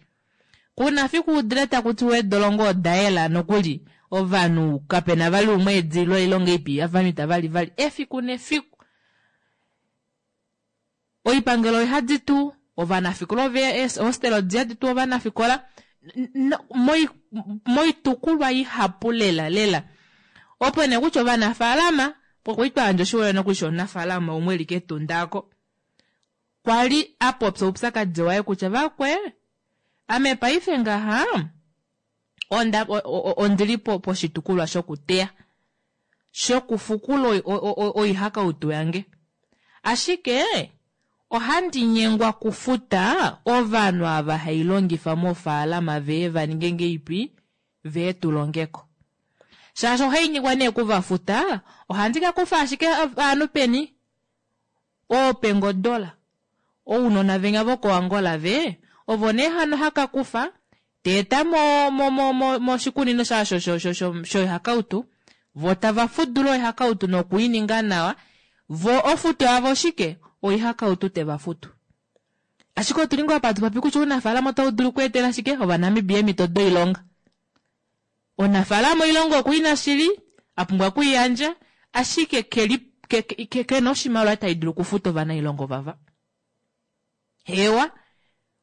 Ku na fiku udile taku tiwa eedolongo oda yela nokuli ovanhu kape na vali umwe a edililwa oilonga ipi ovanhu itava li vali efiku nefiku. Oipangelo oihadi tuu ovanafikola ove eehostela odi hadi tuu ovanafikola moitukulwa ihapu lela lela. Opo nee kutya ovanafaalama okwa li twa yandja oshiholelwa nokuli shomunafaalama umwe e li kEtunda oko kwa li a popya oupyakadi waye kutya vakwe ame paife ngaha onda ondi li poshitukulwa shokuteya shokufukula oihakautu yange ashike ohandi nyengwa kufuta ovanhu ava hai longifa mofaalama veye va ninge ngeipi? vee tu longeko. Shaashi ohainyengwa nee okuvafuta, ohandi ka kufa ashike ovanhu peni? Oopengodola, ounona venya vokoAngola ve, ovo nee hano haka kufa, ta eta mo, mo, mo, mo, moshikunino shasho sho, sho, sho, shoihakautu, vo tava fudula oihakautu noku i ninga nawa, vo ofuto yavo oshike? Oihakautu te va futu. Ashike otu li ngoo apa hatu popi kutya ounafaalama otau dulu okweetela shike Ovanamibia eemhito doilonga. Omunafaalama oilonga oku i na shili, a pumbwa oku i yandja, ashike ke li, ke, ke, ke na oshimaliwa tai dulu okufuta ovanailonga ovava. Hewa,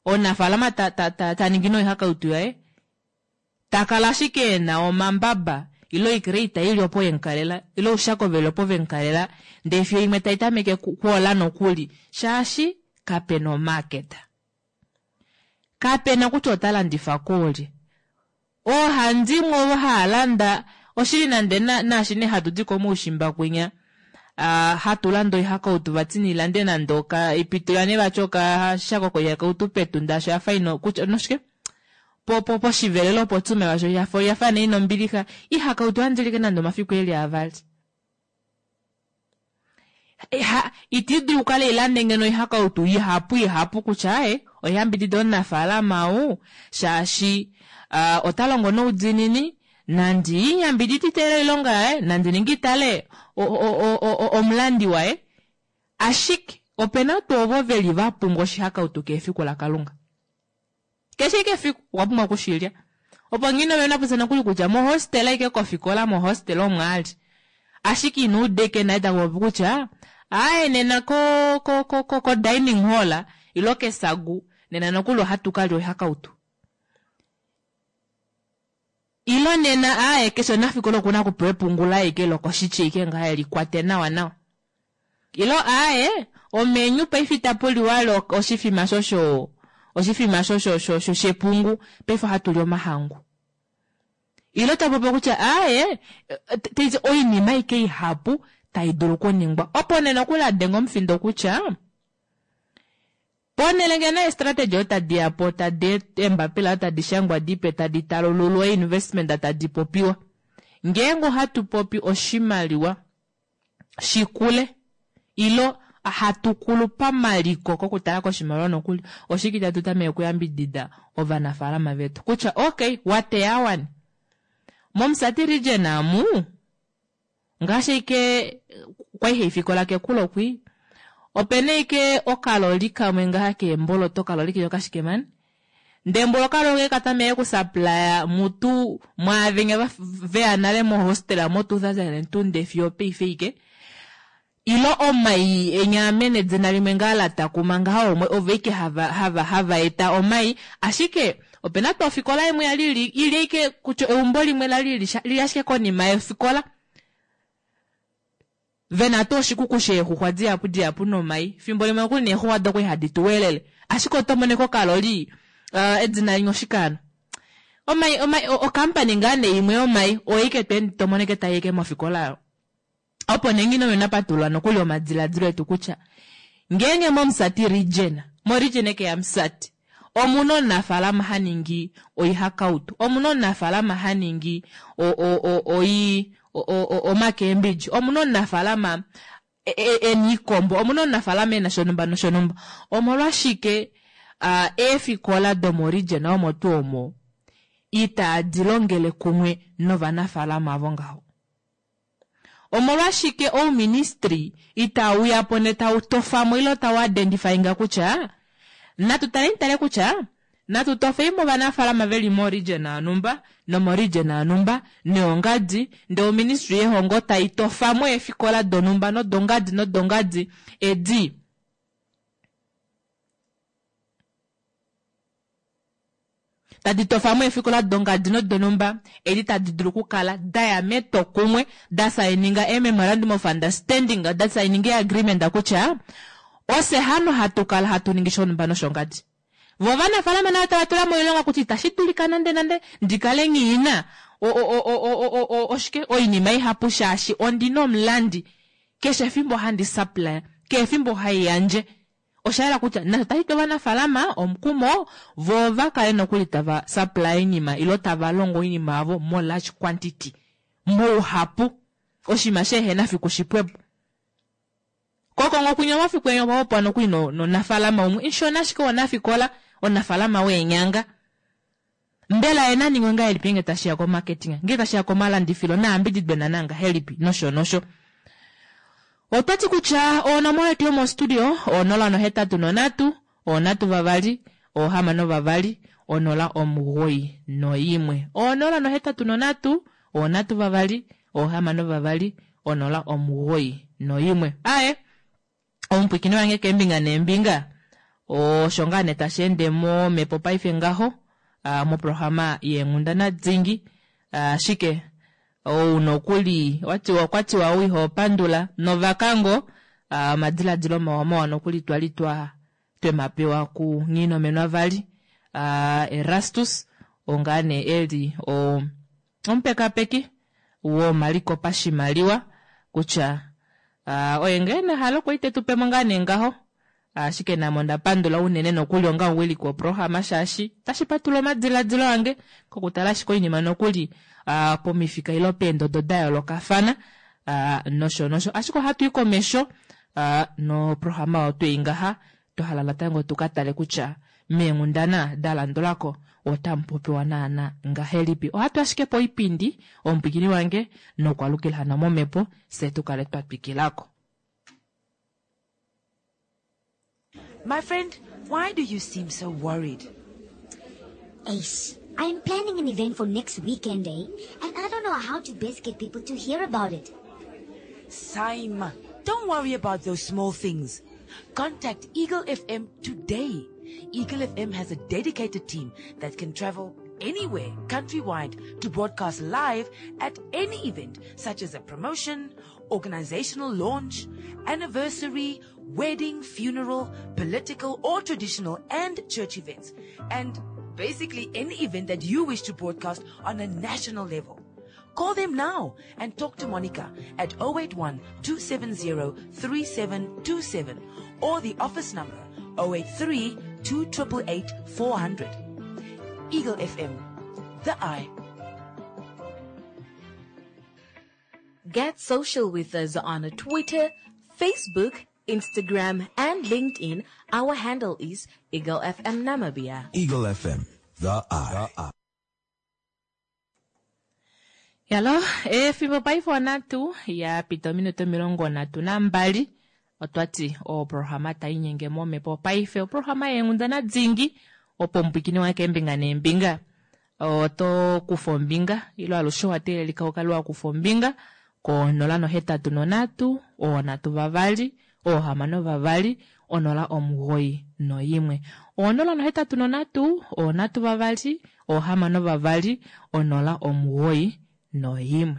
omunafaalama ta, ta, ta, ta ningi noihakautu yaye, ta kala ashike e na omambaba ile oicrate i li opo ye mu kalela, ile oushako ve li opo ve mu kalela, ndee fiyo imwe tai tameke kwoola nokuli, shaashi kape na omarket. Kape na kutya ota landifa koolye. Oohandimwe ovo hava landa, oshili nande naashi nee hatu di komoushimba kwinya, hatu landa oihakautu vati nilande nande oka ipitula nee vati okashako koihakautu petunda osho yafa ina kutya noshike po po poshivelelo opo tsume vasho yafa yafa nee ina ombilixa ihakautu ohandi like nande omafiku eli avali. Ha, iti dulu okukala ilande ngeno oihakautu ihapu ihapu kutya aye oyambidida omunafaalama ou shaashi uh, ota longo noudiinini nandi yambididite oilonga yaye nandi ningi tale omulandi waye ashike opena tuu ovo veli va pumbwa oshihakautu kefiku laKalunga. Keshe ike efiku okwa pumbwa okushilya. Opo nghi nove napopya nokuli kutya mohostela ike kofikola mohostela omo a li. Ashike ina uda ike naye ta popi kutya aaye nena ko ko ko ko ko dining hall ilo kesagu nena nokuli ohatu ka lya oihakautu. Ilo nena aaye keshe omunafikola okuna okupewa epungu laye ike lokoshitya ike ngaha eli kwate nawa nawa. Ilo aaye omenyu paife itapu liwa lo oshifima sho sho oshifima sho sho sho sho shepungu paife ohatu li omahangu. Ilo ta popi kutya aaye taiti oinima ike ihapu tai dulu okuningwa. Opo nee nokuli a denga omufindo kutya Ponhele ngeno eestrategy otadi ya po tadi eembapila tadi shangwa dipe tadi talululwa einvestment tadi popiwa. Ngeenge ohatu popi oshimaliwa shikule ilo hatu kulu pamaliko kokutala koshimaliwa nokuli, oshike itatu tameke okuyambidida ovanafaalama vetu kutya okay wateya wani mOmusati region amu Ngaashi ike kwai haifikola kekulo kwi, opena ike okaloli kamwe ngaha keemboloto, okaloli kenya okashike mani, ndee mbula okaloli oke katameke okusapulaya mutu mwaavenya veya nale mohostela mo 2002 ndee fiyo opaife ike, ilo omai enya amene edina limwe ngaa la takuma ngaha omwe ovo ike hava hava hava eta omai, ashike opena tuu ofikola imwe yali ili ili ike kutya eumbo limwe lali lili ashike konima yofikola vena tuu oshikuku sheexuxwa dihapu dihapu nomai fimbo limwe nokuli neexuxwa doko ihadi tu welele ashike oto mono eke okaloli uh, edina linya oshikaano omai omai okampani ngaa nee imwe yomai oyo ike to mono eke tai eke mofikola oyo Opo nee nghi nona patulula nokuli omadiladilo etu kutya ngeenge mOmusati Region, moRegion eke yaMusati, omu na omunafaalama ha ningi oihakautu, omu na omunafaalama ha ningi oi omakeembidji, omu na omunafaalama e na iikombo, omu na omunafaalama e na shonumba noshonumba, omolwashike eefikola domoRegion omo tuu omo itaadi longele kumwe novanafaalama avo ngaho? Omolwashike ouministry itau uya po ndee tau tofa mo ile tau identifyinga kutya natu taleni tale kutya natu tofei mo ovanafaalama veli mo region yonhumba nomo region yonhumba noyongadi ndee oministry yehongo tai tofa mo eefikola donhumba nodongadi nodongadi edi Tadi tofa mo eefikola dongadi nodonhumba edi tadi dulu okukala da ya metwokumwe, da saininga ee-memorandum of understanding, da saininga ee-agreement kutya ofye hano hatu kala hatu ningi shonhumba noshongadi. Vo ovanafaalama navo tava tula moilonga kutya itashi dulika nande nande ndi kale nghi na oshike oinima ihapu shaashi ondi na omulandi keshe efimbo handi supply, keshe efimbo hai yandje. Osha yela kutya nasho tashi pe ovanafaalama omukumo voo va kale nokuli tava supply oinima ilo tava longo oinima yavo mo large quantity, mouhapu, oshinima sheehena fiku shipwepo. Kokongo kwinya omafiku enya opa popwa nokuli no, nomunafaalama umwe nshona ashike wonafikola, omunafaalama weenyanga. Mbela ye na ningwe ngahelipi ngeenge tashi ya komarketing, ngeenge tashi ya komalandifilo nayambididwe naana ngahelipi nosho nosho. Otwa ti kutya onomola yetu yomostudio 083 3 6 2 091. 083 3 6 2 091. Aye, omupwikini wange keembinga neembinga osho ngaa nee tashi ende momhepo paife ngaho moprograma yeenghundana dingi. Ashike ou nokuli watiwa okwa tiwa ou iho pandula novakango omadiladilo mawa mawa nokuli twali twa twemapewa ku Nghinomenwa vali Erastus oo ngaa nee eli o omupekapeki womaliko pashimaliwa kutya oye ngee ena ehalo okwa ite tu pemo ngaa nee ngaho. Ashike name onda pandula unene nokuli onga omuwiliki woprograma shaashi otashi patulula omadiladilo ange kokutala ashike oinima nokuli pomifika ile peendodo da yoolokafana nosho nosho. Ashike ohatu i komesho noprograma oyo twei ngaha twa hala natango tu ka tale kutya meenghundana da landulako otamu popiwa naana ngahelipi. Ohatu ashike poipindi omupwikini wange nokwalukila hano momhepo fye tu kale twa twikilako. My friend, why do you seem so worried? Ace, I'm planning an event for next weekend, eh? And I don't know how to best get people to hear about it. Saima, don't worry about those small things. Contact Eagle FM today. Eagle FM has a dedicated team that can travel anywhere countrywide to broadcast live at any event, such as a promotion, organizational launch, anniversary, wedding, funeral, political or traditional and church events, and basically any event that you wish to broadcast on a national level. Call them now and talk to Monica at 081 270 3727 or the office number 083 288 400. Eagle FM, the eye. Get social with us on Twitter, Facebook, Instagram, and LinkedIn. Our handle is Eagle FM Namibia. Eagle FM, the eye. Yalo, efimbo paife onatu ya pita ominute 32 otwa ti oprograma tai nyenge momhepo paife oprograma yeenghundana dingi opo omupwikini wange keembinga neembinga oto kufa ombinga ilo alushe owa teelelika u kale wa kufa ombinga ko 083 3 6 2 091. 083 3 6 2 091.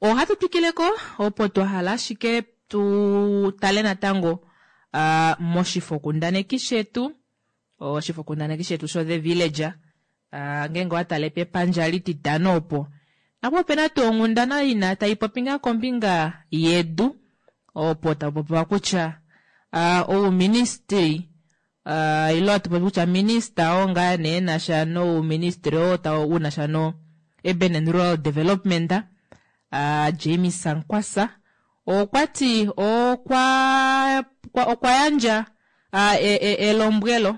Ohatu twikileko opo twa hala ashike tu tale natango moshifokundaneki shetu, oshifokundaneki shetu sho The Villager. Ngeenge owa tale pepandja lititano opo, napo opena tuu onghundana ina tai popi ngaa kombinga yedu, opo tapu popiwa kutya ouministry ile hatu popi kutya minista oo ngaa nee enasha nouministry oo tau unasha no Urban and Rural Development James Sankwasa okwa ti okwa okwa yandja elombwelo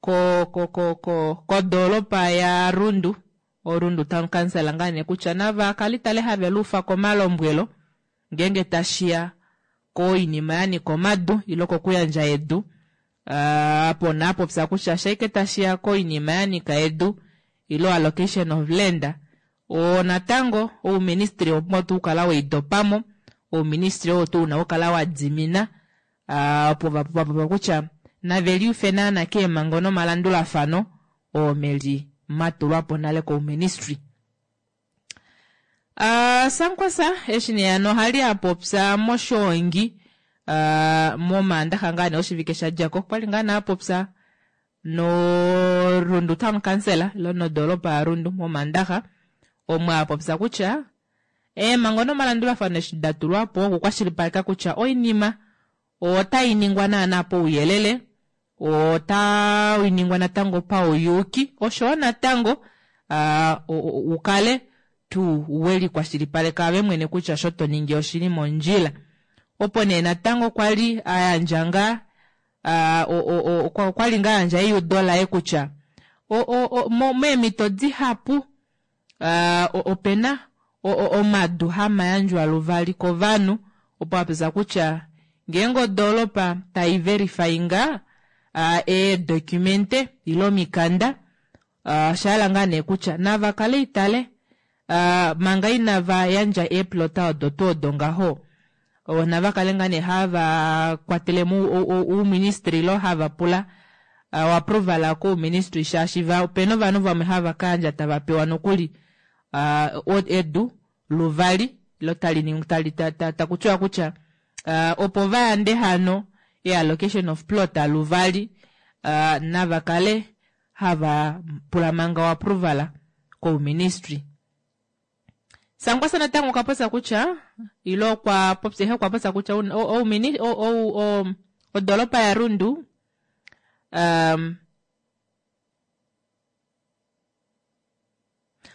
ko ko ko ko kodoolopa ya Rundu, oRundu Town Council ngaa nee kutya nava kale tale have luufa komalombwelo ngeenge tashiya koinima ya nyika omadu ile kokuyandja edu. Apo naa popya kutya shaike tashiya koinima ya nyika edu ile allocation of land, oo natango ouministry owa pumbwa tuu okukala weidopamo, ouministry oo tuu una okukala wa dimina opo va popya kutya nave liufe naana keemhango nomalandulafano oo meli matulwa po nale kouministry. Sankwasa eshi nee hano ohali a popya moshoongi momaandaxa ngaa nee oshivike sha dja ko, okwali ngaa nee a popya noRundu Town Council ile nodoolopa yaRundu momaandaxa, omo a popya kutya eemhango nomalandulafano eshi da tulwa po okukwashilipaleka kutya oinima otai ningwa naana pouyelele, otai ningwa natango pauyuuki oshowo natango wu kale tuu we likwashilipaleka ove mwene kutya osho to ningi oshili mondjila. Opo nee natango kwa li a yandja ngaa okwa li ngaa a yandja eiudo laye kutya meemhito dihapu opena omadu hama yandjwa luvali kovanhu opo apopya kutya ngeenge odoolopa tai verifyinga eedocumente ile omikanda osha hala ngaa nee kutya nava kale itale manga inava yandja eeplota odo tuu odo ngaho nava kale ngaa nee hava kwatele mo ouministry ilo hava pula oapproval kouministry shaashi opena ovanhu vamwe hava ka yandja tava pewa nokuli edu luvali ilo tali takutiwa kutya opo va yande hano e-allocation of plot luvali nava kale hava pula manga oapproval kouministry. Sankwasa natango okwa popya kutya ilo okwa popya ihe okwa popya kutya odolopa yaRundu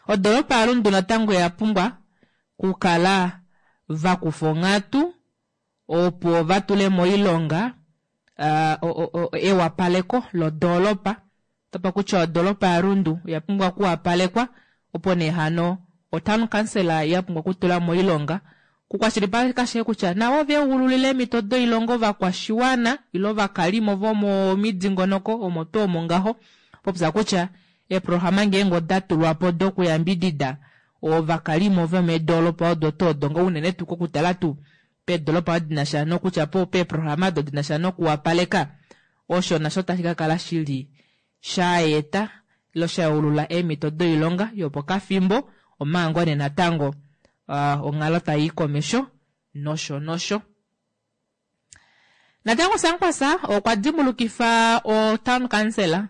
odolopa yaRundu natango oya pumbwa kukala vakufa onghatu opo vatule moilonga ewapaleko lodolopa. Topa kutya odolopa yaRundu oya pumbwa okuwapalekwa opo nee hano otown council ya pumbwa okutula moilonga kukwashilipaleka ashike kutya navo oveegululile eemhito doilonga ovakwashiwana ile ovakalimo vomomidingonoko omo tuu omo ngaho popya kutya eeprograma ngeenge oda tulwa po dokuyambidida ovakalimo vomeedolopa odo tuu odo nga unene tuu kokutala tuu peedolopa odo dinasha nokutya po peeprograma odo dinasha nokuwapaleka osho nasho tashi ka kala shili shaeta ilo shayeulula eemhito doilonga yopokafimbo omanga ngoo nee natango onghalo tai komesho nosho nosho. Natango Sankwasa okwa dimbulukifa o town council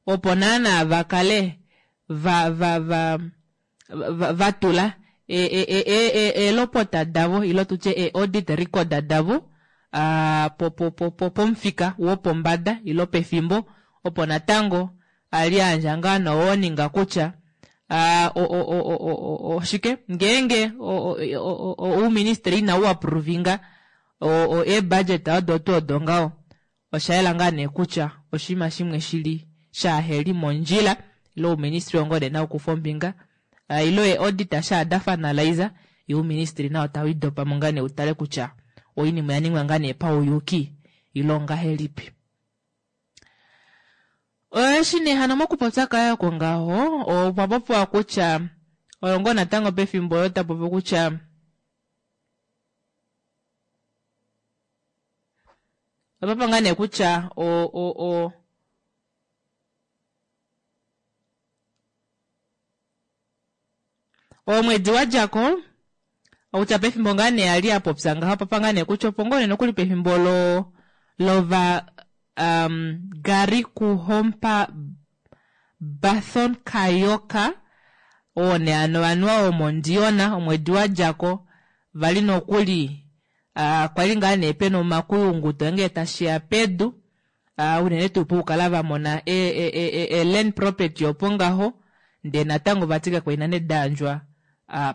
opo naana va kale va va va va tula eelopota davo ilo tutye ee-audit record davo pomufika wopombada ilo pefimbo opo natango ali ayandja ngaa no-warning kutya oshike ngeenge ouministry ina u approvinga ee-budget odo tuu odo ngaho osha yela ngaa nee kutya oshinima shimwe shili shaaheli mondjila ilo ouministry ongo nee naukufa ombinga ilo ee-auditor shaa da finalize ye ouministry nao tau idopamo ngaa nee utale kutya oinima oya ningwa ngaa nee pauyuki ilo ongahelipi. Eshi nee hano mokupopya kaye oko ngaho okwa popiwa kutya oyo ngoo natango pefimbo oyo tapopi kutya opapa ngaa nee kutya o omwedi wa djako okutya pefimbo ngaa nee ali apopya ngaho papa ngaa nee kutya opo ngoo nee nokuli pefimbo lo lova Gari Kuhompa Bathon Kayoka oo nee ano anuwa womOndiyona omwedi wa djako vali nokuli kwali ngaa nee pena omakuyunguto ngee tashiya pedu unene tuu pokukala va mona e-land property opo ngaho ndee natango vati kakwaina nee dayandjwa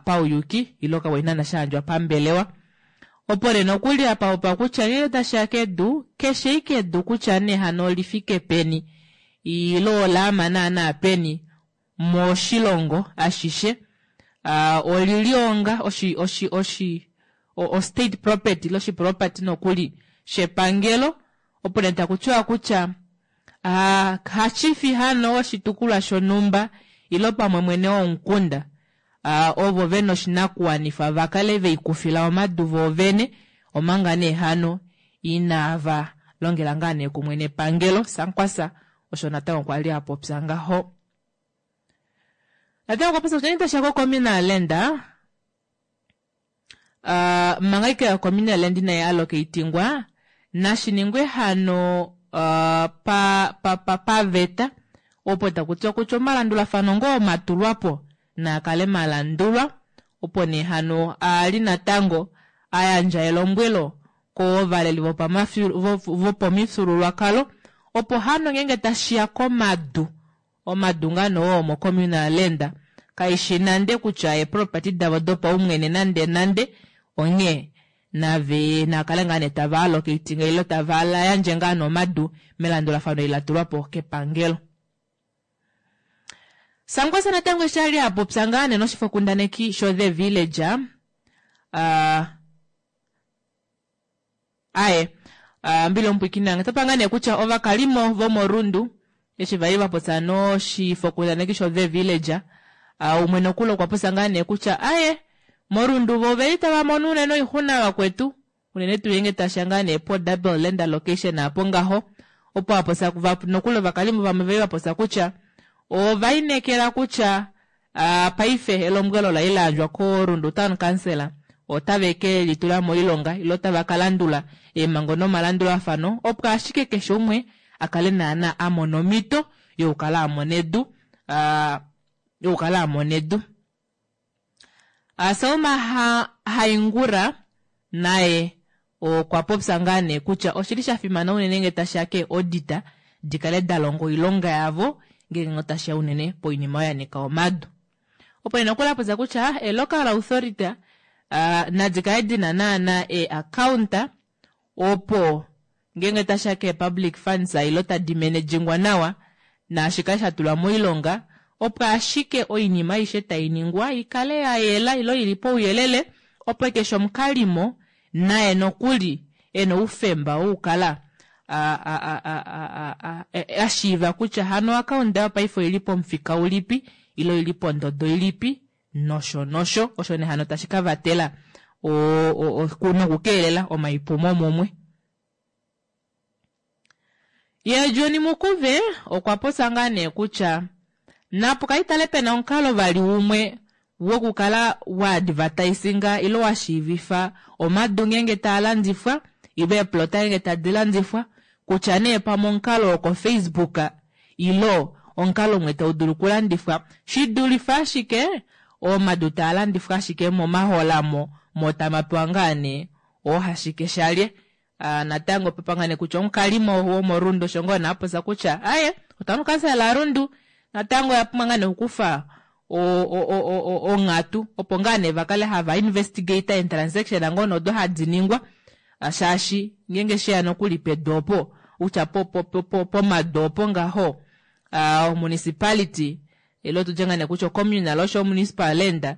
pauyuki ilo kakwaina na shayandjwa pambelewa. Opo nee nokuli apa opa kutya ngee tashiya kedu keshe ike edu kutya nee hano olifike peni ilo olaama naana peni moshilongo ashishe olili onga oshi oshi oshi o state property ilo oshiproperty nokuli shepangelo opo nee takutiwa kutya hachifi hano oshitukulwa shonhumba ilo pamwe mwene womukunda ovo vena oshinakuwanifa vakale veikufila omadu voovene omanga nee hano inava longela ngaa nee kumwe nepangelo. Sankwasa osho natango kwali apopya ngaho. Natango okwa popya kutya tashiya ko-communal land manga ike o-communal land inayi allocatingwa nashiningwe hano paveta opo takutiwa kutya omalandulafano ngoo matulwapo naakale malandulwa opo nee hano ali natango ayandja elombwelo. kovaleli vopomifyuululwakalo opo hano ngeenge tashiya komadu omadu ngaa nee oo omocommunal land kaishi nande kutya eeproperty davo dopaumwene nande nande onghee nave nakale ngaa nee tava allocating ile tava yandje ngaa nee omadu melandulafano eli latulwapo kepangelo. Sankwasa natango eshi ali apopya ngaa nee noshifokundaneki sho The Villager uh, aye uh, mbili omupwikinange tapa ngaa nee kutya ovakalimo vomorundu eshi vali vapopya noshifokundaneki sho The Villager uh, umwe nokuli okwa popya ngaa nee kutya aye morundu vo oveli tava mono unene oixuna vakwetu unene tuu ngeenge tasha ngaa nee po double land allocation apo ngaho opo apopya nokuli ovakalimo vamwe vali vapopya kutya ova inekela kutya uh, paife elombwelo la layandjwa koRundu Town Council otave ke litula moilonga ile otava ka landula eemhango nomalandulafano opo ashike keshe umwe akale naana amona omhito yokukala amona edu uh, yokukala amona edu. Uh, Selma Haingura naye okwa popya ngaa nee kutya oshili sha fimana unene ngee tashiya keeaudita dikale dalonga oilonga yavo ngeenge otashiya unene poinima oyo yanika omadu. Opo nee nokuli apopya kutya e-local authority uh, nadi kale dina naana ee-account opo ngeenge tashiya kee-public funds ile tadi managingwa nawa naashi kale shatulwa moilonga opo ashike oinima aishe tainingwa ikale yayela ile ili pouyelele opo keshe omukalimo naye nokuli ena oufemba wokukala ashiiva kutya hano oakaunda yopaife oili pomufika ulipi ile oili pondodo ilipi nosho nosho osho nee hano tashi kavatela nokukeelela omaipumo mumwe. Ye John Mukuve okwa popya ngaa nee kutya napo kaitale pena omukalo vali umwe wokukala wa advertisinga ile wa shiivifa omadu ngeenge taa landifwa ile eeplota ngeenge tadi landifwa kutya nee pamwe omukalo woko Facebook ile omukalo umwe tau dulu okulandifwa shidulife ashike omadu taa landifwa ashike momaholamo mo tamapewa ngaa nee oohashike shalye. Uh, natango pepangane kutya omukalimo womorundu osho ngoo naapopya kutya aye otamu kansela Rundu natango oya pumbwa ngaa nee okukufa onghatu opo ngaa nee vakale hava investigate and transaction ngoo nodo hadi ningwa shaashi ngeenge sheya nokuli pedu opo kutya pomadu opo ngaho uh, municipality ile tutye ngaa nee kutya communal osho municipal land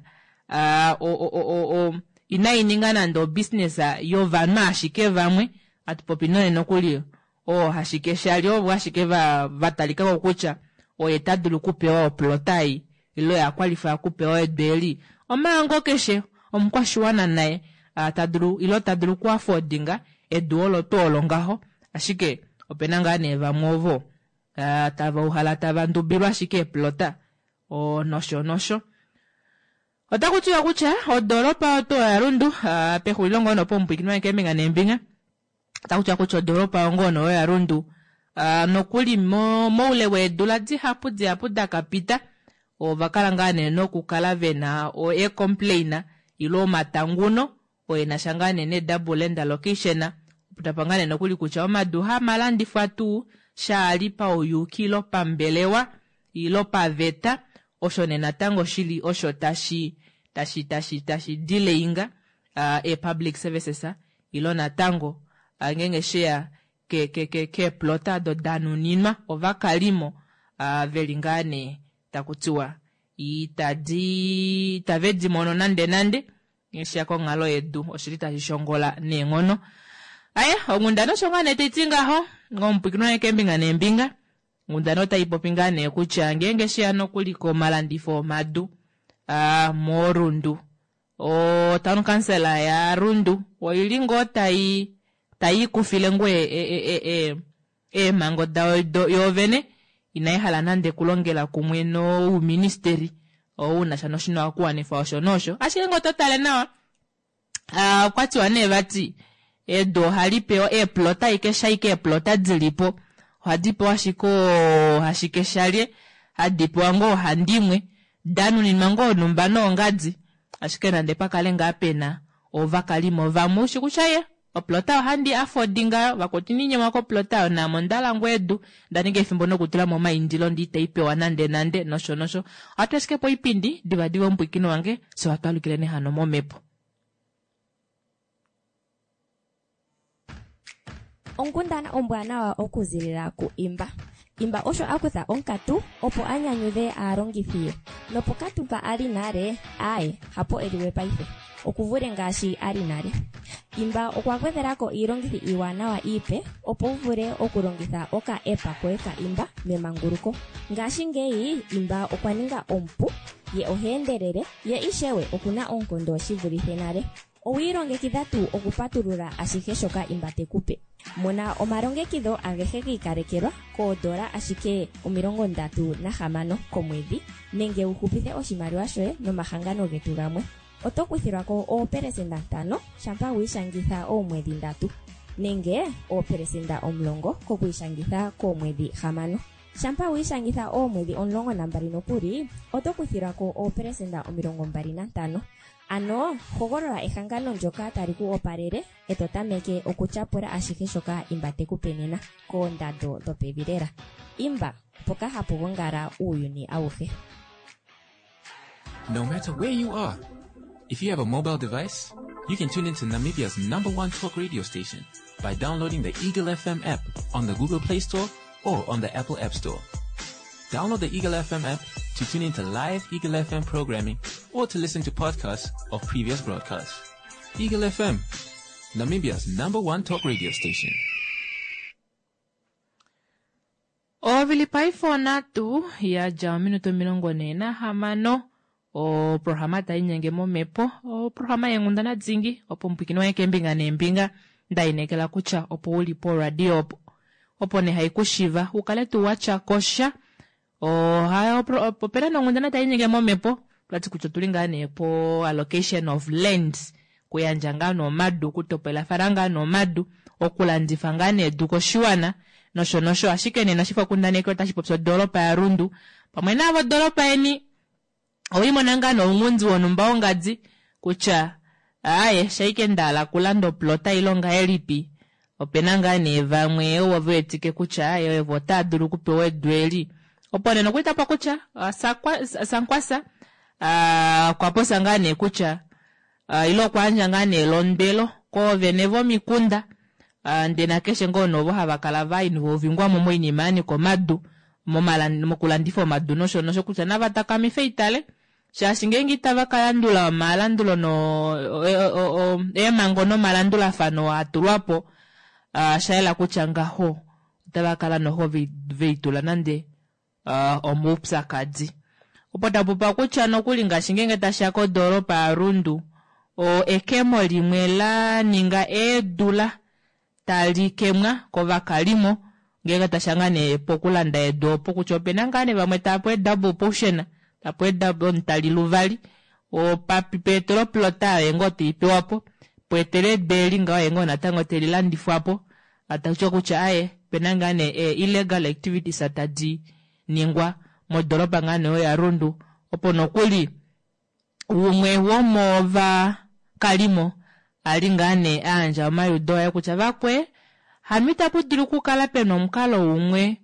uh, inaininga nande obusiness yovanhu ashike vamwe atupopi none nokuli oo hashike shali ovo ashike vatalikako kutya oye tadulu okupewa oplota ei ile oye akwalify okupewa edu eli omanga keshe omukwashiwana naye tadulu ile tadulu okuafordinga edu olo tuu olo ngaho ashike opena ngaa nee vamwe ovo tava uhala tava ndubilwa ashike eeplota nosho nosho. Otaku tiwa kutya odoropa oto yaRundu uh, pexulilo ngoo nopo omupwikinwa keembinga neembinga otaku tiwa kutya odoropa ngoo no yaRundu uh, nokuli moule weedula dihapu dihapu dakapita ovakala ngaa nee nokukala vena eecomplain ile omatanguno oyenasha ngaa nee ne-double land allocation tapa ngaa nee nokuli kutya omadu hamalandifwa tuu shaali pauyuki ilo pambelewa ilo paveta osho nee natango shili osho tashi tashi tashi tashi delayinga uh, e-public services ilo natango uh, ngeenge sheya keeplota ke, ke, odo danuninwa ovakalimo uh, veli ngaa nee taku tiwa itadi itave di mono nande nande ngeshiya konghalo yedu oshili tashi shongola neenghono. Aye onghundana osho ngaa nee taiti ngaho ngomupwikinwa keembinga neembinga onghundana otai popi ngaa nee kutya ngeenge sheya nokuli komalandifo omadu uh, morundu o town council ya Rundu oili ngoo tai ikufile ngoo eemhango dayo yoovene inai hala nande kulongela kumwe nouministeli ounasha noshinakuwanifwa osho nosho ashike ngoo totale nawa uh, okwatiwa nee vati edu ohali pewa eeplota ike shaike eeplota dilipo ohadi pewa ashike hashike shalye hadi pewa ngoo handimwe danuninwa ngoo numba noongadi ashike nande pakale ngaa pena ovakalimo vamwe ushi kutya ye Oplota ohandi afodi ngayo, vakwetu iniinyemwa koplota oyo naame onda ngoo edu, nda ninga efimbo nokutula mo omaindilo ndee itai pewa nande nande nosho nosho. Ohatu ashike poipindi divadiva omupwiikini wange, fye ohatu alukile nee hano momhepo. Onkundana ombwanawa okuzilila ku Imba. Imba osho a kutha onkatu opo a nyanyudhe aalongithi ye. Nopokatu mpa a li nale, aaye, hapo e li we paife. Oku vule ngaashi a li nale. Imba okwa gwedhela ko iilongithi iiwanawa iipe opo wu vule okulongitha oka app koye ka Imba memanguluko. Ngashingeyi Imba okwa ninga omupu, ye oha endelele, ye ishewe oku na oonkondo shi vulithe nale. Owi ilongekidha tuu okupatulula ashihe shoka Imba te ku pe? Mona omalongekidho agehe gi ikalekelwa koodola ashike 36 komwedhi nenge wu hupithe oshimaliwa shoye nomahangano getu gamwe. Oto kuthilwa ko oopelesenda ntano shampa wi ishangitha oomwedhi ndatu, nenge oopelesenda 10 kokwiishangitha koomwedhi hamano. Shampa wi ishangitha oomwedhi 12 nokuli, oto kuthilwa ko oopelesenda 25. Ano hogolola ehangano ndyoka tali ku opalele e to tameke okutyapula ashihe shoka Imba te ku pe nena, koondando dhopevi lela. Imba, mpoka hapu gongala uuyuni awuhe. No matter where you are, if you have a mobile device, you can tune into Namibia's number one talk radio station by downloading the Eagle FM app on the Google Play Store or on the Apple App Store. Download the Eagle FM app to tune into live Eagle FM programming or to listen to podcasts of previous broadcasts. Eagle FM, Namibia's number one talk radio station. Ovili paife onhatu ya dja ominute 46 oprograma tai nyenge momhepo oprograma yeenghundana dingi opo omupwikini waye keembinga neembinga nda inekela kutya opo u li poradio opo opo nee hai ku shiva u kale tuu wa tya ko sha opena nee onghundana tai nyenge momhepo twati kutya otuli ngaa nee po allocation of land kuyandja ngaa nee omadu okutopolafana ngaa nee omadu okulandifa ngaa nee edu koshiwana nosho nosho ashike nena oshifokundaneki otashi popi odoolopa yaRundu pamwe naavo odoolopa yeni owiimona ngaa nee ounghundi wonhumba wongadi kutya aaye shaike ndahala okulanda oplota ile ongahelipi opena ngaa nee vamwe ovo ve wetike kutya aaye ovo otava dulu okupewa edu eli opo nee nokuli tapa kutya Sankwasa okwa popya ngaa nee kutya ile okwa yandja ngaa nee elondwelo koovene vomikunda ndee nakeshe ngoo nee ovo hava kala va involvingwa mo moinima ya nyika omadu mokulandifa omadu nosho nosho kutya nava takamife itale shaashi ngeenge itava ka landula omalandulo no eemhango nomalandulafano a tulwa po osha yela kutya ngaho otava kala noho veitula nande omoupyakadi. Opo ta popa kutya nokuli ngaashi ngeenge tashi ya kodoolopa yaRundu, ekemo limwe la ninga eedula tali kemwa kovakalimo ngeenge tashi ya ngaa nee pokulanda edu opo kutya ope na ngaa nee vamwe tava pewa edouble portion, ta pewa omutali luvali, peetela oplota oye ngoo tei pewa po, pweetela edu eli ngaho oye ngoo natango teli landifwa po. Tashi ti kutya aaye opena ngaa nee ee illegal activities tadi ningwa modoropa ngaa nee oyo yaRundu opo nokuli umwe womovakalimo a li ngaa nee a yandja omaliudo aye kutya vakwee hano itapu dulu okukala pena omukalo umwe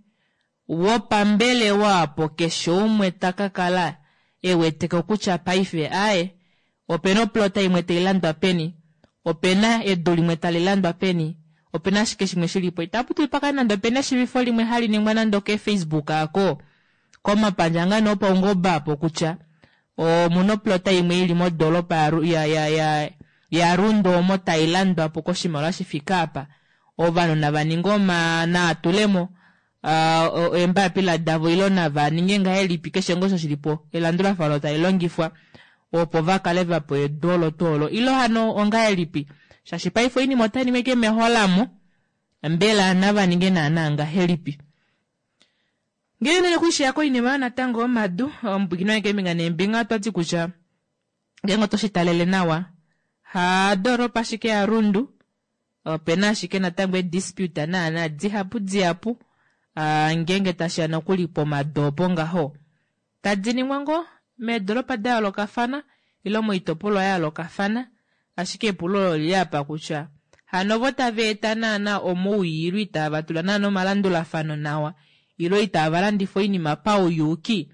wopambelewa opo keshe umwe ta ka kala e weteko kutya paife aaye opena oplota imwe tai landwa peni, opena edu limwe tali landwa peni, opena ashike shimwe shi li po. Itapu dulu pa kale nande opena eshivifo limwe hali ningwa nande okeeFacebook ako, komapandja ngaa nee opaungoba apo kutya omuna oplota imwe ili modoolopa yaRundu omo tai landwa po koshimaliwa shi fike apa. Ovanhu nava ninge oma nava tule mo eembapila davo ile nava ninge ngahelipi keshe ngoo osho shili po elandulafano tali longifwa opo va kale va pewa edu olo tuu olo ile hano ongahelipi shaashi paife oinima otai ningwa ashike meholamo mbela nava ninge naana ngahelipi ngee nene kuishiya koinima oyo natango yomadu omupwiikini wange keembinga neembinga otwa ti kutya ngeenge oto shi talele nawa hadoolopa ashike yaRundu Ope na ashike natango eedispute naana dihapu dihapu ngeenge tashi ya nokuli pomadu opo ngaho tadi ningwa ngoo meedolopa da yoolokafana ile moitopolwa ya yoolokafana. Ashike epulo olo olili apa kutya. Hano ovo tava eta naana omowii ilo itava tula naana omalandulafano nawa ilo itava landifa oinima pauyuuki,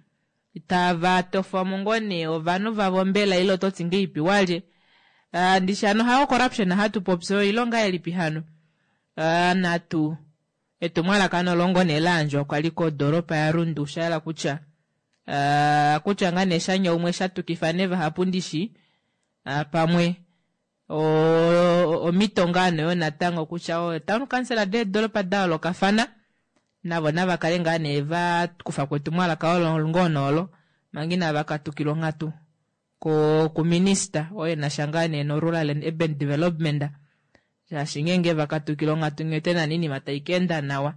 tava tofamo ngoo nee ovanhu vavo mbela ile ototi ngeipi walye? Ndishi hano hayo corruption hatu popi oyo ilo ngahelipi hano? Natu etumwalaka olo ngoo nee layandjwa kwali kodoropa yaRundu, shayela kutya kutya ngaa nee shanyaumwe shatukifa nee vahapu ndishi pamwe omito ngaa noyo natango kutya o town council deedoropa dayoolokafana navo nava kale ngaa nee va kufa ko etumwalaka olo ngoo noolo manga inava katukilwa onghatu kuminista oye nasha ngaa nee no rural and urban development, shaashi ngeenge vakatukila onghatu nghee nani iinima tai ka enda nawa.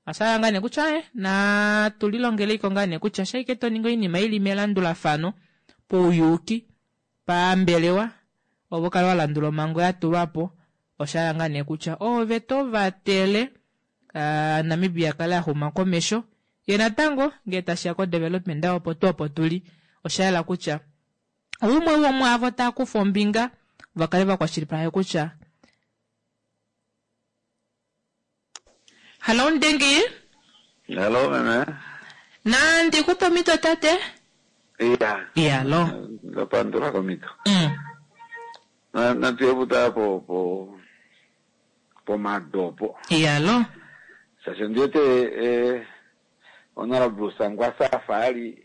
Oshala ngaa nee kutya natu lilongeleiko ngaa nee kutya shaike to ningi oinima ili melandulafano pauyuuki pambelewa ovo kale wa landula omhango ya tulwa po, oshala ngaa nee kutya ove to vatele Namibia kale axuma komesho ye natango ngee tashiya ko development opo tuu opo tuli, oshayela kutya umwe womwaavo takufa ombinga vakale vakwashilipaleke kutya. Hallo Ndengi. Hallo meme. Nandi kupe omito tate. Iya. Iya lo. Ndapandula komito. Natiyevuta po po pomadopo. Iya lo. Shasho ndiwete Honorable Sangwasa afa ali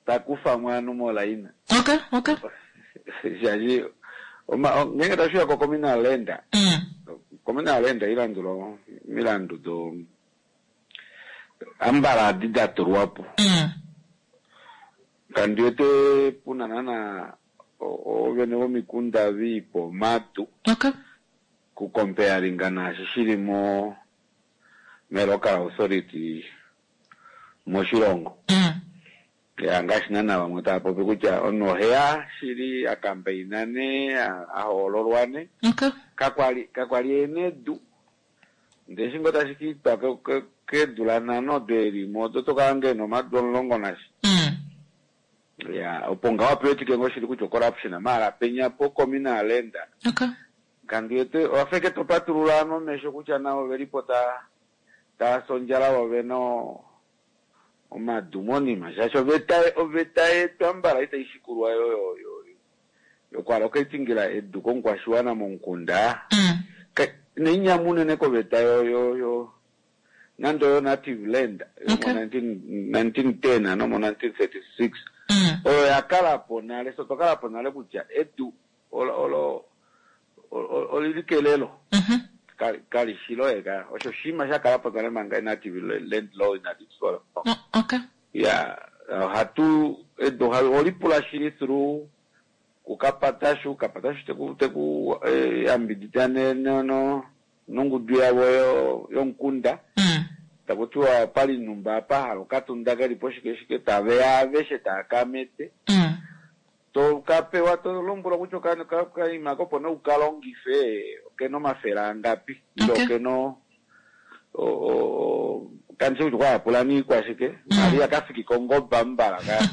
takufa mwaanhu molaina. Okay, okay. Shashi ngenge tashiya ko communal land. Communal land ilandula milandu do ambala adi datulwapo. Kandiwete puna nana ovene vomikunda viipo madu. Okay. Ku comparinga naashi shili mo me local authority moshilongo. Ya ngaashi naana vamwe tava popi kutya omunhu oheya shili a campaignane a hoololwane. Okay. Kakwali ena edu. Ndele eshi ngoo tashi ka itwa keedula nhano odo elimo odo tokala ngoo ena omadu 10 nasha. Ya opo ngaho pewetike ngoo shili kutya corruption maala penya po communal land. Okay. Kandiwete owafeke topatulula ano omesho kutya navo velipo ta taasondjala vo vena omadu monima shaashi oveta yetu ambala itai shikulwa yo yokwaloketingila edu komukwashiwana momukunda. Neinyamu unene koveta yo yo yo nando yo native land Okay. mo 1910 ano mo 1936 oyo yakala po nale, so twakala po nale kutya edu olo olili kelelo. Kali shilo eka osho shima shakala po nale manga native land law inali Okay. Ya hatu edu olipula shili through kukapatashu kapatashu teku teku yambidida ne no no nongudu yavo yomukunda. Takutiwa pali numba apa hala okatunda kelipo shike shike taveya aveshe taakamete. To kapewa to lombwelwa kutya okaima kopo ne ukalongife okena omafele angapi ile okena kandishi kutya okwayapula niikwashike mali yakafiki kongoba mbala ka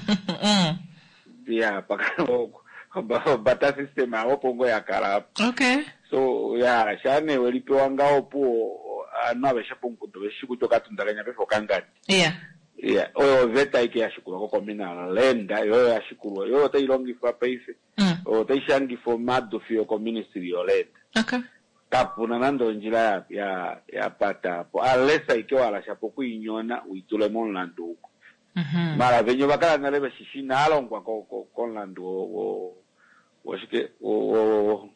ya paka obata system awo opo ngo yakala apo. Okay. So ya shane welipewa ngaho opuwo aanhu aveshe pomukunda veshi kutya okatunda kenya paife okangadi. Ya oyo oveta ike yashikulwa ko communal land yoyo yashikulwa yoyo otai longifwa paife. Oyo otai shangifa omadu fiyo ko ministry yoland. Okay. Kapuna nande ondjila ya pata po unless aike wala shapo okuinyona uitule momulandu uko. Mara venye ovakala nale veshishi inaalongwa komulandu woshike o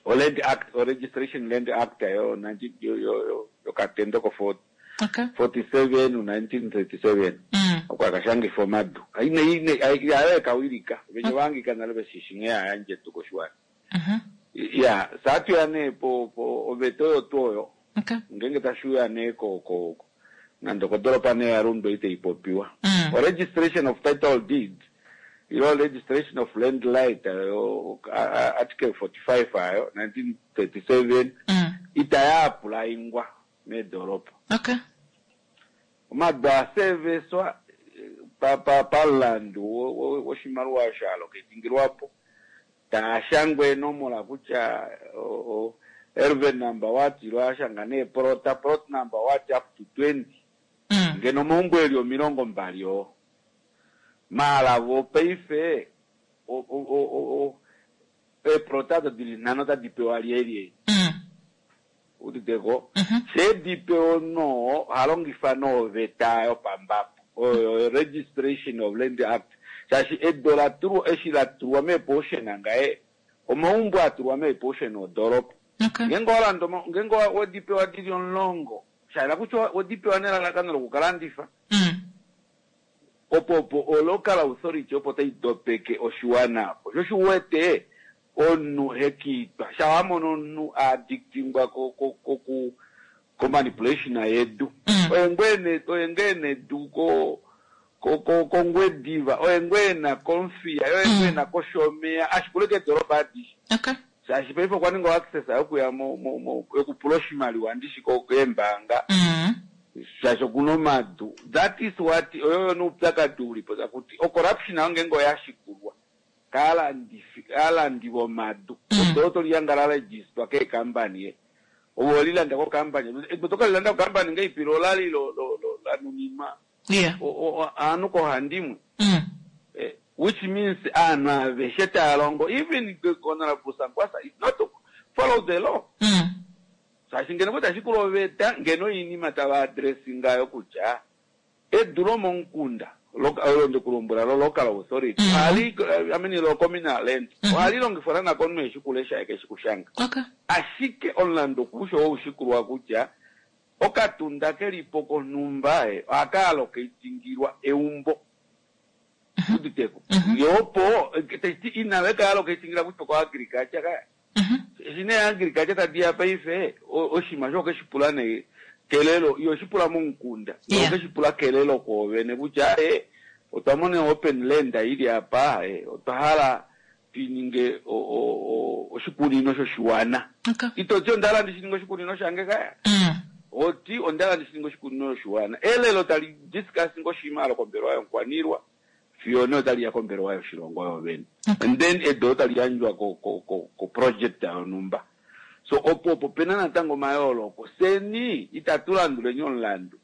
land act o registration land act yo 19 yo yokatendo ko Okay. 47 1937 okwa kashangifa omadu ine ayo ekawilika venye vangika nale veshishi nghee ayandje tu koshiwana. Ya saatuya nee po po oveta oyo tuu oyo. Okay. Ngenge tashiuya nee ko ko nande kodoropa nee yaRundu itaipopiwa. O registration of title deed ilo registration of land right ayo article 45 ayo 1937 itaya applyingwa meedoropa. Okay. Omadu aseveswa pamulandu woshimaliwa shalo ketingilwapo taashangwa enomola kutya Erven number what ilo ashanga nee plota, plot number what up to 20. Ngeno omaumbo eli 20 oo. Maala vo paife eeplota odo dili 5 otadi pewa lyelye? Uditeko? She di pewa omunhu oha longifa noveta yopambapo oyo Registration of Land Act, shaashi edu ola tulwa eshi la tulwa meeportion ngaye omaumbo a tulwa meeportion odoropa. Ngeenge wa landa ngeenge wedi pewa dili 10, sha yela kutya wedi pewa nelalakano lokukalandifa. Opo opo o local authority opo tai dopeke oshiwana opo. Sho shi wete omunhu hekiitwa. Sha wa mona omunhu a addictingwa ko ko ko ku ko manipulation yedu. Oye ngoo ena oye ngoo ena edu ko ko ko kOngwediva, oye ngoo ena kOmuthiya, oye ngoo ena kOshomeya, ashikule keedoropa adishe. Shaashi paife okwa ninga access yokuya mo mo mo yokupula oshimaliwa ndishi ko keembaanga. Shaashi okuna omadu. That is what oyo yo noupyakadi ulipo takuti o corruption ayo ngeenge oya shikulwa kaalandifi kaalandi vomadu. Edu olo toli hanga la registrwa keekampani ye. Ove olilanda kokampani. Edu oto kalilanda kokampani ngeipi lo olali lo lo lo lanuninwa aanhu koohandimwe. Which means aanhu aveshe tava longo even Honorable Sankwasa is not to follow the law. Shaashi ngeno kutya shikula oveta ngeno oinima tava addressinga yo kutya edu lomomukunda olo ndikulombwela lo local authority ohali, I mean lo communal land ohali longifwa naana komunhu eshi kulesha ye keshi kushanga. Ashike omulandu okusho woushikuluwa kutya okatunda kelipo konhumba ohaka allocatingilwa eumbo. Uditeko. Yo opo taiti inave ka allocatingila kutya ko agriculture ka. Eshi nee agriculture tadi ya paife oshinima osho okeshi pula nee kelelo, iyo shi pula momukunda. Okeshi pula kelelo koovene kutya otwa mona open land ili apa, otwa hala tuininge oshikunino shoshiwana. Ito ti onda hala ndishininge oshikunino shange kaya. Oti onda hala ndishininge oshikunino shoshiwana. Elelo tali discuss ngoshima alo kombelewa yomukwaniilwa. Fiyo nee otali ya kombelewa yoshilongo yovene. And then edu otali yandjwa ko ko ko ko project yonhumba. So opo opo pena natango omayooloko. Seni itatu landuleni omulandu.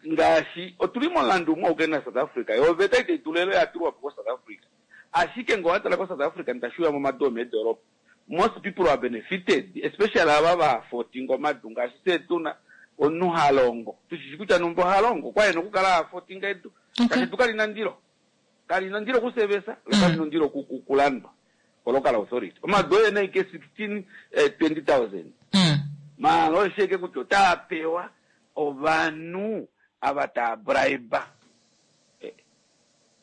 Ngaashi otuli momulandu umwe auke na South Africa. Yo oveta itai tulele ya tulwa po ko South Africa. Ashike ngee owatala ko South Africa nitashiuya momadu omeedoropa. Most people are benefited, especially ava va fotinga omadu ngaashi fye tuna omunhu ha longo. Tushishi kutya numba oha longo, okwa ena okukala a fotinga edu. Shaashi edu kali na ndilo. Kali na ndilo okusevesa, lo kali na ndilo okulandwa ko local authority. Omadu oye na ike 16, 20,000. Maala oye sheke kutya otaa pewa ovanhu ava taa bribe.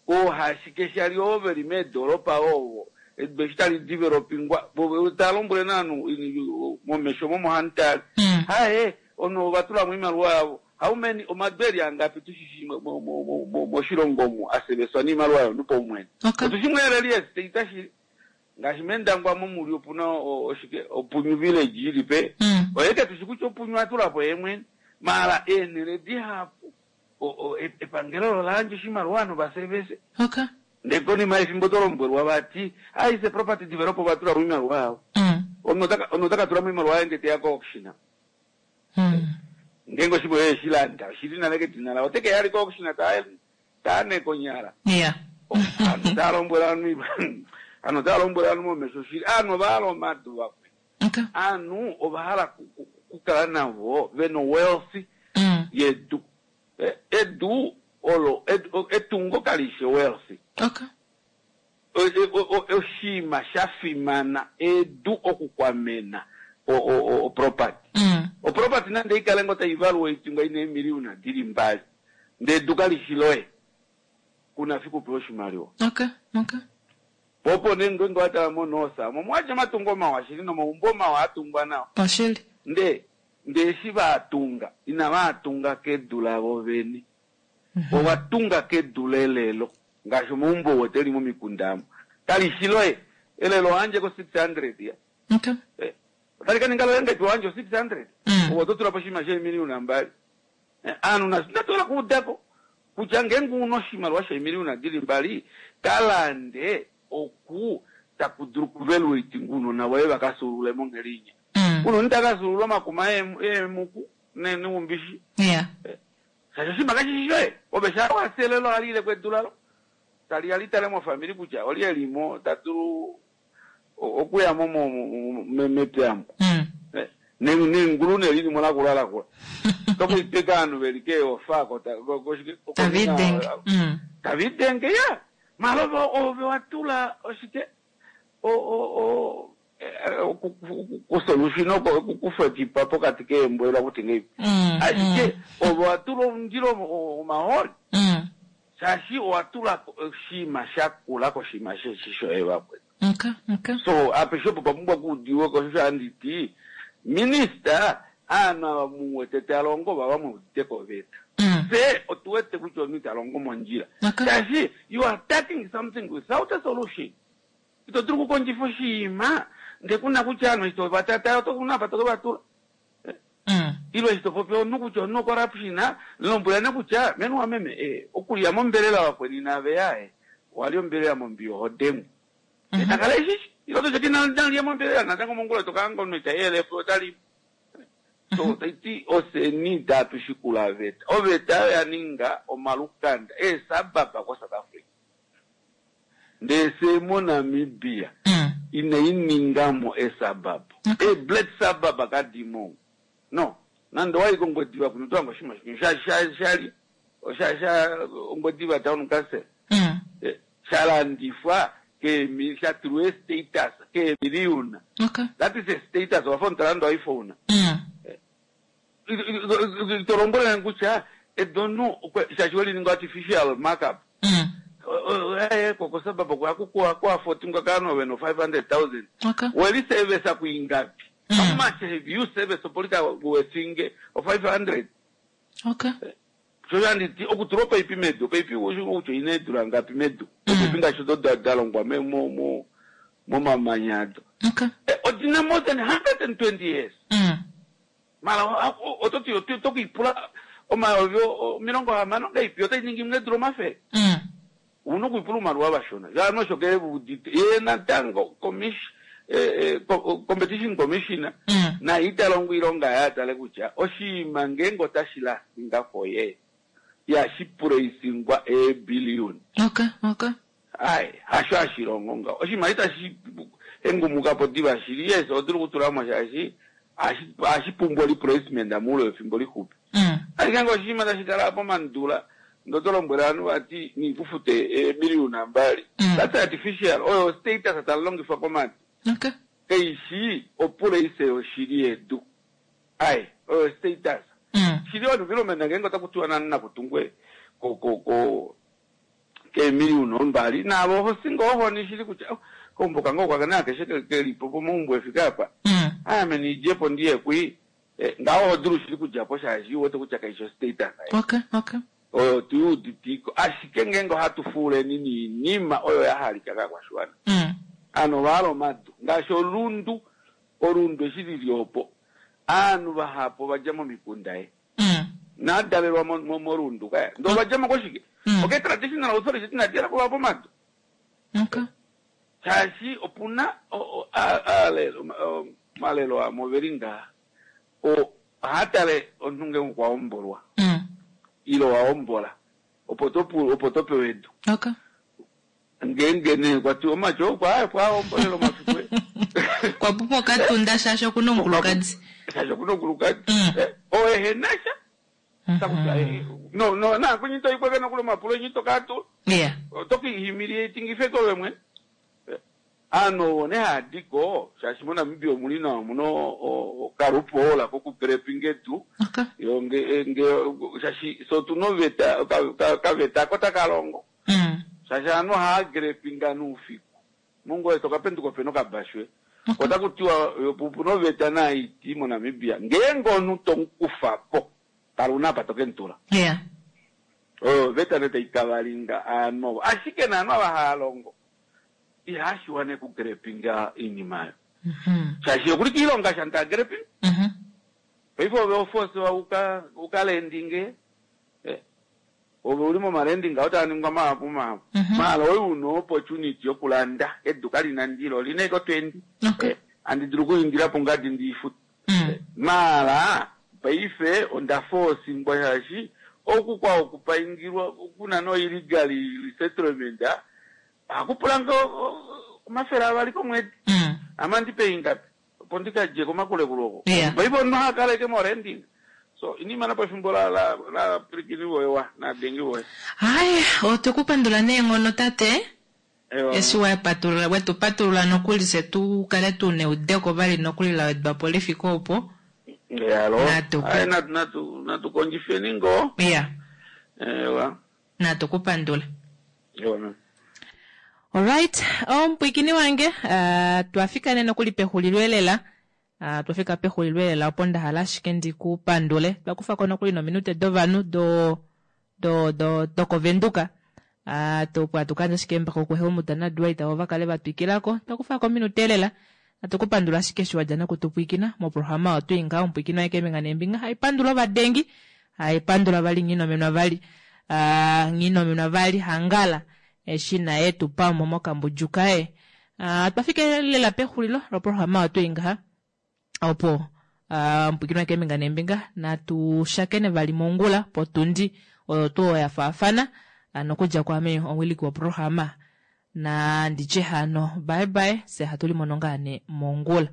Oohashike shali ovo veli meedoropa ovo edu eshi tali developingwa tava lombwele naanhu momesho momo hamutale. Haye omunhu ova tulamo oimaliwa yavo. How many omadu eli angapi tushishi moshilongo omu aseveswa noimaliwa yomunhu paumwene. Otushi mweleli estate shili. Ngaashi mEndangwa momuli opuna oshike Opunyu village ili pe. Oyeke tushi kutya Opunyu atulapo ye mwene. Maala eenhele dihapu epangelo ola yandja oshimaliwa ovanhu vasevese. Ndee konima yefimbo oto lombwelwa vati aise property developer ova tula mo oimaliwa yavo. Omunhu ota ka tula mo oimaliwa yaye ndee teya ko auction. Ngeenge oshimaliwa eshi landa oshili nale kedina laye ote ke ya ko auction ta ane konyala. Ovanhu tava lombwele ovanhu ovanhu otava lombwele ovanhu momesho shili. Ovanhu ova hala omadu vakwe. Ovanhu ova hala kukala navo vena wealth yedu. Edu olo etungo kali shi wealth. Oshinima sha fimana edu okukwamena o property. O property nande ikale ngo tai valuatingwa ina eemiliyona dili 2. Ndee edu kali shi loye. Kuna fiku upewe oshimaliwa. Popo nee ngeenge watala mo North omo omwadja omatungo mawa shili nomaumbo mawa atungwa nawa. Oshili. Ndee eshi vaatunga inavaatunga kedu lavo vene. Ovatunga kedu lelelo ngaashi omaumbo oo teli momikunda amo. Kali shi loye. Elelo ohandje ko 600 ya. Otali ka ninga loye ngaashi ohandje o 600. Owo oto tula po oshinima sheemiliyona 2. Aanhu natola kuudako kutya ngeenge una oshimaliwa sheemiliyona dili 2 kalande oku taku dulu kuvaluatinga ounona voye vakafyuulule monghedi inya. Kuna omuntu takafyuulula omakuma eemuku neumbishi. Shaashi oshinima kashi shi shoye. Ove shaa wa fya elelo ohali ile ko edu lalo. Tali ya li tale mofamili kutya olye e li mo ta dulu okuya mo mepya mo. Nengulu ne lili mo lakula lakula. Tokuitwika ovanhu ve li keeofa koshike? Tava idenge. Tava idenge, ya. Mala ove wa tula oshike? Kusolution okukufa ekipa pokati keembwela kuti ngei. Ashike ove wa tula omundilo omahooli. Shaashi owa tula oshinima sha kula koshinima sheshi shoye vakwetu. So apeshe opo pa pumbwa okuudiwa ko osho handi ti minista aanhu ava mu wete ta longo vava mu udite ko oveta. Fye otu wete kutya omunhu ita longo mondjila. Shaashi you are attacking something without a solution. Ito dulu okukondjifa oshinima ndee kuna kutya ovanhu eshi tova tata oto kuna apa to ke va tula. Ile eshi to popi omunhu kutya omunhu ocorruption, lombwela nee kutya meni wameme eh, okulya mombelela vakweni nave ya eh, owalya ombelela mombiya oho dengwa. Ndee ta kala eshishi. Ile oto ti nalye mombelela natango mongula to ka hanga omunhu ita yelepo ota li. So taiti ofyeni itatu shikula oveta. Oveta oyo ya ninga omalukanda eesababa ko South Africa. Ndee fye moNamibia inai ninga mo esuburb. Ee black suburb kadi mo. No. Nande owa i kOngwediva kuno oto hange oshinima shimwe sha sha shali sha sha Ongwediva Town Council. Sha landifwa keemi sha tulwa ee status keemiliyuna. That is a status owafa omunhu ta landa o iPhone. Ito lombwele nge kutya edu omunhu shaashi we li ninga artificial markup. Ko suburb kuafotingwa kaanhu ove no 500,000. We li service kuingapi? How much have you serviced opo li ka wefinge o 500? Sho handi ti okutula opaipi medu, opaipi ushi kutya oina eedula ngapi medu. Opaipi ngaashi odo da longwa momamanya ado. Odina more than 120 years. Mara oto ti oto kuipula omayovi 60 ngaipi otai ningi imwe eedula 100. Una okuipula oumaliwa vashona. Shaano osho ke udite. Ye natango competition commissioner naye ita longo oilonga yaye atale kutya oshinima ngeenge otashi lasinga koye ihashi pulaisingwa eebillion. Ai, hasho hashi longo ngaho. Oshinima itashi hengumuka po diva shili. Yes, oto dulu okutula mo shaashi ohashi pumbwa replacement moule wefimbo lixupi. Ashike ngee oshinima tashi kala pomandula ndee oto lombwele ovanhu vati niikufute eemiliyuna mbali. That's artificial. Oyo status tali longifwa komadu. Kaishi opuleise yoshili yedu. Ai, oyo status. Shili environment ngeenge otaku tiwa nani nakutungwe ko ko ko keemiliyuna ombali naave oho si ngoo ohoni shili kutya oh, kaumbo kange okwa kana akeshe ke li po pomaumbo e fike apa. Ame ndi dje po ndi ye kwi. Ngaho oho dulu shili kudja po shaashi u wete kutya kaishi ostatus ei. Oyo tu i uditiko. Ashike ngeenge ohatu fuuleni niinima oyo ya halika kaakwashiwana. Aanhu ova hala omadu. Ngaashi olundu, olundu eshi li li opo, aanhu vahapu ova dja momikunda e. Nadalelwa moRundu kaya. Ndee ova dja mo koshike? Okee traditional authority inadi hala kuvapa omadu. Shaashi opuna omalelo amwe oveli ngaha ohaa tale omunhu ngeenge okwa hombolwa ile owa hombola opo to pewa edu. Ngeenge nee kwa tiwa omatyo okwa okwa hombolela omafiku e. Kwa pumbwa okatunda shaashi okuna omukulukadi. Shaashi okuna omukulukadi. Oo ehe na sha. Taku tiwa, no, no, na kunyi to ikweke nokuli omapulo enyi to kala tu. Oto ki humiliating ove mwene. Aanhu ovo nee haa di ko, shaashi moNamibia omuli nawa omuna okalupola kokugrepinga edu. Yo nge, nge, shaashi fye otuna oveta, okaveta ako taka longo. Shaashi aanhu ohaa grepinga noufiku. Mongoye to ka penduka opena okabashu. Otaku tiwa yo opuna oveta naiti moNamibia ngeenge omunhu to mu kufa po, kala una apa to ke mu tula. Oyo oveta nee tai kavalinga aanhu ovo. Ashike naanhu ava haa longo ihashi wana okugrepinga oinima oyo. Shaashi okuli kiilonga sha ta grepinga. Paife ove ofosewa uka landinge. Ove uli momalending ngaho taa ningwa mahapu mahapu. Maala oye una opportunity yokulanda edu kali na ndilo, oli na ashike otwendi. Handi dulu okuindila po ngadi ndi ifute. Maala paife onda foosingwa shaashi oku kwa okupaingilwa kuna no illegal resettlement ohaku pula nge 200 komwedi. Ame andi pay ingapi opo ndi ka dje komakulekulu oko. Yeah. Paife omunhu oha kala eke mo renting. So inima napo efimbo la la la pwilikini voye wa nadengi voye. Hai, otwe ku pandula neenghono tate. Ewa. Eshi wa patulula, wetu patulula nokuli fye tu kale tu neudeko vali nokuli la wedwa po li fike opo. Yalo. Natu ku- Ai natu natu natu kondjifeni ngoo. Ya, Ewa. natu ku pandula. Ewa. ma'am. Alright, omupwikini wange, uh, twafika nee nokuli pexulilo elela. Uh, twafika pexulilo elela opo nda hala ashike ndi ku pandule. Twa kufa ko nokuli nominute dovanhu do do do dokovenduka. Uh, to opo atu kandja ashike embako kuHelmut naDwight avo va kale va twikila ko. Twa kufa ko ominute elela. Atu ku pandula ashike eshi wadja nokutupwikina moprograma oyo twii ngaho omupwikini waye keembinga neembinga. Hai pandula ovadengi, hai pandula vali nghinomenwa vali. Uh, nghinomenwa vali hangala eshi naye tu pa mo mokambudju kaye. Uh, twafika lela pexulilo loprograma oyo twii ngaha opo uh, omupwikini waye keembinga neembinga natu shakene vali mongula potundi oyo tuu ya faafana uh, nokudja kwaame omwiliki woprograma na nditye hano bye bye se hatu limono ngaa nee mongula.